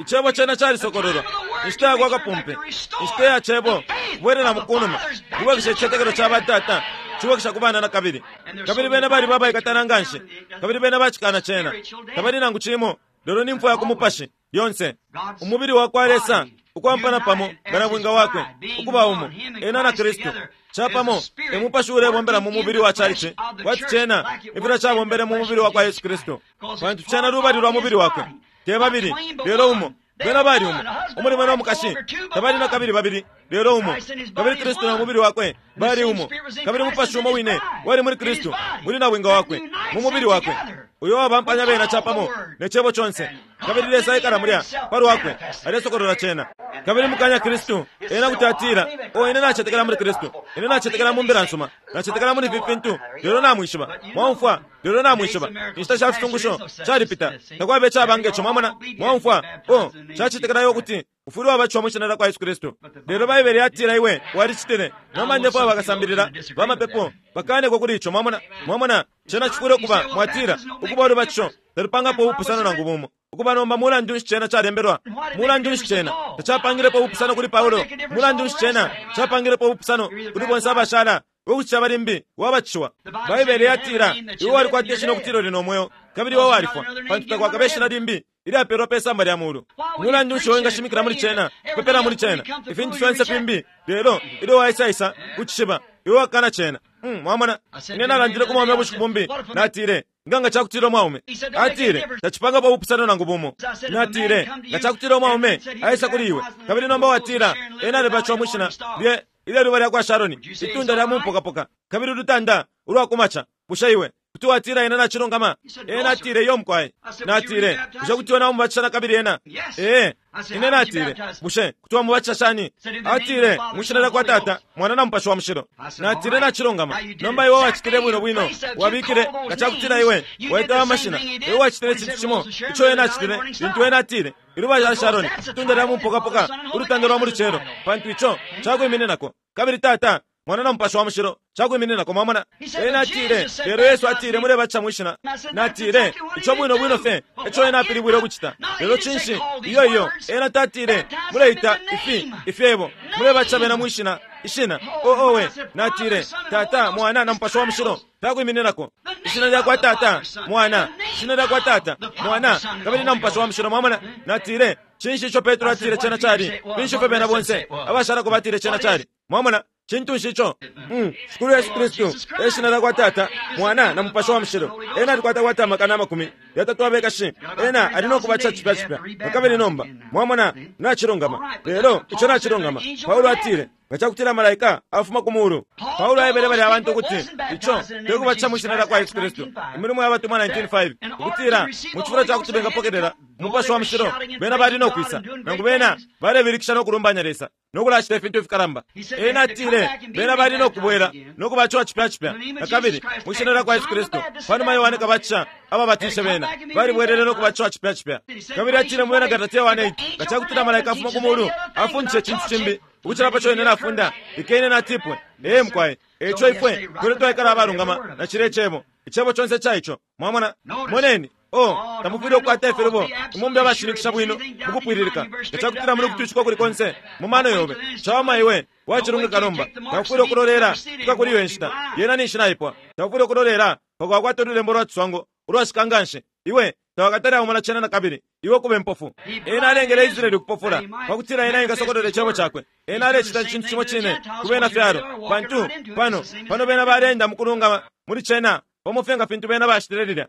Icebo cena calisokololwa. Inshita yakwa kapumpe, inshita ya Cebo, kubwelelamo kunuma, kubwekesha icitetekelo ca batata, cibwekesha ku bana nakabili. Kabili bena baliba abaikatana nganshi, kabili bena bacikana cena. Tabali nangu cimo lelo ni mfwa ya ku mupashi, lyonse. Umubili wakwa Lesa ukwampana pamo nga nabwinga Wakwe, ukuba umo, Ena na Kristu. Capamo, e Mupashi uulebombela mu mubili wa Chalichi, kwati cena eflyo cabombele mu mubili wakwa Yesu Kristu, pantu cena lubali lwa mubili Wakwe. Te babili, lelo umo. Bena bali umo. Umulume no mukashi tabali na kabili babili, lelo umo. Kabili Kristu no mubili Wakwe bali umo. Kabili Mupashi umo wine wali muli Kristu, muli nabwinga Wakwe, mu mubili Wakwe, uyo wabampanya bena capamo ne Cebo conse. Kabili Lesa aikala mulya, pa Lwakwe, alesokolola Cena. Kabili mukanya Kristu, ena kuti atila, Oh, ine nacetekela muli Kristu. Ine nacetekela mu Mbila nsuma. Nacetekela muli ifi fintu. Lelo namwishiba. Mwaumfwa? Lelo namwishiba. Inshita sha fisungusho shalipita. Takwaba icaba nge co. Mwamona? Mwaumfwa? Oh, nshacetekela iwe ukuti ufwile wabatishiwa mwi Shina lyakwa Yesu Kristu. Lelo Baibele yatila iwe walicitile. Nomba ndefwaya bakasambilila ba mapepo bakaaneko kuli ico. Mwamona? Mwamona? Cena cifwile ukuba, mwatila, ukuba ulubatisho talupangapo ubupusano nangu bumo. Ukuba nomba mulandu nshi cena calembelwa? Mulandu nshi cena tacapangilepo ubupusano kuli Paulo? Mulandu nshi cena capangilepo ubupusano kuli bonse abashala? Ukucita limbi wabatishiwa. Baibele yatila, Iwe walikwata ishina ukutila uli no mweo, kabili iwe walifwa, pantu takwakabe ishina limbi ilyapelwa pe samba lya mulu. Mulandu nshi iwe wingashimikila muli cena, kupepela muli cena, ifintu fyonse fimbi, lelo ilyo waisaisa ku cishiba, iwe wakana cena? Mm, mwamona? Ine nalandile ku mwaume ubushiku bumbi, natile, Nga nga cakutila umwaume, atile, tacipangapo ubupusano nangu bumo. Natile, Nga cakutila umwaume aisa kuli iwe, kabili nomba watila, ena alibatishiwa mwi shina lye ilye luba lyakwa Sharoni, itunda lya mu mupokapoka, kabili ulutanda ulwa ku maca, bushe iwe kuti watila ena nacilungama? Ena atile, Iyo, mukwai. Natile, Bushe kuti iwe naumubatisha nakabili ena? Ee. Ine natile, Bushe kuti wamubatisha shani? Atile, Mwi Shina lyakwa Tata, Mwana na Mupashi wa Mushilo. Natile, Nacilungama. Nomba iwe wacitile bwino bwino. Wabikile, nga cakutila iwe waita aya mashina, iwe wacitile icintu cimo ico ena acitile lintu ena atile, Iluba lya Sharoni, itunda lya mu mupokapoka, ulutanda lwa mu lucelo, pantu ico cakwimininako. Kabili Tata, Mwana na Mupashi wa Mushilo cakwimininako. Mwamona? Ena atile, Lelo Yesu atile mulebatisha mwi Shina. Natile, Ico bwino bwino fye eco Ena apilibwile ukucita. Lelo cinshi? Iyo, iyo. Ena tatile, Muleita ifi ifyebo. Mulebatisha bena mwi Shina, Ishina. Oh, owe. Natile, Tata, Mwana, na Mupashi wa Mushilo fyakwimininako. Ishina lyakwa Tata, Mwana, Ishina lyakwa Tata, Mwana, kabili na Mupashi wa Mushilo. Mwamona? Natile, Cinshi ico Petro atile cena cali? Finshi ifyo bena bonse abashalako batile cena cali? Mwamona? Cintu nshi ico? Mm, Shikulu Yesu Kristu e shina lyakwa Tata, Mwana, na Mupashi wa Mushilo. Ena alikwata kwati amakana amakumi yatatu abekashi. Ena ali no kubatisha cipya cipya nakabili nomba. Mwamona? Nacilungama. Lelo ico nacilungama. Paulo atile, Nga cakutila malaika afuma ku mulu. Paulo aebele balya abantu ukuti ico te kubatisha mwi shina lyakwa Yesu Kristu. Imilimo ya Batumwa 19:5, ukutila mu cifulo ca kuti bengapokelela Umupashi wa Mushilo, bena bali no kwisa, nangu bena balebilikisha no kulumbanya Lesa. no kulacita ifintu ifikalamba. Ena atile bena bali no kubwela no kubatishiwa cipya cipya na kabili mwi Shina lyakwa Yesu Kristu. Panuma Yohane Kabatisha ababatishe bena, balibwelele no kubatishiwa cipya cipya. Kabili atile mu Bena Galatia 1:8, Nga cakutila malaika afuma ku mulu afundisha icintu cimbi ukucila paco ine nafunda, lekeni ena atipwe. Ee, mukwai. Eico ifwe tuli twaikala abalungama na cilya Icebo, Icebo conse ica ico. Mwamona? Moneni. Oh, tamufwile ukukwata ifilubo, imwe mube abashininkisha bwino mukupwililika. Nga cakutila muli ukutwishika ukuli konse mu mano yobe, cawama iwe wacilungika nomba. Taufwile ukulolela kufika kuli iyo inshita, yena ninshi naipwa. Taufwile ukulolela mpaka wakwata ululembo lwa ciswango ulwashika nganshi, iwe tawakatale aumona cena nakabili, iwe ukube impofu. Ena alengele Israele ukupofula, pakutila Ena engasokolola Icebo Cakwe. Ena alecita icintu cimo cine ku Benafyalo, pantu pano, pano bena baleenda mukulungama muli cena pamo fye nga fintu bena bacitile lilya.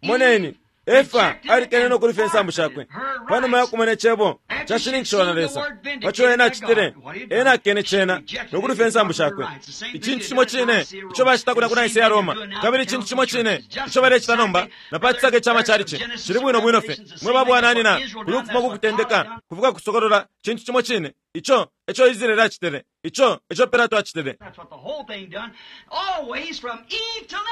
Moneni, Efa alikene no kulufya insambu shakwe panuma ya kumona Icebo cashininkishiwa na Lesa pa co ena acitile. Ena akene Cena no kulufya insambu shakwe. Icintu cimo cine ico bacita kulya ku Nicaea Roma, kabili icintu cimo cine ico balecita nomba na pa cisaka ica macalici, cili bwino bwino fye. Mwe ba bwananyina, kuli ukufuma ku Kutendeka kufika ku Kusokolola, cintu cimo cine. Ico eco Israele acitile. Ico eco Pilato acitile.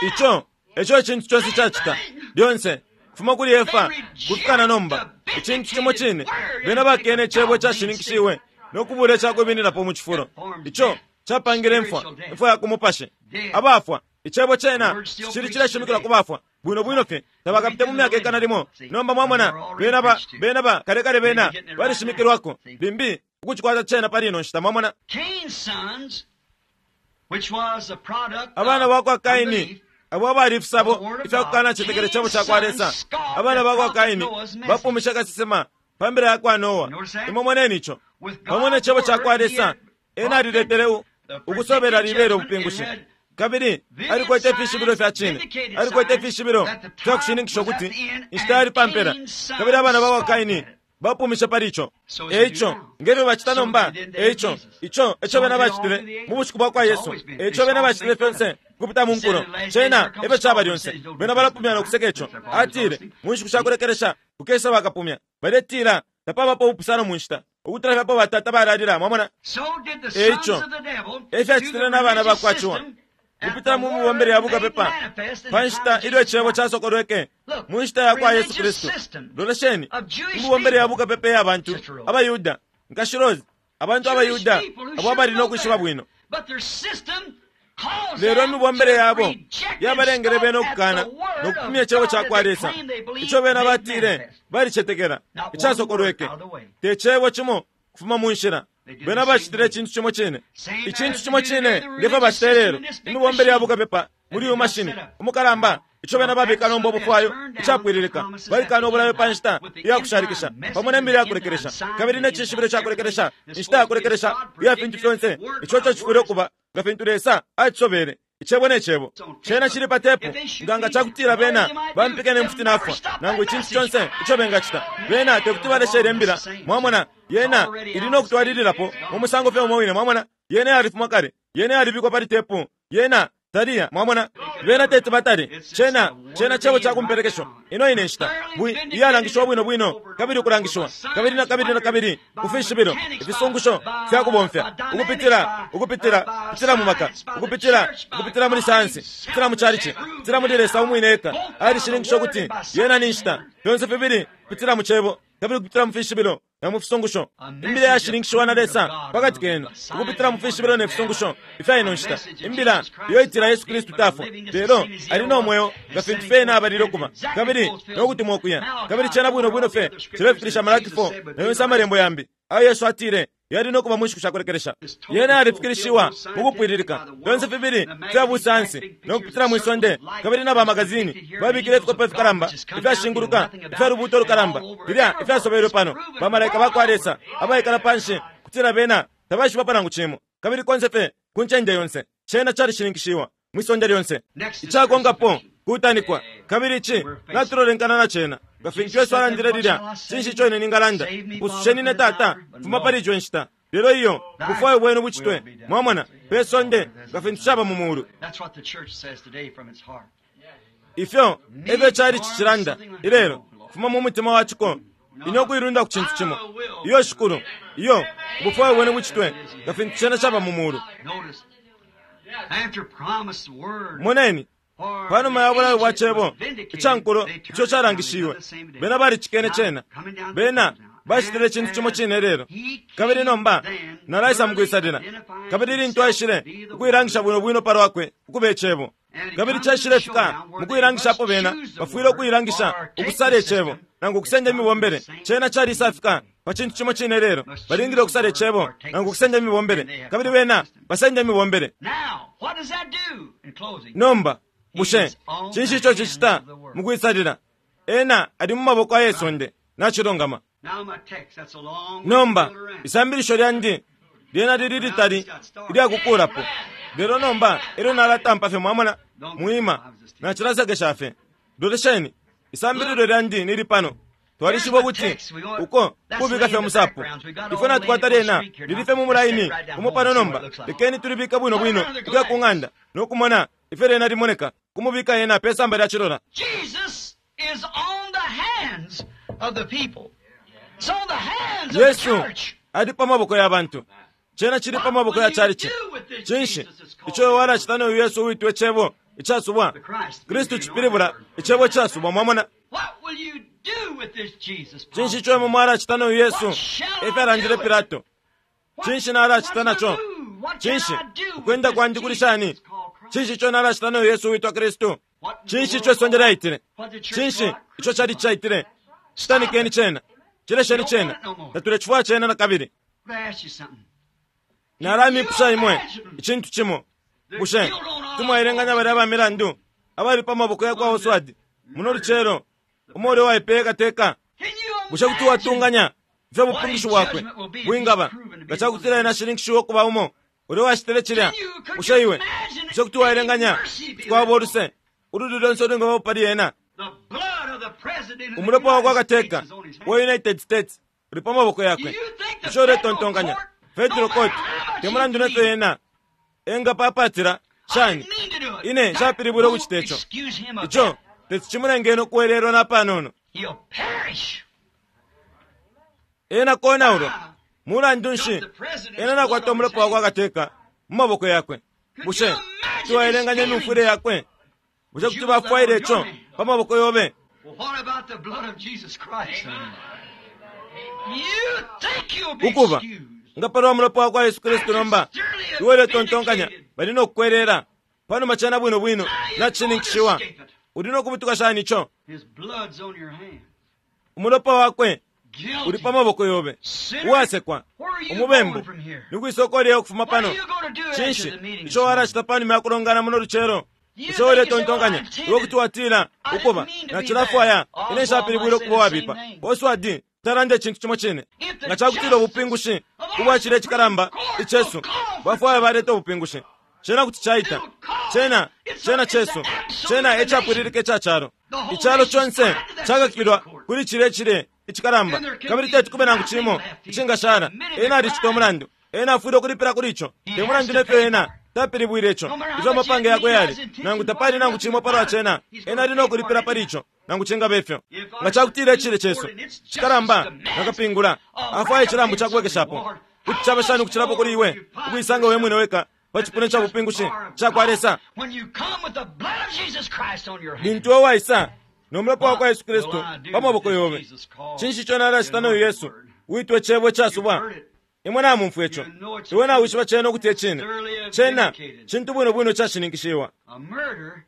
Ico eco icintu conse cacita, lyonse, kufuma kuli Efa kufika na nomba, icintu cimo cine. Bena bakene Icebo icashininkishiwe no kubula icakwimininapo mu cifulo. Ico capangile imfwa, imfwa ya ku mupashi. Abafwa, Icebo cena cicili cileshimikilwa ku bafwa, bwino bwino fye. Tabakapite mu myaka ikana limo. Nomba, mwamona, bena ba, bena ba, kale kale bena balishimikilwako, limbi, ukucikwata cena pali ino nshita. Mwamona? Abana bakwa Kaini, abo abali ifisabo ifya kukanacetekela Icebo cakwa Lesa, abana bakwa Kaini bapumishe kasesema pa mbila yakwa Noa. Imwe moneni ico. Pamo ne Cebo cakwa Lesa, ena aliletele u, ukusobela libela ubupingushi. Kabili alikwete ifishibilo fya cine, alikwete ifishibilo fya kushininkisha ukuti inshita yali pa mpela. Kabili abana bakwa Kaini bapumishe pali ico. E ico, nge fyo bacita nomba, e ico, ico eco bena bacitile mu bushiku bwakwa Yesu. E ico bena bacitile fyonse ukupita mu nkulo. Cena efyo caba lyonse. Bena balapumya no kuseka ico. Atile, Mu nshiku sha kulekelesha kukesa bakapumya. Baletila, Tapabapo ubupusano mu nshita, ukutula fye apo batata balalila. Mwamona? E ico, e fyacitile na bana bakwa Ciwa. Ukupitila mu mibombele ya bukapepa pa nshita ilyo Icebo casokolweke mu nshita ya kwa Yesu Kristu. Lolesheni, imibombele ya bukapepa iya bantu abaYuda, Nkashi Rose, abantu abaYuda abo abali no kwishiba bwino. Lelo imibombele yabo yabalengele bena ukukana no kupumya Icebo ca kwa Lesa ico bena batile balicetekela icasokolweke. Te cebo cimo kufuma mu nshila. Bena bacitile icintu cimo cine, icintu cimo cine nge fyo bacita ilelo, imibombele ya bukapepa muli uyu mashini umukalamba, ico bena babika nomba ubufwayo icapwililika. Balikana ubulayo pa nshita iya kushalikisha, pamo ne mbila ya kulekelesha, kabili ne cishibilo ca kulekelesha, inshita ya kulekelesha iya fintu fyonse, ico ico cifwile ukuba nga fintu Lesa acisobele. Icebo ne Cebo. Cena cili pa tepu. Nga nga cakutila bena bampika ne mfuti nafwa, nangu icintu conse ico bengacita, bena tekuti baleshe ilye Mbila. Mwamona, Yena ili no kutwalililapo mu musango fye umo wine. Mwamona, Yena yalifuma kale. Yena yalibikwa pali tepu. Yena taliya. Mwamona, bena teti batale. Cena, cena Cebo ca kumpelekesho. Ino ine nshita, bwi, iyalangishiwa bwino bwino, kabili ukulangishiwa, kabili na kabili na kabili, ku fishibilo, ifisungusho fya kubomfya, ukupitila, ukupitila, kupitila mu maka, ukupitila, ukupitila muli sayansi, kupitila mu chalichi, kupitila muli Lesa umwine eka, alishininkisha ukuti yena ni nshita, fyonse fibili, kupitila mu Cebo, kabili ukupitila mu fishibilo na mu fisungusho. Imbila yashininkishiwa na Lesa pakati kenu, ukupitila mu fishibilo ne fisungusho ifya ino nshita. Imbila iyo itila Yesu Kristu tafwa, lelo ali no mweo nga fintu fye Ena abalile ukuba, kabili no kutumwa ukuya. Kabili cena bwino bwino fye cilefikilisha Malaki 4 na yonse Amalembo yambi ayo Yesu atile yali no kuba mu nshiku sha kulekelesha. Yena yalifikilishiwa mukupwililika, fyonse fibili fya busayansi no kupitila mwi sonde, kabili na bamagazini babikile ifikope ifikalamba ifyashinguluka ifya lubuuto lukalamba filya ifyasobelwe pano, bamalaika bakwa Lesa abaikala panshi, kutila bena tabaishibapo nangu cimo, kabili konse fye ku ncende yonse cena calishininkishiwa mwi sonde lyonse. Icakonkapo kutanikwa, kabili ici natulolenkana na cena. Nga fintu Yesu alandile lilya, Cinshi ico ine ningalanda? Mpususheni ine, Tata, fuma pali ico inshita. Lelo iyo, ubufwayo bwenu bucitwe, mwamona, pe sonde nga fintu caba mu mulu. Ifyo efyo icalici cilanda ilelo, kufuma mu mutima wa ciko, ine ukuilunda ku cintu cimo. Iyo, Shikulu. Iyo, ubufwayo bwenu bucitwe, nga fintu cena caba mu mulu. Moneni, panuma ya bulayo bwa Cebo ica nkulo ico calangishiwe, bena balicikene cena. Bena bacitile icintu cimo cine lelo. Kabili nomba nalaisa mukwisalila. Kabili lintu aishile ukuilangisha bwino bwino palwakwe ukuba Icebo, kabili caishile fika mukuilangishapo bena bafwile ukuilangisha ukusala Icebo nangu ukusenda imibombele. Cena calisafika pa cintu cimo cine lelo. Balingile ukusala Icebo nangu ukusenda imibombele, kabili bena basenda imibombele. Nomba bushe cinshi ico cicita mukwisalila? Ena ali mu maboko aye sonde. Nacilungama. Nomba isambilisho lyandi lyena lili litali ilyakukulapo, lelo nomba elyo nalatampa fye, mwamona, mwima nacilasekesha fye. Lolesheni, isambililo lyandi nili pano. Twalishiba ukuti uko kubika fye musapo. Ifwe natukwata lyena lili fye mu mulaini umo pano nomba. Lekeni tulibike bwino bwino ukuya ku ng'anda no kumona ifyo lyena limoneka, kumubika yena pe samba lya cilola. Jesus is on the hands of the people. It's on the hands of the Yesu church. ali pa maboko ya bantu. Cena cili pa maboko ya chalichi. Cinshi ico walacita no Yesu uitwe Cebo icasubwa? Kristu cipilibula Icebo icasubwa, mwamona. What will you do with this Jesus? Cinshi ico imwe mwalacita no Yesu? Efyalandile Pilato. Cinshi nalacita naco? Cinshi ukwenda kwandi kuli shani? Cinshi ico nalacita no Yesu uitwa Kristu? Cinshi ico isonde lyaitile? Cinshi ico chali caitile? Citanikeni cena, cilesheni cena, tatulecifwaya cena nakabili. Let me ask you something. Nalamipusha imwe icintu cimo. Bushe timwaelenganya balya ba milandu abali pa maboko ya kwa Oswald muno lucelo, umo ulya uwaipeye kateka? Can you Bushe kuti watunganya ifyo bupingushi bwakwe bwingaba nga cakutila ena ashininkishiwe ukuba umo ulya uwacitile cilya? Bushe iwe bushe kuti waelenganya kuti kwaba uluse ululi lonse ulwingabapo pali ena? The blood of the president of the Umulopa wa kwa United kateka States is on his wa hands. United States uli pa maboko yakwe. Bushe uletontonkanya Federal Court te mulandu nefyo ena engapapatila shani? I didn't mean to do it. Ine That nshapilibwile won't ukucita ico. excuse him a Ico bit. teti cimulengene ukuwelelwa napanono. He'll perish. Ena konaulwa mulandu nshi ena nakwata umulopa wa kwa kateka mu maboko yakwe? Bushe kuti waelenganya imyumfwile yakwe? Bushe kuti bafwaile ico pa maboko yobe? Well, what about the blood of Jesus Christ? You think you'll be Ukuba excused. nga palwa mulopa wa kwa Yesu Kristu nomba iwe uletontonkanya bali no kukwelela panuma cena bwino bwino nacishininkishiwa. Uli no kubutuka shani ico? His blood's on your hands. Umulopa wakwe Guilty. uli pa maboko yobe, Sinner. uwasekwa, Where are you umubembu. going from here? Ni kwisoko lye ukufuma What are pano. you going to do after Cinshi the meeting this ico morning? walacita panuma ya kulongana muno lucelo? You Bushe think you say, uletontonkanya "Well, I intended iwe kuti watila I didn't ukuba mean to be nacilafwaya bad." ine Oswald nshapilibwile might ukuba say the wabipa. same thing. Oswald talanda icintu cimo cine. If the Nga cakutila ubupingushi justice of our ubwacila icikalamba Supreme Court icesu will call for bafwaya baleta ubupingushi, cena kuti caita. It'll call. Cena It's cena a- it's cesu, an absolute cena ecapwililika ica calo. The whole Icalo nation's conse tied to that cakakilwa Supreme Court. kuli cilye cilye icikalamba, And there can kabili be teti kube nangu nothing cimo left. He icingashala. committed the Ena alicita crime. umulandu, ena afwile ukulipila kuli ico. He Te has mulandu to nefyo pay ena for it. tapilibwile ico, No matter how ifyo much amapange he yakwe has yali, intentions nangu tapali nangu cimo palwa cena, He's ena gonna ali no pay for kulipila it pali anyhow. ico, nangu cingaba ifyo. If Nga our cakutila icilye Supreme cesu Court and its justice cikalamba demands nakapingula a afwaya icilambu recompense ca kubwekeshapo, reward, kuti caba shani ukucilapo kuli iwe ukuisanga we mwine weka pa at cipuna the ca just bupingushi bar of ca kwa God, Lesa. When you come with the blood of Jesus Christ on your hands, Lintu iwe waisa no mulopa wa kwa Yesu What Kristu will I do pa maboko with this yobe, Jesus called cinshi ico nalacita the no Yesu Word? uitwe Cebo You've icasubwa? heard it. Imwe namumfwa ico, You know it's iwe nawishiba cena ukuti ecine. Thoroughly Cena vindicated. cintu bwino bwino cashininkishiwa. A murder?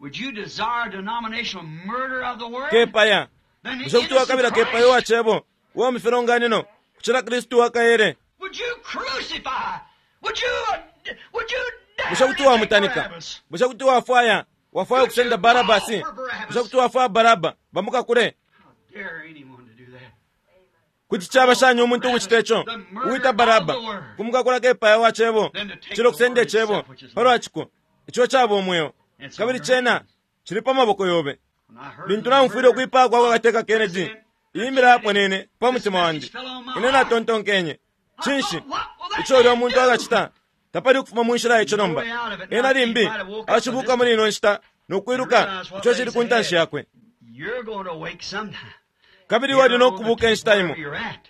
Would you desire denominational murder of the word? Kepaya Then the bushe kuti wakabila innocent kepaya uwa Christ? cebo uwa mu filonganino kucila Kristu wakaele? Would you crucify? Would you would you dare Bushe kuti to take wamutanika? Barabbas? Bushe kuti wafwaya wafwaya ukusenda Barabasi? Bushe kuti wafwaya Baraba bamukakule? How dare anyone to do that? Kuti caba shani umuntu ukucita ico uwita Baraba kumukakula kepaya wa cebo cilo kusenda icebo palwa ciko ico caba umweo, kabili cena cili pa maboko yobe. When I heard Lintu the naumfwile murder, ukwipaya kwa kwa kateka Kennedy, iyi mbila yaponene pa mutima wandi. Ine natontonkenye, cinshi ico ulya muntu akacita? Tapali ukufuma mu nshila ico nomba. Ena limbi acibuka muli ino nshita no kwiluka ico cili ku ntanshi yakwe. You're going to wake sometime. Kabili iwe uli nokubuka inshita imo.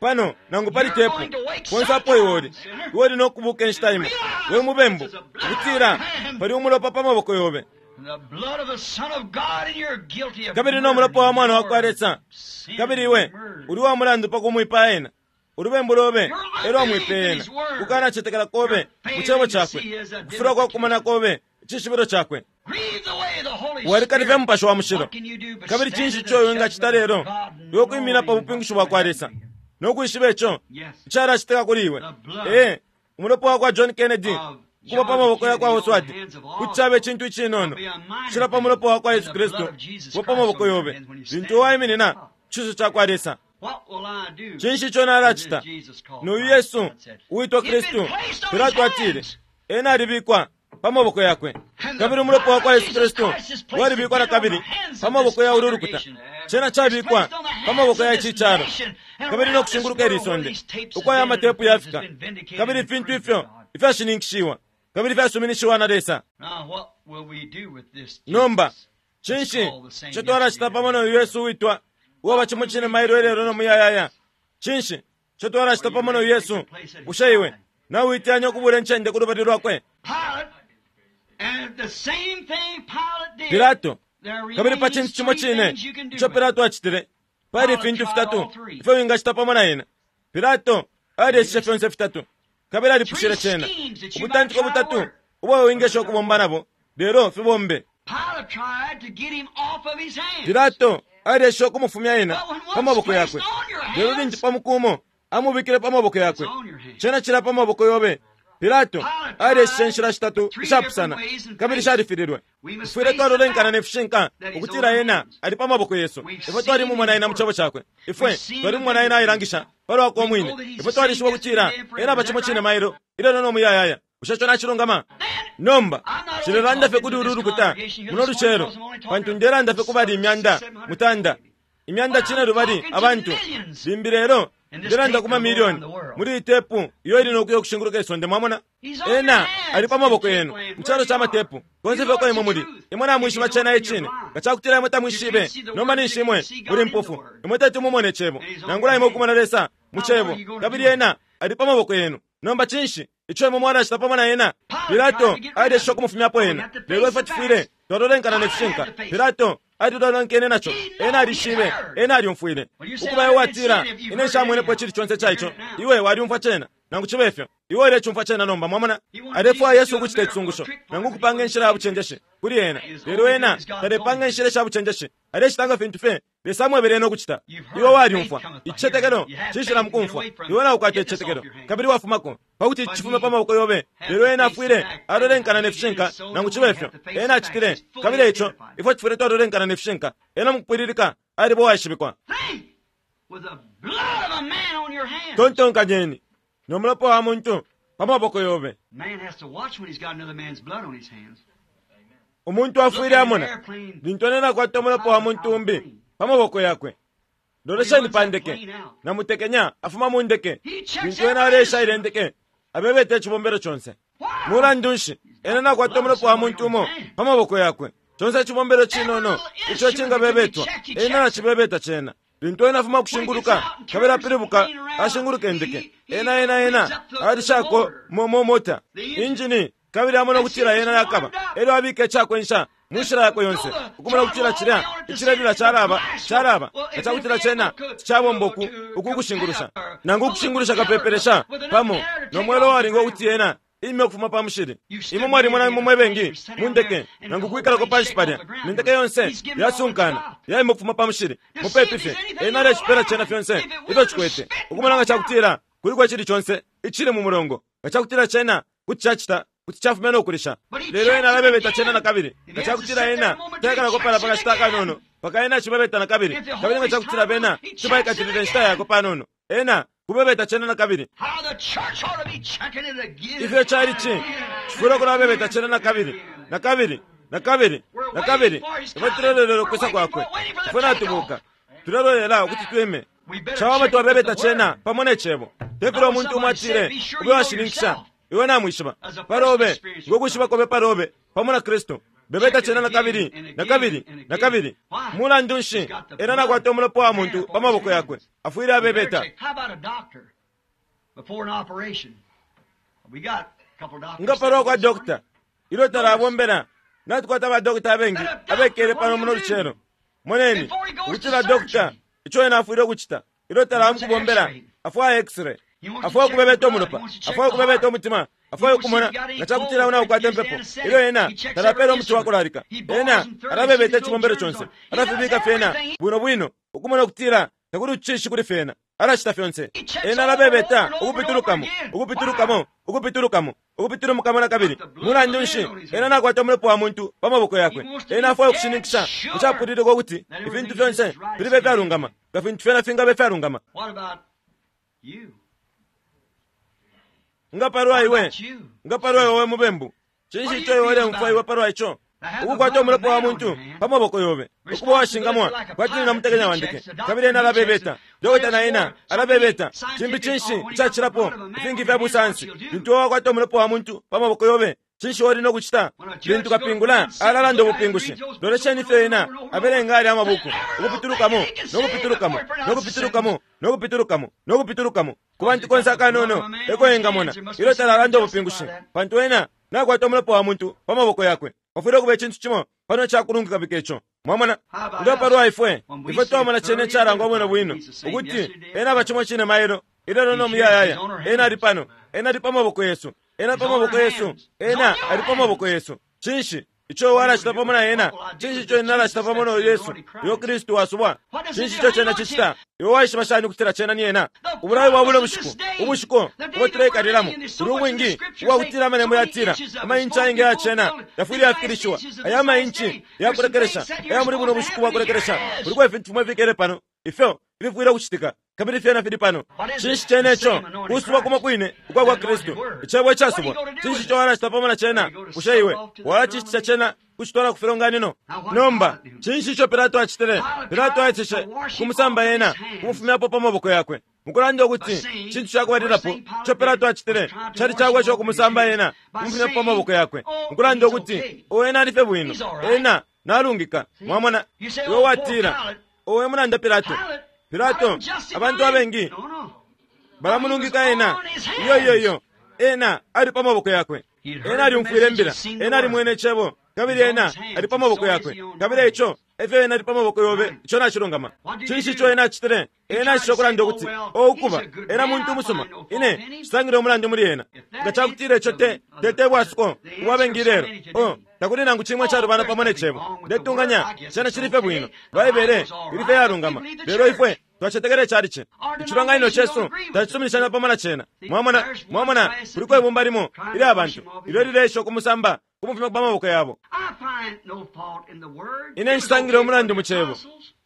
Pano, nangu pali tepu, konse apo iwe uli, iwe uli nokubuka inshita imo. We mubembu, ukutila pali umulopa pa maboko yobe. Kabili no mulopa wa Mwana wakwa Lesa, kabili iwe uli wa mulandu pa kumwipaya ena. Ulubembu lobe elwa amwipeye ena, kukanacetekela kobe mu cebo cakwe, kufilwa kwa kukumana kobe icishibilo cakwe. Walikalifya Mupashi wa Mushilo. Kabili cinshi ico iwe wingacita lelo iwe kwimina pa bupingushi bwa kwa Lesa no kwishiba ico icalacitika kuli iwe? Ee, umulopa wa kwa John Kennedy kuba pa maboko ya kwa Oswald kuti caba icintu icinono kucila pa mulopa wa kwa Yesu Kristu kuba pa maboko yobe lintu waiminina ku cinso ca kwa Lesa. Cinshi ico nalacita? Nuyu Yesu uwitwa Kristu, Pilato atile, ena alibikwa pa maboko yakwe. Kabili umulopa wa kwa Yesu Kristu walibikwa na kabili pa maboko ya ulu lukuta. Cena cabikwa pa maboko ya ici calo, kabili no kushinguluka ili sonde, uko aya matepu yafika, kabili ifintu ifyo ifyashininkishiwa kabili fyasuminishiwa na Lesa. Nomba, cinshi ico twalacita pamo no Yesu uwitwa uwaba cimo cine mailo ilelo no muyayaya? Cinshi ico twalacita pamo no Yesu? Bushe iwe nauiteyanya ukubula incende ku lubali lwakwe? Pilato, kabili pa cintu cimo cine ico Pilato acitile, pali ifintu fitatu ifyo wingacita pamo na ena. Pilato alyeshishe fyonse fitatu, kabili alipushile cena. Ubutantiko butatu ubo wingesha ukubomba nabo, lelo fibombe. Pilato alyeshishe ukumufumya ena pa maboko yakwe, lelo lintu pa muku umo amubikile pa maboko yakwe, cena cila pa maboko yobe. Pilato alyeshishe inshila shitatu ishapusana, kabili shalifililwe. Tufwile twalolenkana ne fishinka ukutila ena ali pa maboko yesu. Ifwe twalimumona ena mu cebo cakwe. Ifwe twalimumona ena ailangisha palwakwe umwine. Ifwe twalishiba ukutila ena aba cimo cine mailo, ilelo no muyayaya. Bushe ico nacilungama? Nomba, nshilelanda fye kuli ulu lukuta muno lucelo, pantu ndelanda fye ku bali imyanda mutanda, imyanda cinelubali abantu, limbi lelo ndelanda ku mamilioni muli iyi tepu iyo ili nokuya ukushinguluka isonde. Mwamona? Ena ali pa maboko yenu mu calo ca matepu, konse fye uko imwe muli. Imwe namwishiba cena icine. Nga cakutila imwe tamwishibe, nomba ninshi imwe muli mpofu. Imwe teti mumone Icebo, nangula imwe ukumona Lesa mu Cebo, kabili Ena ali pa maboko yenu. Nomba cinshi ico imwe mwalacita pamo na Ena? Pilato alyeseshe ukumufumyapo Ena, lelo ifwe tufwile twalolenkana ne fishinka. Pilato alilolonkene naco. Ena alishibe. Ena alyumfwile. Ukuba iwe watila, Ine nshamwenepo icili conse ica ico. Iwe walyumfwa cena, nangu cibe fyo. Iwe ulecumfwa cena nomba. Mwamona? Alefwaya Yesu ukucita icisungusho, nangu ukupanga inshila ya bucenjeshi kuli ena. Lelo ena talepanga inshila isha bucenjeshi. Alecita nga fintu fye Lesa amwebele ena ukucita. Iwe walyumfwa. Icicetekelo cishila mukumfwa. Iwe naukwata icicetekelo, kabili wafumako, pakuti ici cifume pa maboko yobe. Lelo ena afwile alolenkana ne fishinka, nangu cibe fyo. Ena acitile. Kabili eico ifwe tufwile twalolenkana ne fishinka. Ena mukupwililika aliba uwaishibikwa. Tontonkanyeni, no mulopa wa muntu pa maboko yobe. Umuntu afwile amona lintu ena nakwata umulopa wa muntu umbi pa maboko yakwe. Lolesheni pa ndeke. Namutekenya afuma mu ndeke. Lintu ena aleesha ilya ndeke, abebeta icibombelo conse. Mulandu nshi, ena nakwata umulopa wa muntu umo pa maboko yakwe. Conse icibombelo cinono ico cingabebetwa, ena nacibebeta cena. Lintu ena afuma kushinguluka, kabili apilibuka ashinguluka indeke, ena, ena, ena alishako mo, mo mota, injini, kabili amona ukutila yena yakaba, elyo abika icakwensha mu nshila yakwe yonse, ukumona ukutila cilya icilelila calaba, calaba, nga cakutila cena ticabomba uku, uku kushingulusha, nangu ukushingulusha kapepelesha pamo no mwela uwalinga ukuti yena ime ukufuma pa mushili. Imwe mwalimona imwe mwe bengi mu ndeke, nangu kwikalako panshi palya, ne ndeke yonse yasunkana, yaima ukufuma pa mushili, mupepi fye. Ena alecipela cena fyonse ifyo cikwete, ukumona nga cakutila kuliko icili conse icili mu mulongo, nga cakutila cena kuti cacita, kuti cafumya no kulisha. Lelo ena alabebeta cena nakabili. Nga cakutila ena taikalako palya pa kashita akanono, mpaka ena acibebeta nakabili. Kabili nga cakutila bena kuti baikatilila inshita yakwe panono, ena kubebeta cena nakabili. Ifyo cali ci, cifwile ukulabebeta cena nakabili, nakabili, nakabili, nakabili. Ifwe tulelolela ukwisa kwakwe. Ifwe natubuka. Tulelolela ukuti twime. Cawama twabebeta cena pamo ne Cebo. Tefilya umuntu umo atile, Ube washininkisha. Iwe namwishiba palobe, ngo kwishiba kobe palobe pamo na Kristu. Bebeta cena na kabili, na kabili, na kabili. Mulandu nshi ena nakwata umulopa wa muntu pa maboko yakwe? Afwile abebeta. Nga palwa kwa dokta, ilyo talabombela, natukwata ba dokta abengi abekele pano muno lucelo. Moneni, ukutila dokta, ico ena afwile ukucita, ilyo talamukubombela, afwaya x-ray, afwaya ukubebeta umulopa, afwaya ukubebeta umutima, afwaya ukumona nga cakutila una ukwata impepo. Ilyo ena talapela umuti wakulalika, ena alabebeta icibombelo conse, alafibika fyena bwino bwino, ukumona ukutila takuli ucishishi kuli fyena. Alacita fyonse. Ena alabebeta ukupitulukamo, ukupitulukamo, ukupitulukamo, ukupitulumukamo na kabili. Mulandu nshi ena nakwata umulopa wa muntu pa maboko yakwe? Ena afwaya ukushininkisha icapwililika ukuti ifintu fyonse filibe fyalungama, nga fintu fyena fingabe fyalungama. Nga palwa iwe, nga palwa iwe we mubembu, cinshi ico iwe uleumfwa iwe palwa ico? Ukukwata umulopa wa muntu pa maboko yobe, ukuba washingamwa kwati ni namutekenya wandeke. Kabili ena alabebeta, dokota na ena alabebeta. Cimbi cinshi icacilapo ifingi fya busansi? Lintu iwe wakwata umulopa wa muntu pa maboko yobe, cinshi uli no kucita? Lintu kapingula alalanda ubupingushi, lolesheni ifyo ena abelenga alya amabuku, ukupitulukamo, no kupitulukamo, no kupitulukamo, no kupitulukamo, no kupitulukamo, ku bantu konse akanono eko engamona ilyo talalanda ubupingushi, pantu ena nakwata umulopa wa muntu pa maboko yakwe. Pafwile ukuba icintu cimo pano icakulungika bika ico. Mwamona? Nga palwa ifwe, ifwe twamona cene icalangwa bwino bwino ukuti ena aba cimo cine mailo, ilelo no muyayaya. Ena ali pano, ena ali pa maboko yesu, ena pa maboko yesu, ena ali pa maboko yesu. Cinshi ico walacita pamo na ena? Cinshi ico ena alacita pamo na Yesu, uyo Kristu wasubwa? Cinshi ico cena cicita? Iwe waishiba shani ukutila cena ni ena? Ubulayo bwa buno bushiku, ubushiku ubo tuleikalilamo, buli ubwingi ubwakutila amalembo yatila amainchi ayengi aya cena yafwile yafikilishiwa. Aya mainchi yakulekelesha aya muli buno bushiku bwakulekelesha. Kuliko ifintu fimo ifikele pano ifyo ififwile ukucitika, kabili fyena fili pano. Cinshi cene ico? Kusubwa kumo kwine ukwa kwa Kristu, icebo icasubwa. Cinshi ico walacita pamo na cena? Bushe iwe walacishitisha cena kucitwala ku filonganino? Nomba cinshi ico Pilato acitile? Pilato aeseshe kumusamba ena, kumufumyapo pa maboko yakwe, mukulanda ukuti cintu cakubalilapo ico Pilato acitile cali cakwesha ukumusamba ena, kumufumyapo pa maboko yakwe, mukulanda ukuti o ena alife bwino, ena nalungika. Mwamona, iwe watila, owe mulanda Pilato. Pilato, abantu abengi balamulungika ena. Iyo, iyo, iyo, ena ali pa maboko yakwe. Ena alyumfwile imbila, ena alimwene icebo, kabili ena ali pa maboko yakwe. Kabili ico efyo ena ali pa maboko yobe, ico nacilungama. Cinshi ico ena acitile? Ena acisha ukulanda ukuti o ukuba ena muntu umusuma, ine nsangile umulandu muli ena. Nga cakutila ico te tete bwasuko ubwa bengi ilelo, o takuli nangu cimwe icalubana pamo ne cebo. Ndetunganya cena cili fye bwino, Baibele ili fye yalungama, lelo ifwe twacetekela icalici. Icilonganino cesu tacisuminishanya pamo na cena. Mwamona, mwamona, kuliko ibumba limo ilya bantu ilyo lileesha ukumusamba, kumufumya pa maboko yabo. Ine nshisangile umulandu mu cebo.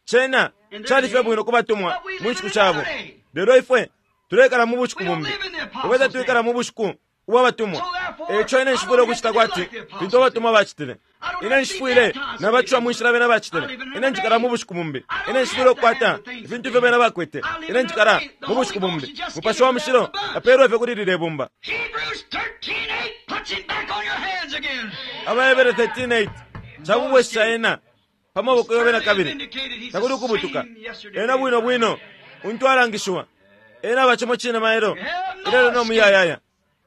Cena cali fye bwino ku batumwa mu nshiku shabo, lelo ifwe tulekala mu bushiku bumbi. Ifwe tatwikala mu bushiku ubwa batumwa. Eico ine nshifwile ukucita kwati fintu abatumwa bacitile. Ine nshifwile nabacwa mu nshila bena bacitile. Ine njikala mu bushiku bumbi. Ine nshifwile ukukwata ifintu ifyo bena bakwete. Ine njikala mu bushiku bumbi. Mupashi wa Mushilo apeelwe fye kuli lilye bumba. Hebrews 13:8 puts him back on your hands again. Abahebere 13:8 cakubwesha ena pa maboko yobe na kabili. Takuli ukubutuka. Ena bwino bwino untu alangishiwa. Ena aba cimo cine mailo, ilelo no muyayaya.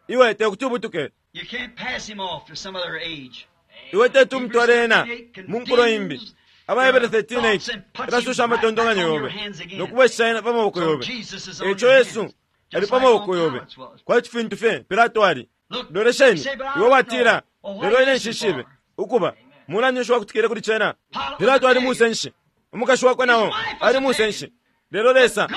Iwe tekuti ubutuke. You can't pass him off to some other age. Iwe teti umutwale ena mu nkulo imbi. Abahebere 13:8 elasusha amatontonkanyo yobe no kubwesha ena pa maboko yobe. Eico Yesu ali pa maboko yobe, kwati fintu fye Pilato ali. Lolesheni, iwe watila, lelo ine nshishibe ukuba mulandu nshi wakutikile kuli cena. Pilato ali musenshi, umukashi wakwe nao ali musenshi. Lelo Lesa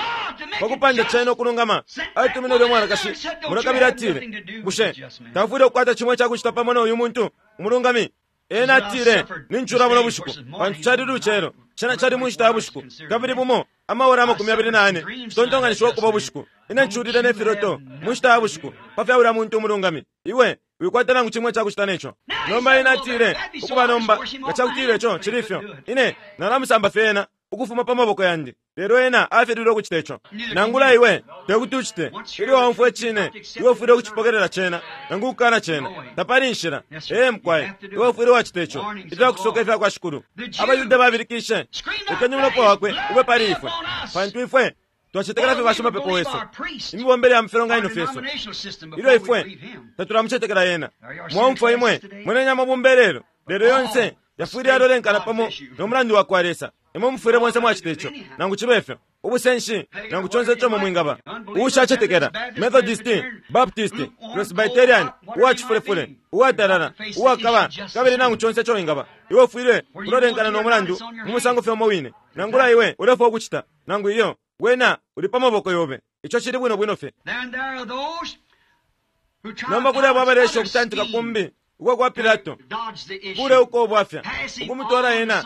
pakupanda cena ukulungama atumine ulya mwanakashi muno kabili atile, bushe tafwile ukukwata cimo icakucita pamo na uyu muntu umulungami? Ena atile, nincula buno bushiku, pantu cali lucelo, cena cali mu nshita ya bushiku, kabili bumo amaora 24 citontonganishiwa ukuba ubushiku. Ine nculile ne filoto mu nshita ya bushiku pa fya ulya muntu umulungami. Iwe wikwata nangu cimwe icakucita neco. Nomba ena atile, ukuba nomba nga cakutila ico cili ifyo, ine nalamusamba fye ena ukufuma pa maboko yandi. Lelo ena afililwe ukucita ico. Nangula iwe tekuti ucite. Ilyo waumfwa icine, iwe ufwile ukucipokelela cena nangu ukukana cena. Tapali inshila. Ee, mukwai, iwe ufwile wacita ico. Ifyakusoka ifya kwa Shikulu. AbaYuda babilikishe, lekeni umulopa wakwe ube pali ifwe, pantu ifwe twacetekela fye bashimapepo wesu, imibombele ya mufilonganino fyesu, ilyo ifwe tatulamucetekela ena. Mwaumfwa imwe mwenenya amabumba ilelo, lelo yonse yafwile yalolenkana pamo no mulandu wa kwa Lesa. Imwe mufwile bonse mwacita ico, nangu cibe fyo, ubusenshi nangu conse ico mwe mwingaba. Uushacetekela, Methodist, Baptist, Presbyterian, uwacifulefule, uwatalala, uwakaba, kabili nangu conse ico wingaba, iwe ufwile ulolenkana no mulandu mu musango fye umo wine. Nangula iwe ulefwaya ukucita, nangu iyo, wena uli pa maboko yobe. Ico cili bwino bwino fye. Nomba kuli abo abaleesha ukutantika kumbi ukwa kwa Pilato, kule uko ubwafya, ukumutwala ena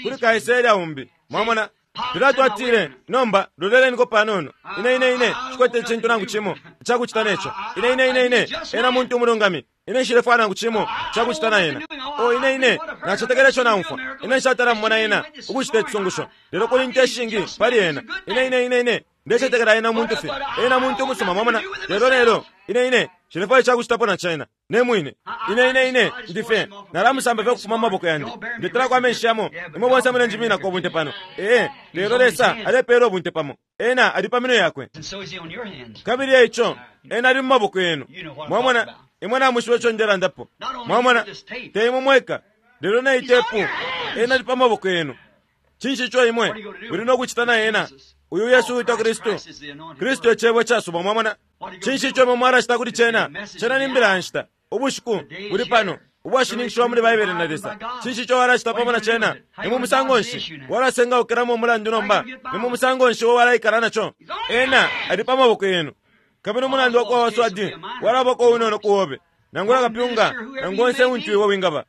kuli Kaisare umbi. Mwamona? Pilato atile, nomba loleleniko panono. Ine, ine, ine shikwete icintu nangu cimo icakucita neco. Ine, ine, ine, ine ena muntu umulungami. Ine nshilefwaya nangu cimo icakucita na ena. Oh, ine, ine nacetekela ico naumfwa. Ine nshatala mumona ena ukucita icisungusho, lelo kuli inte ishingi pali ena. Ine, ine, ine, ine ndecetekela ena muntu fye. Ena muntu umusuma, mwamona? Lelo, lelo ine, ine nshilefwaya icakucitapo na cena ne mwine. Ine, ine, ine ndi fye nalamusamba fye ukufuma mu maboko yandi. Ndetelako amenshi yamo. Imwe bonse mulenjiminako ubunte pano. Ee, lelo Lesa alepeela ubunte pamo. Ena ali pa minwe yakwe. Kabili eico ena ali mu maboko yenu. Mwamona, imwe namwishiba ico ndelandapo. Mwamona, te imwe mweka, lelo na itepu, ena ali pa maboko yenu. Cinshi ico imwe muli no kucita na ena? Uyu Yesu uwitwa Kristu. Kristu e Cebo icasubwa, mwamona. Cinshi ico imwe mwalacita kuli cena? Cena ni mbila ya nshita. Ubushiku buli pano, ubwashininkishiwa muli Baibele na Lesa. Cinshi ico walacita pamo na cena? Ni mu musango nshi walasengaukilamo umulandu nomba? Ni mu musango nshi uo walaikala naco? Ena ali pa maboko yenu. Kabili umulandu wakwa waswadi walabako unono ku obe, nangula kapyunga, nangu onse untu iwe wingaba.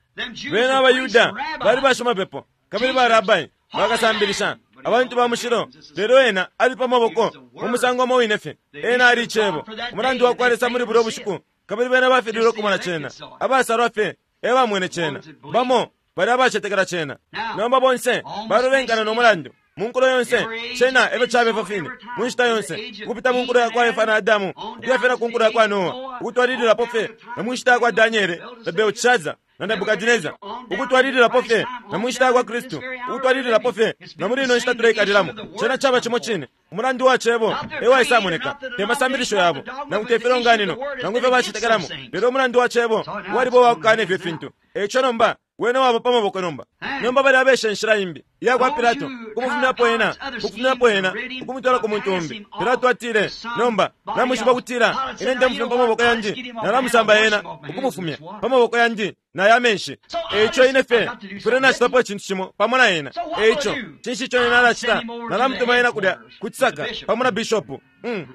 Bena abaYuda bali bashimapepo, kabili ba rabai, bakasambilisha, abantu ba mushilo, lelo ena ali pa maboko mu musango umo wine fye. Ena ali Icebo, umulandu wakwa Lesa muli bulya bushiku, kabili bena bafililwe ukumona cena. Abasalwa fye e bamwene cena, bamo bali abacetekela cena. Nomba bonse balolenkana no mulandu mu nkulo yonse. Cena efyo cabe ifyo fine mu nshita yonse, ukupita mu nkulo yakwa Efa na Adamu, ukuya fye na ku nkulo yakwa Noa, ukutwalililapo fye na mu nshita yakwa Daniele na Belteshazzar na Nebukadineza, ukutwalililapo fye na mu nshita yakwa Kristu, ukutwalililapo fye na muli ino nshita tuleikalilamo. Cena caba cimo cine. Umulandu wa Cebo e waisamoneka, te masambilisho yabo, nangu te filonganino, nangu ifyo bacetekelamo, lelo umulandu wa Cebo waliba uwakukana ifyo fintu. Eico nomba wene waba pa maboko nomba. Nomba bali abesha inshila imbi iya kwa Pilato, ukumufumyapo ena, ukumufumyapo ena, ukumutwala ku muntu umbi. Pilato atile, nomba namwishiba ukutila ine ndemufumya pa maboko yandi, nalamusamba ena, ukumufumya pa maboko yandi na ya menshi. Eico ine fye mfwile nacitapo icintu cimo pamo na ena. Eico cinshi ico ine nalacita? Nalamutuma ena kulya ku cisaka pamo na bishopu.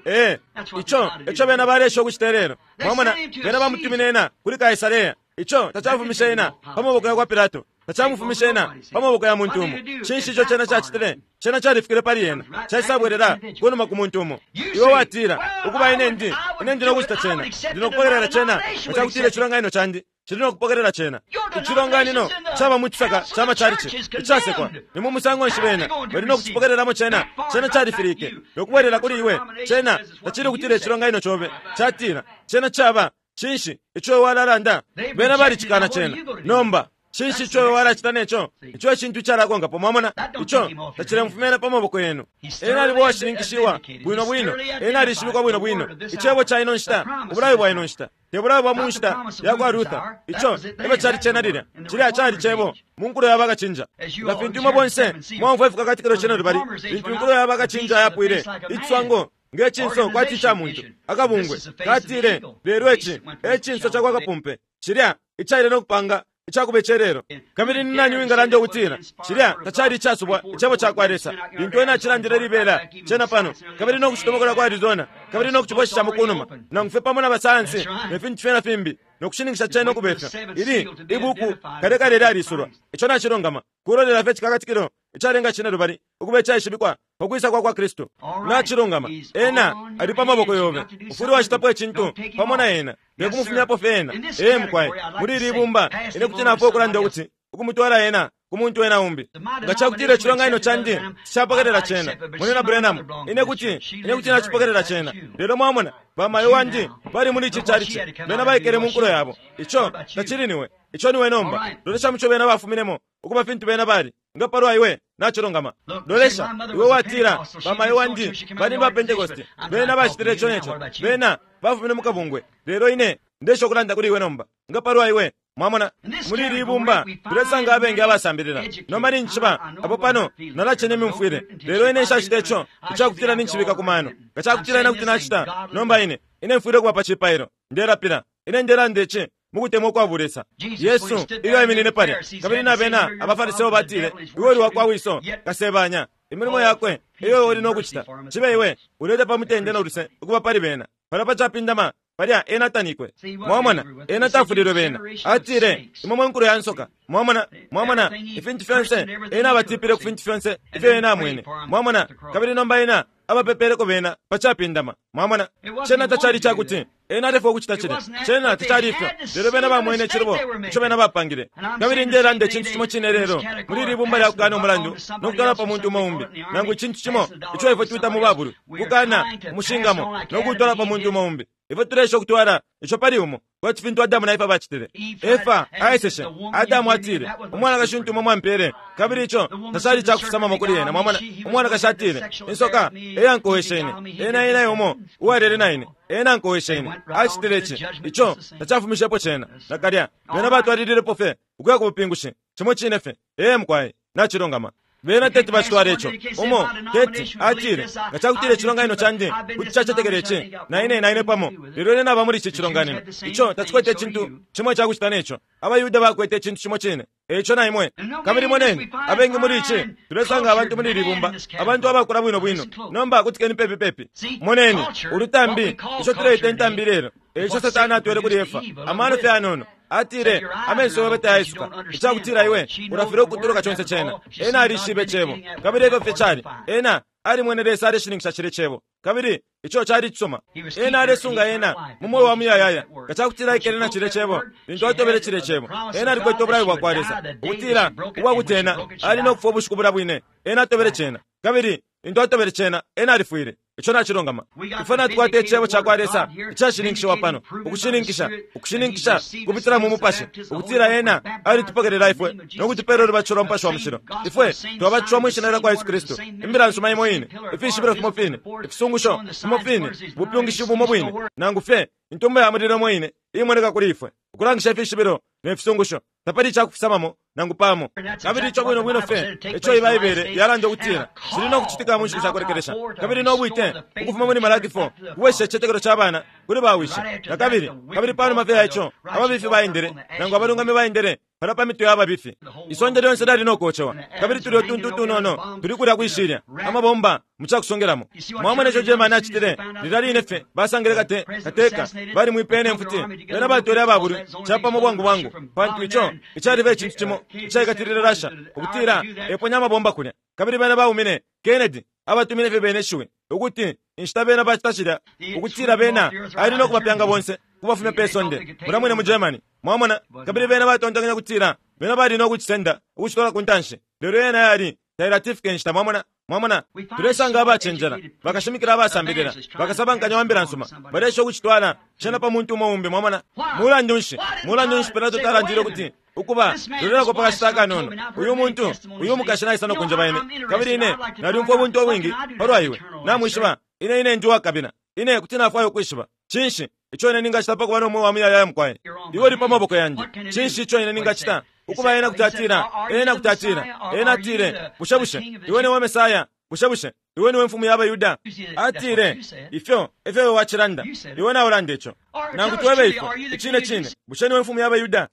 Ee, ico eco bena baleesha ukucita ilelo. Mwamona, bena bamutumine ena kuli Kaisarea. Ico tacafumishe ena pa maboko yakwa Pilato, tacamufumishe ena pa maboko ya muntu umo. Cinshi ico cena cacitile? Cena califikile pali ena, caisabwelela kunuma ku muntu umo. Iwe watila, ukuba ine ndi, ine ndi nokucita cena, ndi nokupokelela cena, nga cakutila icilonganino candi cili nokupokelela cena. Icilonganino caba mu cisaka ca macalici icasekwa. Ni mu musango nshi bena bali nokucipokelelamo cena? Cena califilike nokubwelela kuli iwe. Cena tacili kutila icilonganino cobe catila cena caba. Cinshi ico iwe walalanda? Bena balicikana cena. Nomba cinshi ico iwe walacita neco? Ico e cintu icalakonkapo, mwamona. Ico tacilemufumyena pa maboko yenu. Ena aliba uwashininkishiwa bwino bwino. Ena alishibikwa bwino bwino. Icebo ca ino nshita, ubulayo bwa ino nshita, te bulayo bwa mu nshita yakwa Luther. Ico efyo cali cena lilya. Cilya cali Cebo mu nkulo ya bakacinja. Nga fintu imwe bonse mwaumfwa Ifikakatikilo Cine lubali, lintu inkulo ya bakacinja yapwile, iciswango nge cinso kwati ica muntu, akabungwe katile, lelo ici e cinso ca kwa kapumpe, cilya icaile no kupanga icakuba icelelo. Kabili ni nani wingalanda ukutila cilya tacali icasubwa icebo ca kwa Lesa, lintu ena acilandile libela cena pano, kabili no kucitomokola kwa Arizona, kabili no kucibweseshamo kunuma, nangu fye pamo na basayansi ne fintu fye na fimbi, no kushininkisha cena ukubefya? Ili ibuku kale kale lyalisulwa. Ico nacilungama, kulolela fye icikakatikilo icalenga cine lubali ukuba icaishibikwa pa kwisa kwa kwa Kristu. Nacilungama, ena ali pa maboko yobe. Ufwile wacitapo icintu pamo na ena, te kumufumyapo fye ena. Ee, mukwai, muli ili ibumba ine kuti nafwaya ukulanda ukuti Ukumutwala ena ku muntu ena umbi. Nga cakutila icilonganino candi capokelela cena, Munyina Branham, ine kuti, ine kuti nacipokelela cena. Lelo mwamona, bamayo wandi bali muli ici chalichi, bena baikele mu nkulo yabo. Ico tacili niwe, ico niwe nomba. Lolesha muco bena bafuminemo, ukuba fintu bena bali. Nga palwa iwe, nacilungama. Lolesha, iwe watila, bamayo wandi bali ba Pentecost, bena bacitile ico neco, bena bafumine mu kabungwe. Lelo ine ndesha ukulanda kuli iwe nomba. Nga palwa iwe? Mwamona, muli ili ibumba tulesanga abengi abasambilila. Nomba ninjishiba apo pano nalacena imyumfwile, lelo ine nshacita ico icakutila ninshibika ku mano. Nga cakutila ine kuti nacita, nomba ine, ine mfwile ukuba pa cipailo. Ndelapila. Ine ndelanda ici mukutemwa ukwa bulesa. Yesu, ilyo aiminine palya, kabili na bena abaFariseo batile, Iwe uli wakwa wiso, kasebanya. Imilimo yakwe eyo iwe uli no kucita. Cibe iwe uleta pa mutende no luse ukuba pali bena. Palya pa capindama Palya ena tanikwe. Mwamona, ena tafulilwe bena. Atile, Imwe mwe nkulo ya nsoka. Mwamona, mwamona, ifintu fyonse, ena abatipile ku fintu fyonse ifyo ena amwene. Mwamona, kabili nomba ena abapepeleko bena pa capindama. Mwamona, cena tacali icakuti ena alefwaya ukucita cilya. Cena tacali ifyo. Lelo bena bamwene icilubo ico bena bapangile. Kabili ndelanda icintu cimo cine lelo muli ili bumba lya kukana umulandu no kutwala pa muntu umo umbi, nangu icintu cimo ico ifwe twita mu babulwi, kukana umushingamo no kuutwala pa muntu umo umbi. Ifwe tuleesha ukutwala ico pali umo, kwati fintu Adamu na Efa bacitile. Efa aeseshe. Adamu atile, Umwanakashi untu imwe mwampele, kabili ico tacali cakufisamamo kuli ena. Mwamona? Umwanakashi atile, Insoka e yankoweshe ine. Ena ena e umo uwalele na ine. Ena ankoweshe ine. Acitile ici. Ico tacafumishepo cena, nakalya. Bena batwalililepo fye ukuya ku bupingushi, cimo cine fye. Ee, mukwai. Nacilungama. Bena teti bacitwale ico. Umo teti atile, Nga cakutila icilonganino candi kuti cacetekela ici, na ine, na ine pamo, lelo ine naba muli ici cilonganino. Ico tacikwete icintu cimo icakucita ne co. AbaYuda bakwete icintu cimo cine, e ico na imwe. Kabili moneni, abengi muli ici, tulesanga abantu muli ili bumba, abantu abakula bwino bwino. Nomba kutikeni pepi pepi. Moneni, ulutambi, ico tuleita intambi ilelo, e ico Satana atwele kuli Efa, amano fye ayanono. Atile, Amenso yobe tayaisuka, icakutila iwe ulafilwa ukutuluka conse cena. Ena alishibe Cebo, kabili efyo fye cali. Ena alimwene Lesa aleshininkisha cilye Cebo, kabili ico cali icisuma. Ena alesunga ena mu mweo wa muyayaya nga cakutila aikele na cilye Cebo. Lintu atobele cilye Cebo, ena alikwete ubulayo bwakwa Lesa ukutila ubwakuti ena ali no kufwa ubushiku bulya bwine. Ena atobele cena, kabili lintu atobele cena, ena alifwile. Ico nacilungama. Ifwe natukwata Icebo cakwa Lesa icashininkishiwa pano, ukushininkisha, ukushininkisha ukupitila mu Mupashi, ukutila Ena alitupokelela ifwe no kutupela ulubatisho lwa Mupashi wa Mushilo. Ifwe twabatishiwa mwi Shina lyakwa Yesu Kristu, Imbila nsuma imo ine, ifishibilo fimo fine, ifisungusho fimo fine, ubupyungishi bumo bwine, nangu fye Intumba ya Mulilo imo ine iimoneka kuli ifwe, ukulangisha ifishibilo ne fisungusho. Tapali icakufisamamo nangu pamo. Kabili ico bwino bwino fye eco Ibaibele yalanda ukutila cili no kucitika mu nshiku sha kulekelesha, kabili no bwite ukufuma muli Malaki 4 kubwesha icitetekelo ca bana kuli bawishi na kabili, kabili panuma fye ya ico ababifi baendele, nangu abalungami baendele palya pa mitwe ya babifi. Isonde lyonse lyali no kocewa, kabili tulya utuntu utunono tuli kulya kwi shilya, amabomba mu cakusongelamo. Mwamona ico Germany acitile? Lilya line fye basangile kate, kateka, balimwipeye ne mfuti. Bena batwele aba bulwi capamo bwangu bwangu, pantu ico ecaliba icintu cimo icaikatilile Russia, ukutila eponya amabomba kulya. Kabili bena baumine Kennedy, abatumine fye bena ishiwi, ukuti inshita bena bacita cilya, ukutila bena ali no kubapyanga bonse ukubafumya pe sonde, mulya mwine mu Germany. Mwamona? Kabili bena batontonkanya ukutila bena bali no kucisenda ukucitwala ku ntanshi, lelo yena yali tailatifika inshita. Mwamona? Mwamona? Tulesanga abacenjela, bakashimikila abasambilila, bakasabankanya wa mbila nsuma, baleesha ukucitwala cena pa muntu umo umbi. Mwamona? Mulandu nshi, mulandu nshi Pilato talandile ukuti, Ukuba, lolelako pa kashita akanono. Uyu muntu, uyu mukashi naisa no kunjeba ine, kabili ine nalyumfwa ubunte ubwingi palwa iwe. Namwishiba, ine, ine ndi uwakabila. Ine kuti nafwaya ukwishiba. Cinshi ico ine ningacita pa kuba no mweo wa muyayaya, mukwai? Iwe uli pa maboko yandi. Cinshi ico ine ningacita? Ukuba, ena kuti atila, ena kuti atila, ena atile, Bushe, bushe iwe niwe Mesaya? Bushe, bushe iwe niwe Mfumu ya baYuda? Atile, Ifyo efyo iwe wacilanda. Iwe naulanda ico. Nangu twebe ifwe, icine cine, bushe niwe Mfumu ya baYuda?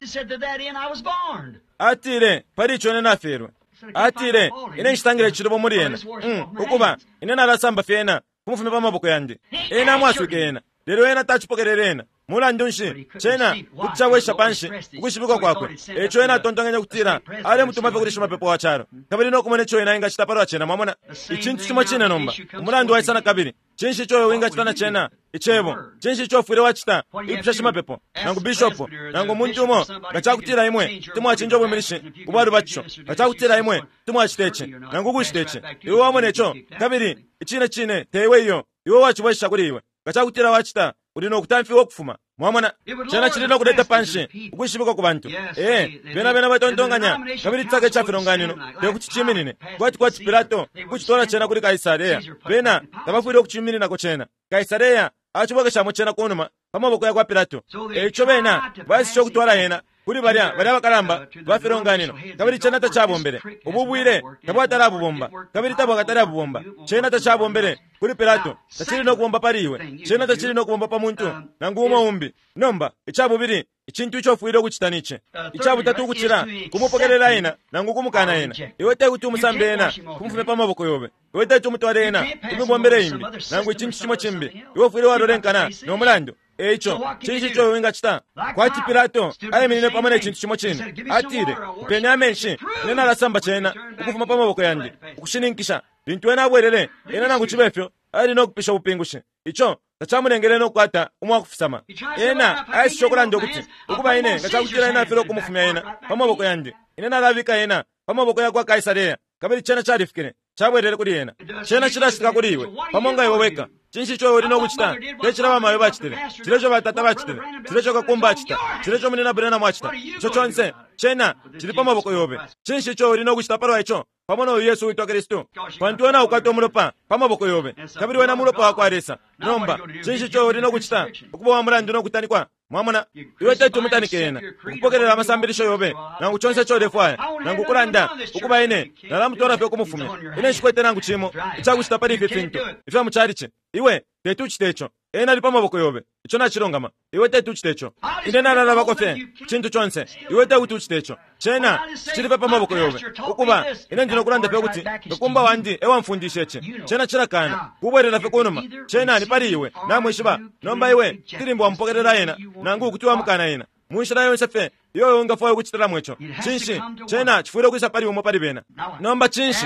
Atile, Pali ico ine nafyelwe. Atile, Ine nshitangile icilubo muli ena. Mm, ukuba, ine nalasamba fye ena kumufumya pa maboko yandi. Ena amwaswike ena, lelo ena tacipokelele ena. Mulandu nshi, cena kuti cabwesha panshi ukwishibikwa kwakwe. Eico ena atontonkenye ukutila alemutuma fye kuli shimapepo wa calo, kabili no kumona ico ena engacita palwa cena. Mwamona? Icintu cimo cine nomba, umulandu waisa nakabili. Cinshi ico iwe wingacita na cena? Icebo. Cinshi ico ufwile wacita? Ipusha shimapepo, nangu bishopo, nangu umuntu umo, nga cakutila imwe kuti mwacinja ubwiminishi ubwa lubatisho, nga cakutila imwe kuti mwacita ici, nangu ukucita ici. Iwe wamona ico, kabili icine cine te iwe iyo, iwe wacibwesha kuli iwe. Nga cakutila wacita, uli no kutamfiwa ukufuma. Mwamona, cena cili no kuleta panshi ukwishibikwa ku bantu. Ee, bena bena batontonkanya, kabili cisaka ica filonganino te kuti ciminine kwati kwati Pilato kucitwala cena kuli Kaisarea. Bena tabafwile ukucimininako cena. Kaisarea acibwekeshamo cena kunuma pa maboko yakwa Pilato. E ico bena baeseshe ukutwala yena kuli balya balya bakalamba ba filonganino, kabili cena tacabombele. Ubu bwile tabwatala abubomba, kabili tabwakatale abubomba. Cena tacabombele kuli Pilato, tacili no kubomba pali iwe. Cena tacili no kubomba pa muntu nangu umo umbi. Nomba icabubili, icintu ico ufwile ukucita nici. Icabutatu ukucila kumupokelela ena nangu kumukana ena. Iwe te kuti umusambe ena kumufumya pa maboko yobe. Iwe teti umutwale ena kumibombele imbi nangu icintu cimo cimbi. Iwe ufwile walolenkana no mulandu. E ico, cinshi ico iwe wingacita? Kwati Pilato aiminine pamo ne cintu cimo cine. Atile, Mpeni amenshi, ine nalasamba cena ukufuma pa maboko yandi, ukushininkisha. Lintu ena abwelele, ena nangu cibe fyo ali no kupisha ubupingushi. Ico tacamulengele no kukwata umwakufisama. Ena aeseshe ukulanda ukuti, Ukuba ine, nga cakutila ena afilwa ukumufumya ena pa maboko yandi, ine nalabika ena pa maboko yakwa Kaisarea. Kabili cena califikile, cabwelele kuli ena. Cena cilacitika kuli iwe, pamo nga iwe weka. Cinshi ico uli no kucita? Te cilya bamayo bacitile, cilya ico batata bacitile, cilya ico kakumba acita, cilya ico munyina Branham acita. Ico conse, cena cili pa maboko yobe. Cinshi ico uli no kucita palwa ico, pamo no uyu Yesu uwitwa Kristu? Pantu wena ukwata umulopa pa maboko yobe, kabili wena mulopa wakwa Lesa. Nomba, cinshi ico uli no kucita? Ukuba wa mulandu no kutanikwa. Mwamona, iwe teti umutanike ena, ukupokelela amasambilisho yobe, nangu conse ico ulefwaya, nangu ukulanda, ukuba ine, nalamutwala fye ukumufumya. Ine nshikwete nangu cimo icakucita pali ifi fintu ifya mu calici. Iwe teti ucite ico. Ena ali pa maboko yobe. Ico nacilungama. Iwe teti ucite ico. Ine nalalabako fye ku cintu conse. Iwe tekuti ucite ico. Cena cicili fye pa maboko yobe. Ukuba, ine ndi nokulanda fye ukuti kakumba wandi e wamfundishe ici. Cena cilakana kubwelela fye kunuma. Cena ni pali iwe, namwishiba. Nomba iwe kuti limbi wamupokelela ena, nangu kuti wamukana ena. Mu nshila yonse fye iyo iwe ungafwaya ukucitilamo ico. Cinshi, cena cifwile ukwisa pali umo pali bena. Nomba cinshi?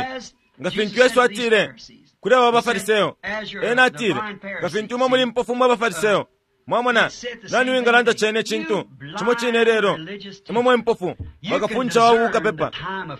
Nga fintu Yesu atile kuli aba baFariseo, ena atile, nga fintu imwe muli mpofu mwe baFariseo. Mwamona, nani wingalanda cene icintu cimo cine ilelo? Imwe mwe mpofu, bakafundisha wa bukapepa.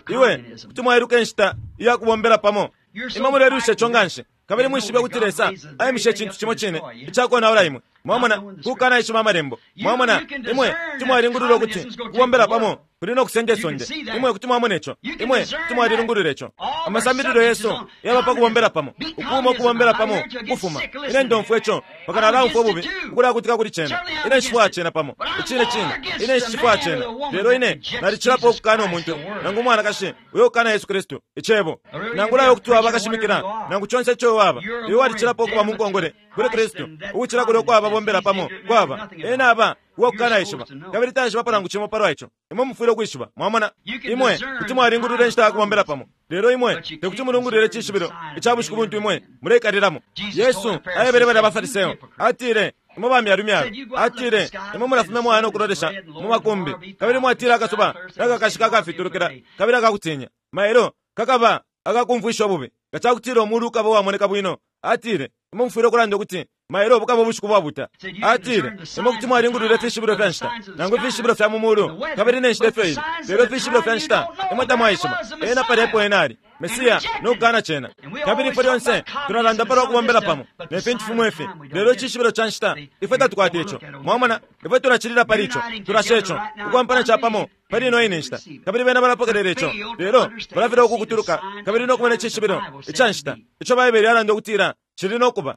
Iwe kuti mwailuka inshita iya kubombela pamo. Imwe mulelwisha ico nganshi, kabili mwishibe ukuti Lesa aimishe icintu cimo cine icakonaula imwe. Mwamona, kukanaishiba Amalembo. Mwamona, imwe kuti mwalingulula ukuti kubombela pamo kuli no kusenda isonde. Imwe kuti mwamona ico. Imwe kuti mwalilungulula ico. Amasambililo yesu yaba pa kubombela pamo, ukuuma ukubombela pamo, ukufuma. Ine ndomfwa ico, mpaka nalaumfwa ububi ukulakutika kuli cena. Ine nshifwaya cena pamo. Icine cine, ine nshicifwaya cena. Lelo ine nalicilapo ukukana umuntu nangu umwanakashi uyo ukana Yesu Kristu, Icebo. Nangula iwe kuti waba kashimikila, nangu conse ico iwe waba, iwe walicilapo ukuba mu nkongole kuli Kristu ukucila kulya uko ababombela pamo kwaba. Ena aba uwakukanaishiba, kabili taishibapo nangu cimo palwa ico. Imwe mufwile ukwishiba. Mwamona? Imwe kuti mwalingulula inshita ya kubombela pamo, lelo imwe tekuti mulungulule icishibilo ica bushiku buntu imwe muleikalilamo. Yesu aebele balya baFariseo, atile, Imwe ba myalumyalu, atile, imwe mulafumya mwaya no kulolesha mu makumbi, kabili mwatila akasuba nakakashika akafitulukila kabili akakutinya. Mailo kakaba akakumfwisha ububi nga ca kutila umuulu ukaba uwamoneka bwino. Atile, Imwe mufwile ukulanda ukuti, Mailo bukaba ubushiku bwabuta. Atile, Imwe kuti mwalingulula ifishibilo fya nshita, nangu ifishibilo fya mu muulu, kabili ne nshita ifyo ili, lelo ifishibilo fya nshita imwe tamwaishiba. Ena palya epo ena ali, Mesiya, no kukana cena. Kabili ifwe lyonse tulalanda palwa kubombela pamo, ne fintu fimo ifi, lelo icishibilo ca nshita, ifwe tatukwata ico. Mwamona, ifwe tulacilila pali ico, tulasha ico, ukwampana capamo pali ino ine nshita. Kabili bena balapokelela ico, lelo balafilwa ukukutuluka kabili no kumona icishibilo ica nshita ico Baibele yalanda ukutila cili no kuba.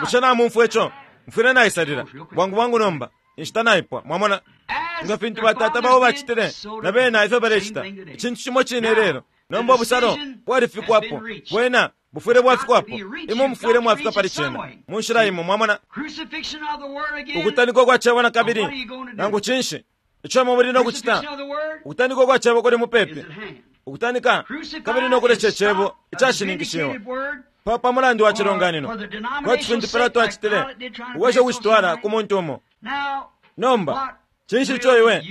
Bushe namumfwa ico? Mfwile naisalila bwangu bwangu nomba. Inshita naipwa. Mwamona? Nga fintu batata babo bacitile, na bena ifyo balecita, icintu cimo cine ilelo. Nomba ubusalo bwalifikwapo. Bwena bufwile bwafikwapo. Imwe mufwile mwafika pali cena mu nshila imo. Mwamona? Ukutanikwa kwa Cebo na kabili, nangu cinshi ico imwe muli no kucita? Ukutanikwa kwa Cebo kuli mupepi. Ukutanika kabili no kulesha Icebo icashininkishiwa pa, pa mulandu wa cilonganino, kwati fintu Pilato acitile, ukwesha ukucitwala ku muntu umo. Nomba, Cinshi ico iwe,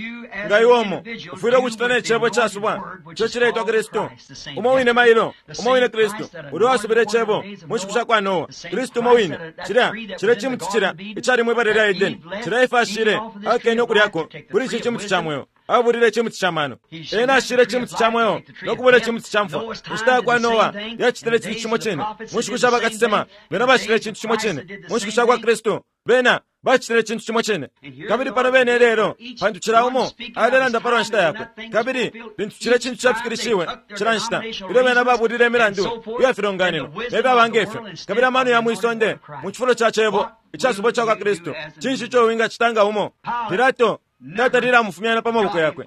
nga iwe umo, ufwile ukucita ne Cebo icasubwa ico cileitwa Kristu? Umo wine mailo, umo wine Kristu, ulya uwasubile Icebo mu nshiku shakwa Noa, Kristu umo wine, cilya, cilya cimuti cilya icali mwi bala lya Edeni, cilya Efa ashile, akene ukulyako kuli ici cimuti ca mweo. Abulile icimuti ca mano. Ena ashile icimuti ca mweo no kubula icimuti ca mfwa. Inshita ya kwa Noa yacitile icintu cimo cine. Mu nshiku sha bakasesema, bena bacitile icintu cimo cine. Mu nshiku sha kwa Kristu, bena bacitile icintu cimo cine. Kabili pano bene ilelo, pantu cila umo alelanda palwa nshita yakwe. Kabili lintu cilya cintu cafikilishiwe, cila nshita, ilyo bena babulile imilandu iya filonganino, ne fyaba nge fyo, kabili amano ya mwi sonde, mu cifulo ca Cebo icasubwa ica kwa Kristu, cinshi ico wingacita nga umo? Pilato tatalile amufumya na pa maboko yakwe.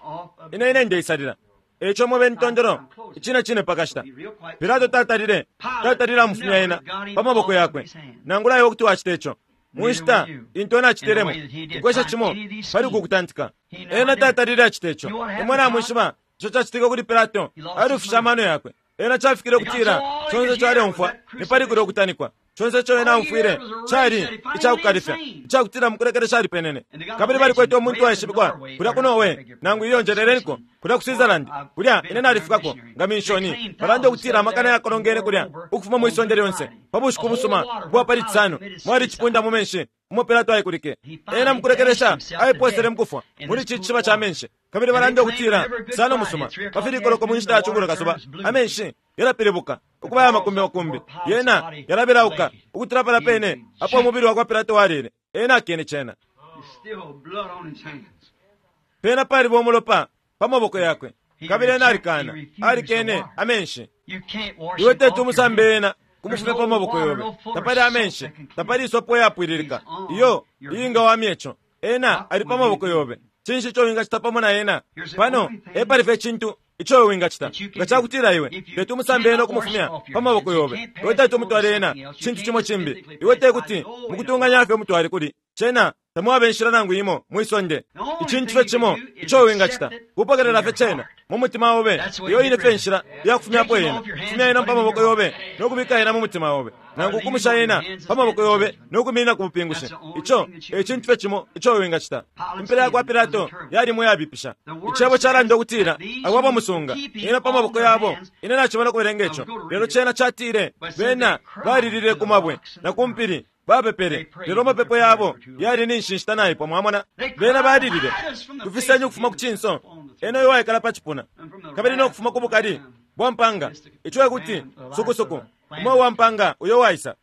Ine, ine ndeisalila. E ico mube tondolo, icine cine pakashita. Pilato tatalile, tatalile amufumya ena pa maboko yakwe. Nangula iwe kuti wacita ico. Mu nshita intu ena acitilemo, ukwesha cimo pali uku kutantika. Ena tatalile acita ico. Imwe namwishiba ico cacitike kuli Pilato, alufishe amano yakwe. Ena cafikile ukutila conse ico aleumfwa ni pali kulya ukutanikwa. Conse ico ena aumfwile cali ica kukalifya, ica kutila mukulekelesha alipenene. Kabili balikwete umuntu waishibikwa kulya ku Norway, nangu iyo njeleleniko, kulya ku Switzerland, kulya ine nalifikako nga minshoni. Balanda ukutila amakana yakolongene kulya ukufuma mwi sonde lyonse pa bushiku busuma ubwa pali Cisano, mwali icipunda mu menshi umo Pilato aikulike. Ena mukulekelesha aiposele mukufwa muli ici cishiba ca menshi. Kabili balanda ukutila sana umusuma pa filikoloko mu nshita ya cungulo kasuba, amenshi yalapilibuka ukuba aya makumbi makumbi, yena yalabelauka ukutula palya pene apo umubili wakwa Pilato walile. Ena akene cena. Pena paliba umulopa pa maboko yakwe, kabili ena alikana, alikene amenshi. Iwe teti umusambe ena kumufumya pa maboko yobe. Tapali amenshi, tapali isopo iyapwililika iyo iyingawamya ico. Ena ali pa maboko yobe. Cinshi ico wingacita pamo na ena? Pano epali fye icintu ico iwe wingacita. Nga cakutila iwe teti umusambe ena ukumufumya pa maboko yobe, iwe teti umutwale ena cintu cimo cimbi. Iwe tekuti mukutunganya fye umutwale kuli cena. Tamwaba inshila nangu imo mwi sonde. Icintu fye cimo ico iwe wingacita kupokelela fye cena mu mutima obe. Iyo ine fye nshila ya kufumyapo yena. Fumya yena pa maboko yobe no kubika yena mu mutima obe, nangu ukumusha yena pa maboko yobe no kuminina ku bupingushi. Ico e cintu fye cimo ico iwe wingacita. Impela ya kwa Pilato yali iyabipisha. Icebo calanda ukutila abo abamusunga ena pa maboko yabo. Ine nacimona ukubelenga ico, lelo cena catile bena balilile ku mabwe na ku mpili. Bapepele, lelo amapepo yabo yali ni nshi naipwa. Mwamona, bena balilile, tufiseni ukufuma ku cinso ena uyo waikala pa cipuna, kabili no kufuma ku bukali bwa mpanga. Ico e kuti sukusuku umo uwa mpanga uyo waisa,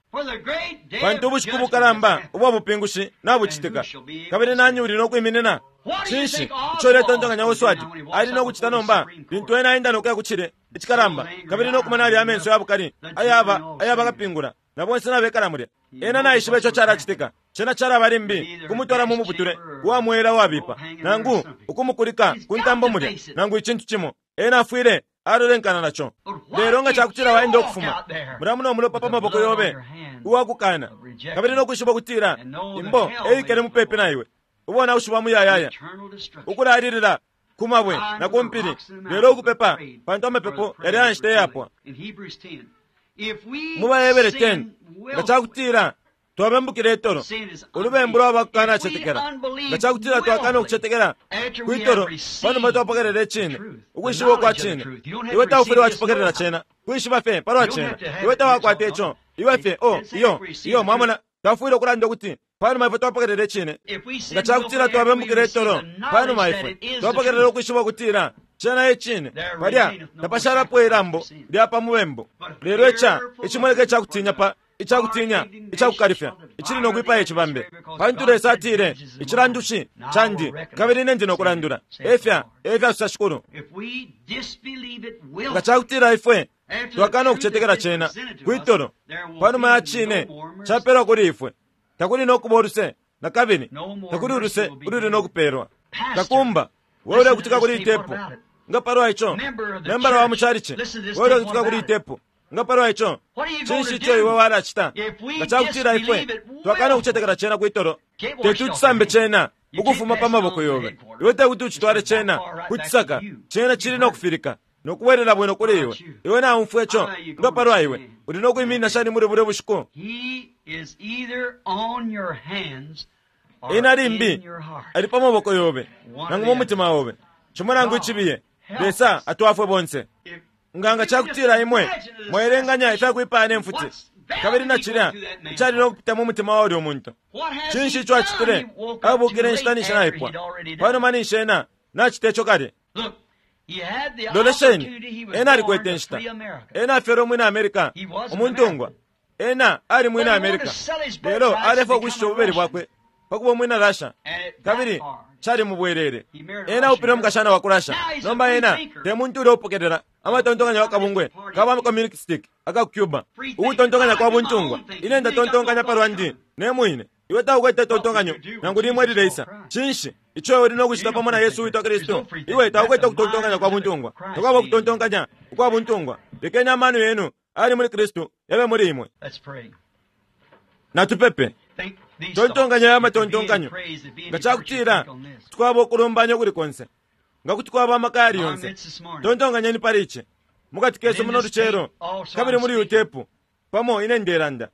pantu ubushiku bukalamba ubwa bupingushi nabucitika, kabili nani uli no kwiminina? Cinshi ico uletontonkanya Oswald ali no kucita nomba lintu ena aenda no kuya ku cilye icikalamba kabili no kumona alya amenso ya bukali ayaba ayaba kapingula na bonse nabekala mulya? Ena naishiba ico calacitika. Cena calaba limbi kumutwala mu muputule uwa mwela uwabipa, nangu ukumukulika ku ntambo mulya, nangu icintu cimo. Ena afwile alolenkana naco. Lelo nga cakutila waenda ukufuma mulya muno mulopa pa maboko yobe uwakukana, kabili no kwishiba ukutila imbo eikele mupepi na iwe, ubonaushi bwa muyayaya, ukulalilila ku mabwe na ku mpili, lelo ukupepa, pantu amapepo yali aya nshita iyapwa. Mu baHebere 10, nga cakutila twabembukila itolo, ulubembu lwaba kukanacetekela. Nga cakutila twakana ukucetekela kwitolo panuma twapokelela icine, ukwishiba ukwa cine, iwe taufwile wacipokelela cena, kwishiba fye palwa cena. Iwe tawakwata ico, iwe fye, oh, iyo, iyo, mwamona, tafwile ukulanda ukuti panuma ifwe twapokelela icine. Nga cakutila twabembukila itolo panuma ifwe twapokelela ukwishiba ukutila cena e cine, palya tapashalapo ilambo lya pa mubembu. Lelo ica icimoneka ica kutinya pa ica kutinya ica kukalifya icili no kwipaya icibambe, pantu Lesa atile, icilandushi candi, kabili ine ndi no kulandula. Efya efya sosa Shikulu. Nga cakutila ifwe twakana ukucetekela cena kwitolo panuma ya cine capelwa kuli ifwe, takuli no kuba uluse na kabili, takuli uluse ululi no kupeelwa. Kakumba, wewe ulekutika kuli itepu nga palwa ico, membala wa mucalici, wewe ulekutika kuli itepu nga palwa ico, cinshi ico iwe walacita nga cakutila ifwe twakana ukucetekela cena kwitolo? Teti ucisambe cena ukufuma pa maboko yobe. Iwe tekuti ucitwale cena ku cisaka, cena cili no kufilika no kubwelela bwino kuli iwe. Iwe naumfwa ico nga palwa iwe, uli no kwiminina shani muli bulya bushiku? He is either on your hands Ena limbi ali pa maboko yobe nangu mu mutima obe, cimo nangu icibiye. Lesa atwafwe bonse. Nga ca kutila imwe mwaelenganya ifya kwipaya ne mfuti, kabili na cilya icali no kupita mu mutima wa ulyo muntu, cinshi ico acitile? Abukile inshita ninshi naipwa, panuma ninshi ena nacita ico kale. Lolesheni, ena alikwete inshita. Ena afyelwe umwina America, umuntungwa. Ena ali mwina America, lelo alefwaya ukushisha ububeli bwakwe pa kuba umwina Russia, kabili cali mubwelele. Ena aupile umukashana wa ku Russia. Nomba ena te muntu ulya upokelela amatontonkanyo ya kabungwe ka ba communistic aka ku Cuba, ukutontonkanya kwa buntungwa. Ine ndatontonkanya pa lwandi ne mwine. Iwe taukwete tontonkanyo nangu limo ilileisa. Cinshi ico iwe uli no kucita pamo na Yesu uwitwa Kristu? Iwe taukwete ukutontonkanya kwa buntungwa. Takwaba ukutontonkanya ukwa buntungwa. Lekeni amano yenu ali muli Kristu yabe muli imwe. Natupepe. Tontonkanya aya matontonkanyo. Nga ca kutila kuti kwaba ukulumbanya ukuli konse, nga kuti kwaba amaka ayali yonse, tontonkanyeni pali ici mukati kesu muno lucelo, kabili muli uyu tepu pamo ine ndelanda.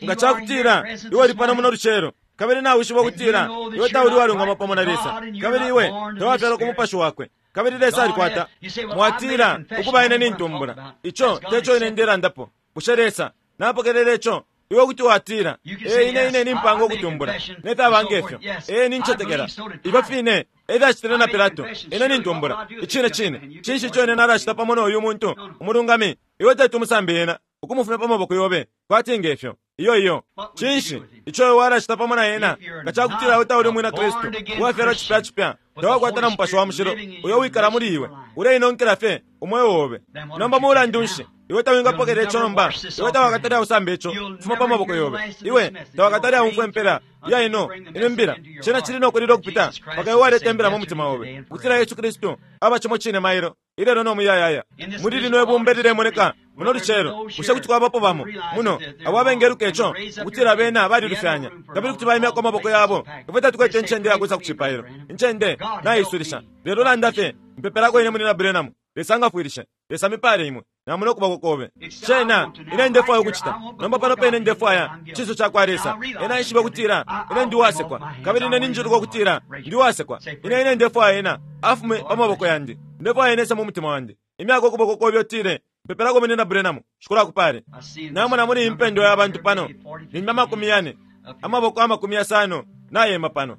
Nga ca kutila iwe uli pano muno lucelo, kabili nawishiba ukutila iwe tauli uwalungama pamo na Lesa, kabili iwe tawafyalwa ku Mupashi Wakwe, kabili Lesa alikwata, mwatila, Ukuba, ine nintumbula. Ico teco ine ndelandapo. Bushe Lesa napokelela ico? Iwe kuti watila, Ee, ine, ine nimpanga ukutumbula, ne fyaba nge fyo. Ee, nincetekela. Ifyo fine e fyacitile na Pilato. Ine nintumbula. Icine cine. Cinshi ico ine nalacita pamo no uyu muntu umulungami? Iwe teti umusambe ena ukumufumya pa maboko yobe, kwati nge fyo. Iyo, iyo. Cinshi ico iwe walacita pamo na ena nga ca kutila iwe tauli Umwina Kristu uwafyalwa cipya cipya, tawakwata na Mupashi wa Mushilo uyo wikala muli iwe, uleinonkela fye umweo obe? Nomba mulandu nshi iwe tawingapokelela ico nomba? Iwe tawakatale ausambe ico ukufuma pa maboko yobe. Iwe tawakatale aumfwa impela ya ino ino mbila. Cena cili no kulila ukupita mpaka iwe waleta imbila mu mutima obe, ukutila Yesu Kristu aba cimo cine mailo, ilelo no muyayaya. Muli lino ibumba ililemoneka muno lucelo, bushe kuti kwabapo bamo muno abo abengeluka ico, ukutila bena balilufyanya, kabili kuti baimyako amaboko yabo? Ifwe tatukwete incende ya kwisa ku cipailo. Incende naisulisha. Lelo landa fye, Mpepelako ine, Munyina Branham. Lesa ngafwilishe. Lesa mipale imwe. Namona ukuboko kobe. Cena, ine ndefwaya ukucita. Nomba pano pene ndefwaya icinso cakwa Lesa. Ena aishibe ukutila ine ndi uwasekwa, kabili ine ninjiluka ukutila ndi uwasekwa. Ine, ine ndefwaya Ena afume pa maboko yandi. Ndefwaya Ena ese mu mutima wandi. Imyako ukuboko kobe utile, Mpepelako Munyina Branham. Shikulu akupale. Namona muli iyi mpendwa ya bantu pano, limbi 40, amaboko 50 nayema pano.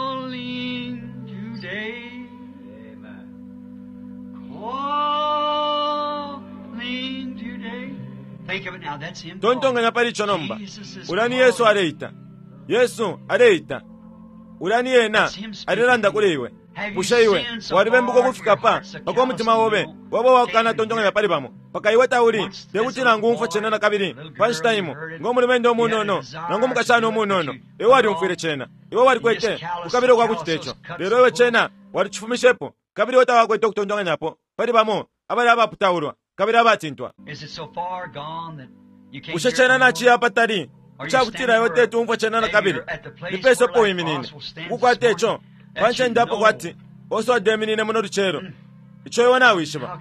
Calling today. Calling today. Think of it now. That's him. Tontonkanya pali ico nomba. Ulya ni Yesu aleita. Yesu aleita. Ulya ni Ena alelanda kuli iwe. Bushe iwe walibembuka ukufika pa paka umutima obe waba uwakukana tontonkanya pali bamo, paka iwe tauli tekuti nangu umfwe cena nakabili pa nshita imo, ngo mulumendo umunono nangu umukashana umunono? Iwe walyumfwile cena. Iwe walikwete ukukabila ukwa kucita ico, lelo iwe cena walicifumishepo, kabili iwe tawakwete ukutontonkanyapo pali bamo abali abaputaulwa kabili abatintwa. Is it so far gone that you can't Bushe hear it cena no more? naciya apatali icakutila iwe teti umfwe cena nakabili? Ni pesa apo wiminine ukukwata ico pa ncende apo kwati Oswald eminine muno lucelo? Ico iwe nawishiba.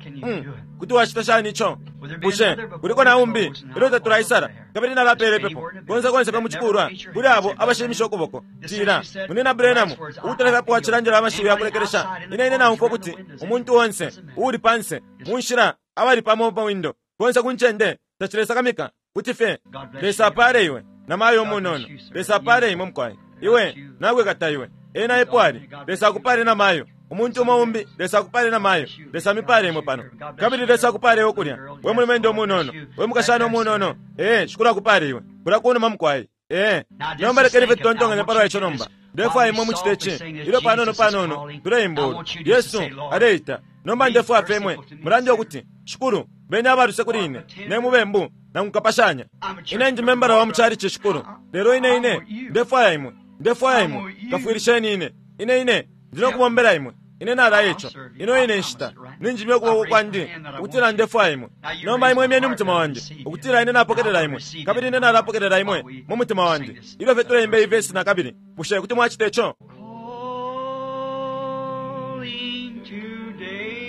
Kuti wacita shani ico? Bushe kuliko na umbi ilyo tatulaisala? Kabili nalapela ipepo konse konse pe mucikulwa kuli abo abashimisha ukuboko. Tila, Munyina Branham, ukutula fye wacilandila amashiwi ya kulekelesha, ine ine naumfwa ukuti umuntu onse uuli panse mu nshila abali pamo pa windo konse ku ncende tacilesakamika kuti fye. Lesa apale iwe namayo umunono. Lesa apale imwe mukwai. Iwe nakwikata iwe. Ena epo ali. Lesa akupale namayo. Umuntu umo umbi, Lesa akupale namayo. Lesa mipale imwe pano. Kabili Lesa akupale iwe kulya, we mulumendo umunono, we mukashana umunono. Ee, Shikulu akupale iwe kulya kunuma mukwai. Ee, nomba lekeni fye tutontonkanye palwa ico nomba. Ndefwaya imwe mucite ici ilyo panono panono tuleimba ulu Yesu aleita. Nomba ndefwaya fye imwe mulande ukuti, Shikulu, beni abaluse kuli ine, ne mubembu, nangu kapashanya. Ine ndi membala wa mucalici, Shikulu, lelo ine ine ndefwaya imwe. Ndefwaya imwe kafwilisheni ine. Ine ine ndi no kubombela imwe. Ine nalaya ico. Ino ine nshita ninjimya ukuboko kwandi ukutila ndefwaya imwe. Nomba imwe imyeni umutima wandi ukutila ine napokelela imwe, kabili ine nalapokelela imwe mu mutima wandi. Ilyo fye tuleimba iyi vesi na kabili, bushe kuti mwacita ico? Calling today.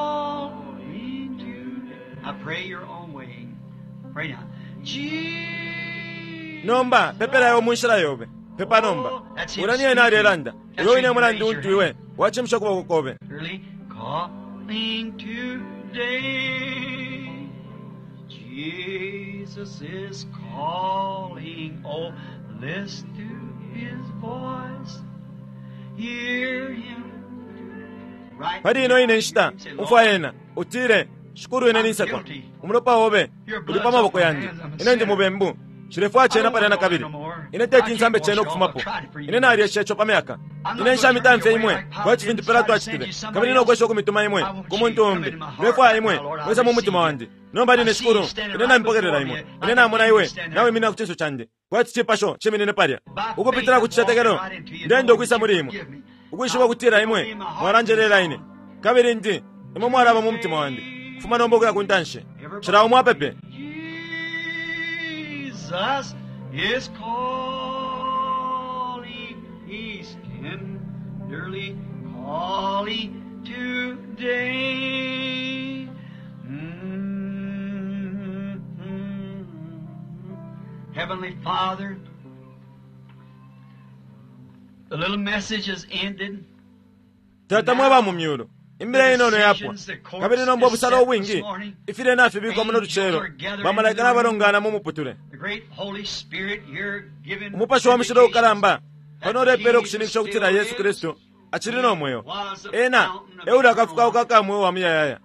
Calling today. I pray your own way. Pray now. Jesus. Nomba pepela iwe munshila yobe. Pepa nomba. Ulya ni ena alelanda. Uyo wine mulandu untu iwe wachimisha ukuboko kobe. Early calling today. Jesus is calling. Oh, listen to his voice. Hear him. Right Pali ino ine nshita umfwa ena utile, Shikulu ine ninsekwa, umulopa obe uli pa maboko yandi, ine ndi mubembu, nshilefwaya cena palya nakabili, ine teti nsambe cena ukufumapo, ine nalyesha ico pa myaka, ine nshamitamfye imwe kwati fintu Pilato acitile, kabili nokwesha ukumituma imwe ku muntu umbi, ndefwaya imwe mwise mu mutima wandi. Nomba line Shikulu, ine namipokelela imwe, ine namona iwe nawiminina ku cinso candi, kwati cipasho ciminine palya, ukupitila ku cicetekelo ndenda ukwisa muli imwe, ukwishiba ukutila imwe mwalanjelela ine, kabili ndi imwe mwalaba mu mutima wandi, kufuma nomba ukuya ku ntanshi. Cila umo apepe. Jesus is calling, He's tenderly calling today. Mm-hmm. Heavenly Father, the little message is ended. Tata mwe ba mu myulu, imbila inono yapwa, kabili nomba ubusalo ubwingi ifile nafibikwa muno lucelo, bamalaika nabalongana mu muputule. The great Holy Spirit here giving Umupashi wa mushilo ukalamba pano ulepela ukushininkisha ukutila Yesu Kristu acili no mweo. Ena euli akafukauka ka mweo wa muyayaya.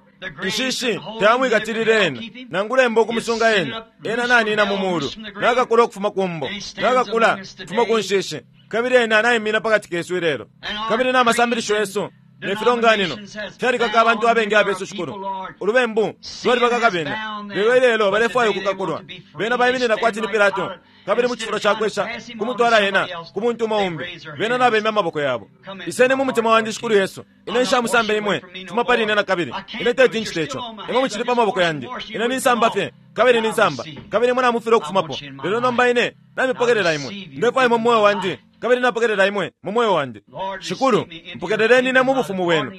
Inshishi tayamwikatilile ena, nangula embo ukumusunga ena. Ena nanina mu mulu, nakakula ukufuma ku mbo, nakakula ukufuma ku nshishi, kabili ena naimina pakati kesu ilelo. Kabili n'amasambilisho yesu ne filonganino fyalikaka abantu abengi abesu Shikulu. Ulubembu lwalibakaka bena, lelo ilelo balefwaya ukukakulwa. Bena baiminina kwati ni Pilato, kabili mu cifulo ca kwesha kumutwala ena ku muntu umo umbi, bena nabemya amaboko yabo. Iseni mu mutima wandi Shikulu Yesu, ine nshamusambe imwe, fuma pali ine nakabili. Ine teti ncite ico, imwe mucili pa maboko yandi. Ine ninsamba fye, kabili ninsamba, kabili imwe namufile ukufumapo. Lelo nomba ine namipokelela imwe, ndefwaya imwe mu mweo wandi, kabili napokelela imwe mu mweo wandi. Shikulu, mpokeleleni ine mu bufumu bwenu,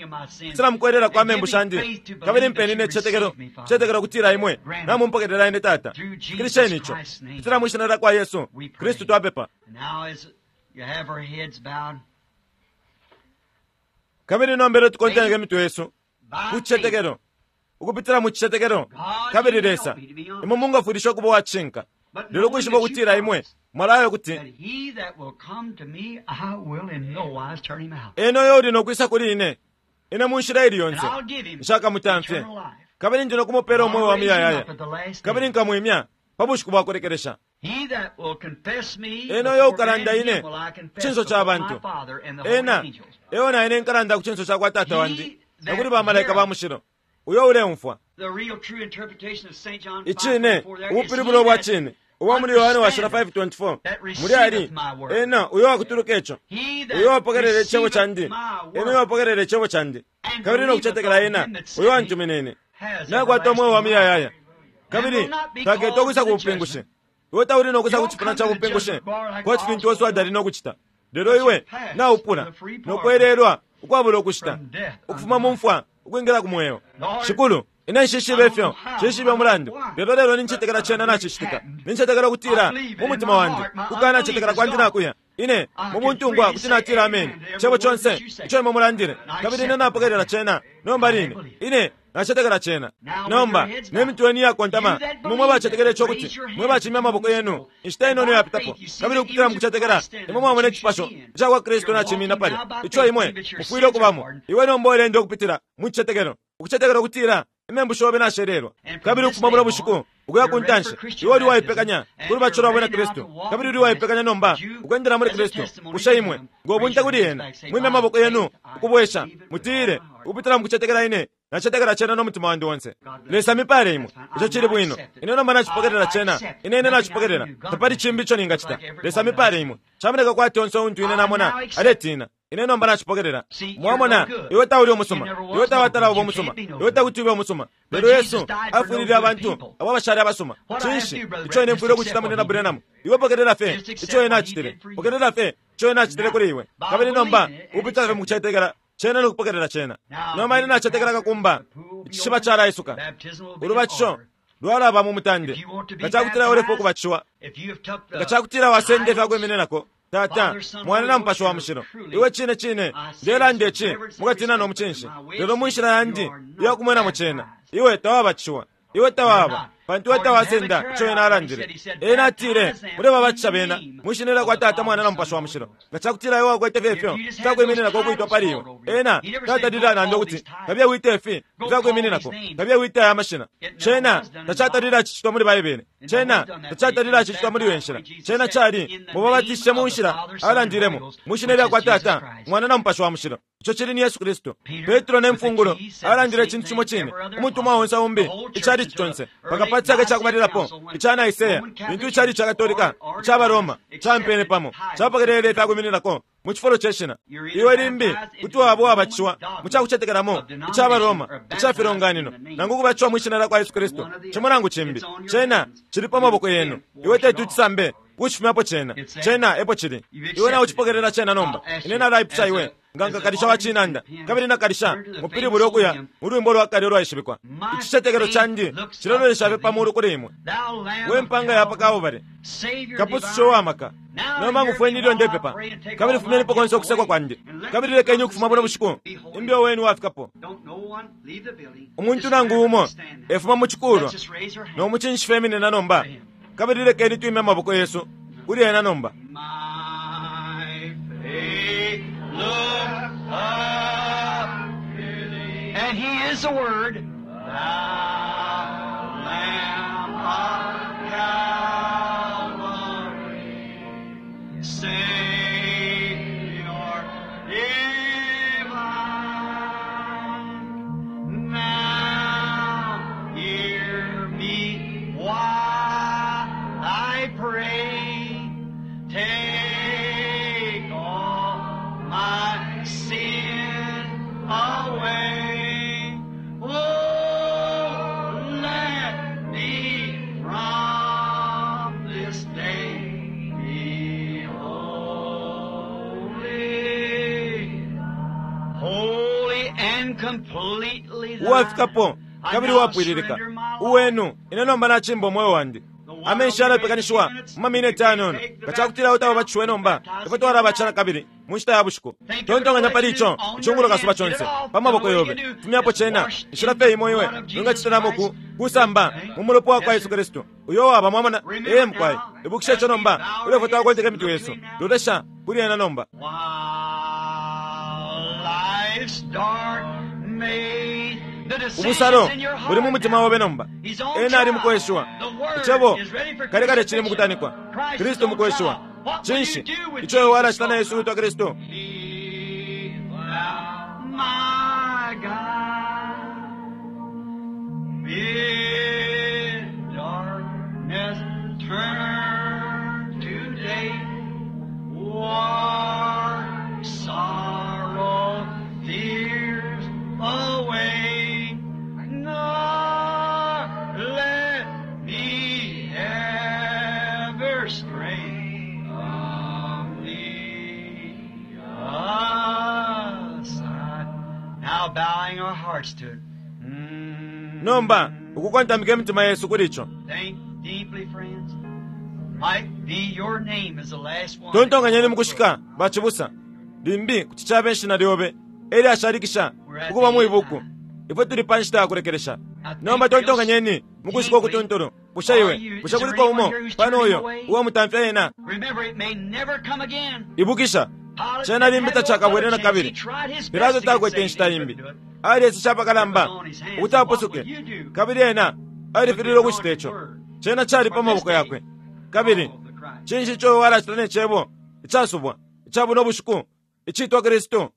silamukwelela kwa membu shandi, kabili mpeni ine cicetekelo, cicetekelo kutila imwe namumpokelela ine Tata. Fikilisheni ico, kutila mwi shina lyakwa Yesu Kristu twapepa. Now as you have our heads bowed, Kabili nombelo tukonteneke imitwe yesu by ku cicetekelo, ukupitila mu cicetekelo, kabili Lesa imwe mungafwilisha ukuba uwacishinka, lelo ukwishiba ukutila imwe mwalayo kuti that he that will come to me, I will in no wise turn him out. ena uyo uli nokwisa kuli ine, ine mu nshila ili And yonse I'll give him nshakamutamfye, eternal life. kabili ndi nokumupela umweo wa I'll raise him muyayaya, up at the last kabili day. nkamwimya pa bushiku bwa kulekelesha. He that will confess me Ena uyo before ukalanda men, ine him will I confess cinso ca before my bantu, Father and the holy ena angels. eo na ine nkalanda ku cinso ca kwa Tata wandi na kuli bamalaika ba mushilo, uyo uleumfwa. The real true interpretation of St. John Icine, 5:24 there is ubupilibulo he bwa that cine ubwa muli Yohane washila 5:24 muli ali ena uyo wakutuluka ico, He that uyo wapokelela icebo receiveth candi, my ena uyo word wapokelela icebo candi, kabili nokucetekela ena uyo wantumine ine, has nakwata umweo wa everlasting life. muyayaya, kabili taketa ukwisa ku bupingushi. Iwe tauli nokwisa ku cipuna ca bupingushi kwati fintu Oswald ali nokucita, lelo iwe naupula nokwelelwa ukwabula ukushita, ukufuma mu mfwa ukwingila ku mweo. Shikulu, ine nshishibe ifyo, nshishibe umulandu, lelo lelo nincetekela cena nacicitika. Nincetekela ukutila mu mutima wandi, kukanacetekela kwandi nakuya. Ine mu buntungwa kuti natila ameni cebo conse ico imwe mulandile, kabili ine napokelela cena nomba line. Ine nacetekela cena nomba. Ne mitwe yenu iyakontama, imwe mwe bacetekela ico kuti mwe bacimya amaboko yenu inshita inono yapitapo, kabili ukupitila mu kucetekela imwe mwamona icipasho ica kwa Kristu nacimina palya, ico imwe mufwile ukubamo. Iwe nomba ulenda ukupitila mu cicetekelo, ukucetekela ukutila imembu shobe nashelelwa, kabili ukufuma buno bushiku ukuya ku ntanshi iwe uli waipekanya kuli bacolo ba bwina Kristu, kabili uli waipekanya nomba ukwendela muli Kristu. Bushe imwe ngo bunte kuli ena, mwimye amaboko yenu ukubwesha, mutile ukupitila mu kucetekela ine nacetekela cena no mutima wandi onse. Lesa mipale imwe, ico cili bwino. Ine nomba nacipokelela cena, ine ine nacipokelela, tapali cimbi ico ningacita. Lesa mipale imwe. Camoneka kwati onse untu ine namona aletina. Ine nomba nacipokelela. Mwamona, iwe tauli umusuma, iwe tawatala uba umusuma, iwe takuti ube umusuma, lelo Yesu afwilile abantu abo abashali abasuma. Cinshi ico ine mfwile ukucita munena Branham? Iwe pokelela fye ico ena acitile, pokelela fye ico ena acitile kuli iwe, kabili nomba upitila fye mukucetekela cena nokupokelela cena. Nomba ine nacetekela kakumba icishiba calaisuka, Baptism will be in ulubatisho order. Lwalaba mu mutande. Nga cakutila ulefwaya ukubatishiwa, nga cakutila wasenda ifyakwimininako Tata, Mwana na Mupashi wa Mushilo, iwe cine cine ndelanda ici mukatina no mucinshi, lelo mu nshila yandi iya kumwenamo cena, iwe tawabatishiwa. Iwe tawaba, pantu iwe tawasenda ico ena alandile. Ena atile, mulebabatisha bena mwi shina lyakwa Tata, Mwana na Mupashi wa Mushilo. Nga cakutila iwe wakwete fye ifyo ifyakwimininako ukwitwa pali iwe, ena tatalile alanda ukuti kabiye wite ifi ifyakwimininako, kabiye wite aya mashina. Cena tacatalile acicitwa muli Baibele. Cena tacatalile acicitwa muli iyo nshila. Cena cali mubabatishe mu nshila alandilemo, mwi shina lyakwa Tata, Mwana na Mupashi wa Mushilo. Ico cili ni Yesu Kristu. Petro ne mfungulo alandile icintu cimo cine. Umutumwa onse umbi, icalici conse, mpaka pa caka ca kubalilapo ica Nicaea, lintu icalici ca Katolika ica baRoma campene pamo, capokelele ifyakwimininako mu cifulo ce shina. Iwe limbi kuti waba uwabatishiwa mu ca kucetekelamo ica baRoma ica filonganino, nangu ukubatishiwa mwi shina lya kwa Yesu Kristu, cimo nangu cimbi. Cena cili pa maboko yenu. Iwe teti ucisambe ukucifumyapo cena. Cena epo cili. Iwe naucipokelela cena nomba. Ine nalaipusha iwe nga nkakalisha wa cinanda, kabili nakalisha mupilibule ukuya mu lwimbo lwa kale ulwaishibikwa. Icicetekelo candi cilololesha fye pa mulu kuli imwe, we mpanga ya pa Kalbale, Kapususha uwa maka. Nomba ngufweni ilyo ndepepa, kabili fumyenipo konse ukusekwa kwandi, kabili lekeni ukufuma buno bushiku imbi wenu wafikapo. Umuntu nangu umo efuma mu cikulwa no mucinshi feminina nomba, kabili lekeni twime amaboko yesu kuli ena nomba. My faith look up to thee. And he is the Word. Thou Lamb of Calvary, Savior divine. Now hear me while I pray. Take all my sin away. Oh, let me from this day be holy, holy and completely thine. Uwafikapo I kabili now uwapwililika surrender my life. uwenu. Ine nomba nacimba umweo wandi. Amenshi yalapekanishiwa mu mamineti ayanono. Nga cakutila utababatishiwe nomba, ifwe twalabatisha na kabili mu nshita ya bushiku. Tontonkanya pali ico icungulo kasuba conse pa maboko yobe. Fumyapo cena. Inshila fye imo iwe wingacitilamo ku kusamba mu mulopa wa kwa Yesu Kristu uyo waba. Mwamona? Ee mukwai, ibukisha ico nomba ilyo ifwe twakonteka imitwe yesu. Lolesha kuli ena nomba. While life's dark maze, the decision's Ubusalo in your heart buli mu mutima now. obe nomba. He's on Ena ali trial. mukweshiwa. The word Icebo is ready for kale kale cili crucifixion. mukutanikwa. Christ is Kristu on mukweshiwa. trial. What will you Cinshi do with ico iwe Jesus walacita na on Yesu witwa Kristu? Be thou my guide. Bid darkness turn to day. War, sorrow, fears away. Nor let me ever stray from thee aside. Now bowing our hearts to it. Nomba ukukontamika imitima yesu kuli ico. Think deeply, friends. Might be your name is the last one. Tontonkanyeni mukushika bacibusa. Limbi kuti cabe ishina lyobe elyo ashalikisha ukuba mu ibuku. Ifwe tuli pa nshita ya kulekelesha. Nomba tontonkanyeni mukushika ukutuntulu. Bushe iwe, bushe kuliko umo pano uyo uwamutamfya ena? Remember, it may never come again. Ibukisha, Pilate cena limbi had no tacakabwele other na chance. kabili. He tried his best Pilato to get takwete saved. inshita He imbi. couldn't do it. Alieseshe apakalamba ukuti apusuke, kabili ena alifililwe ukucita ico. Cena cali pa maboko yakwe. Kabili cinshi ico walacita ne cebo icasubwa ica buno bushiku icitwa Kristu?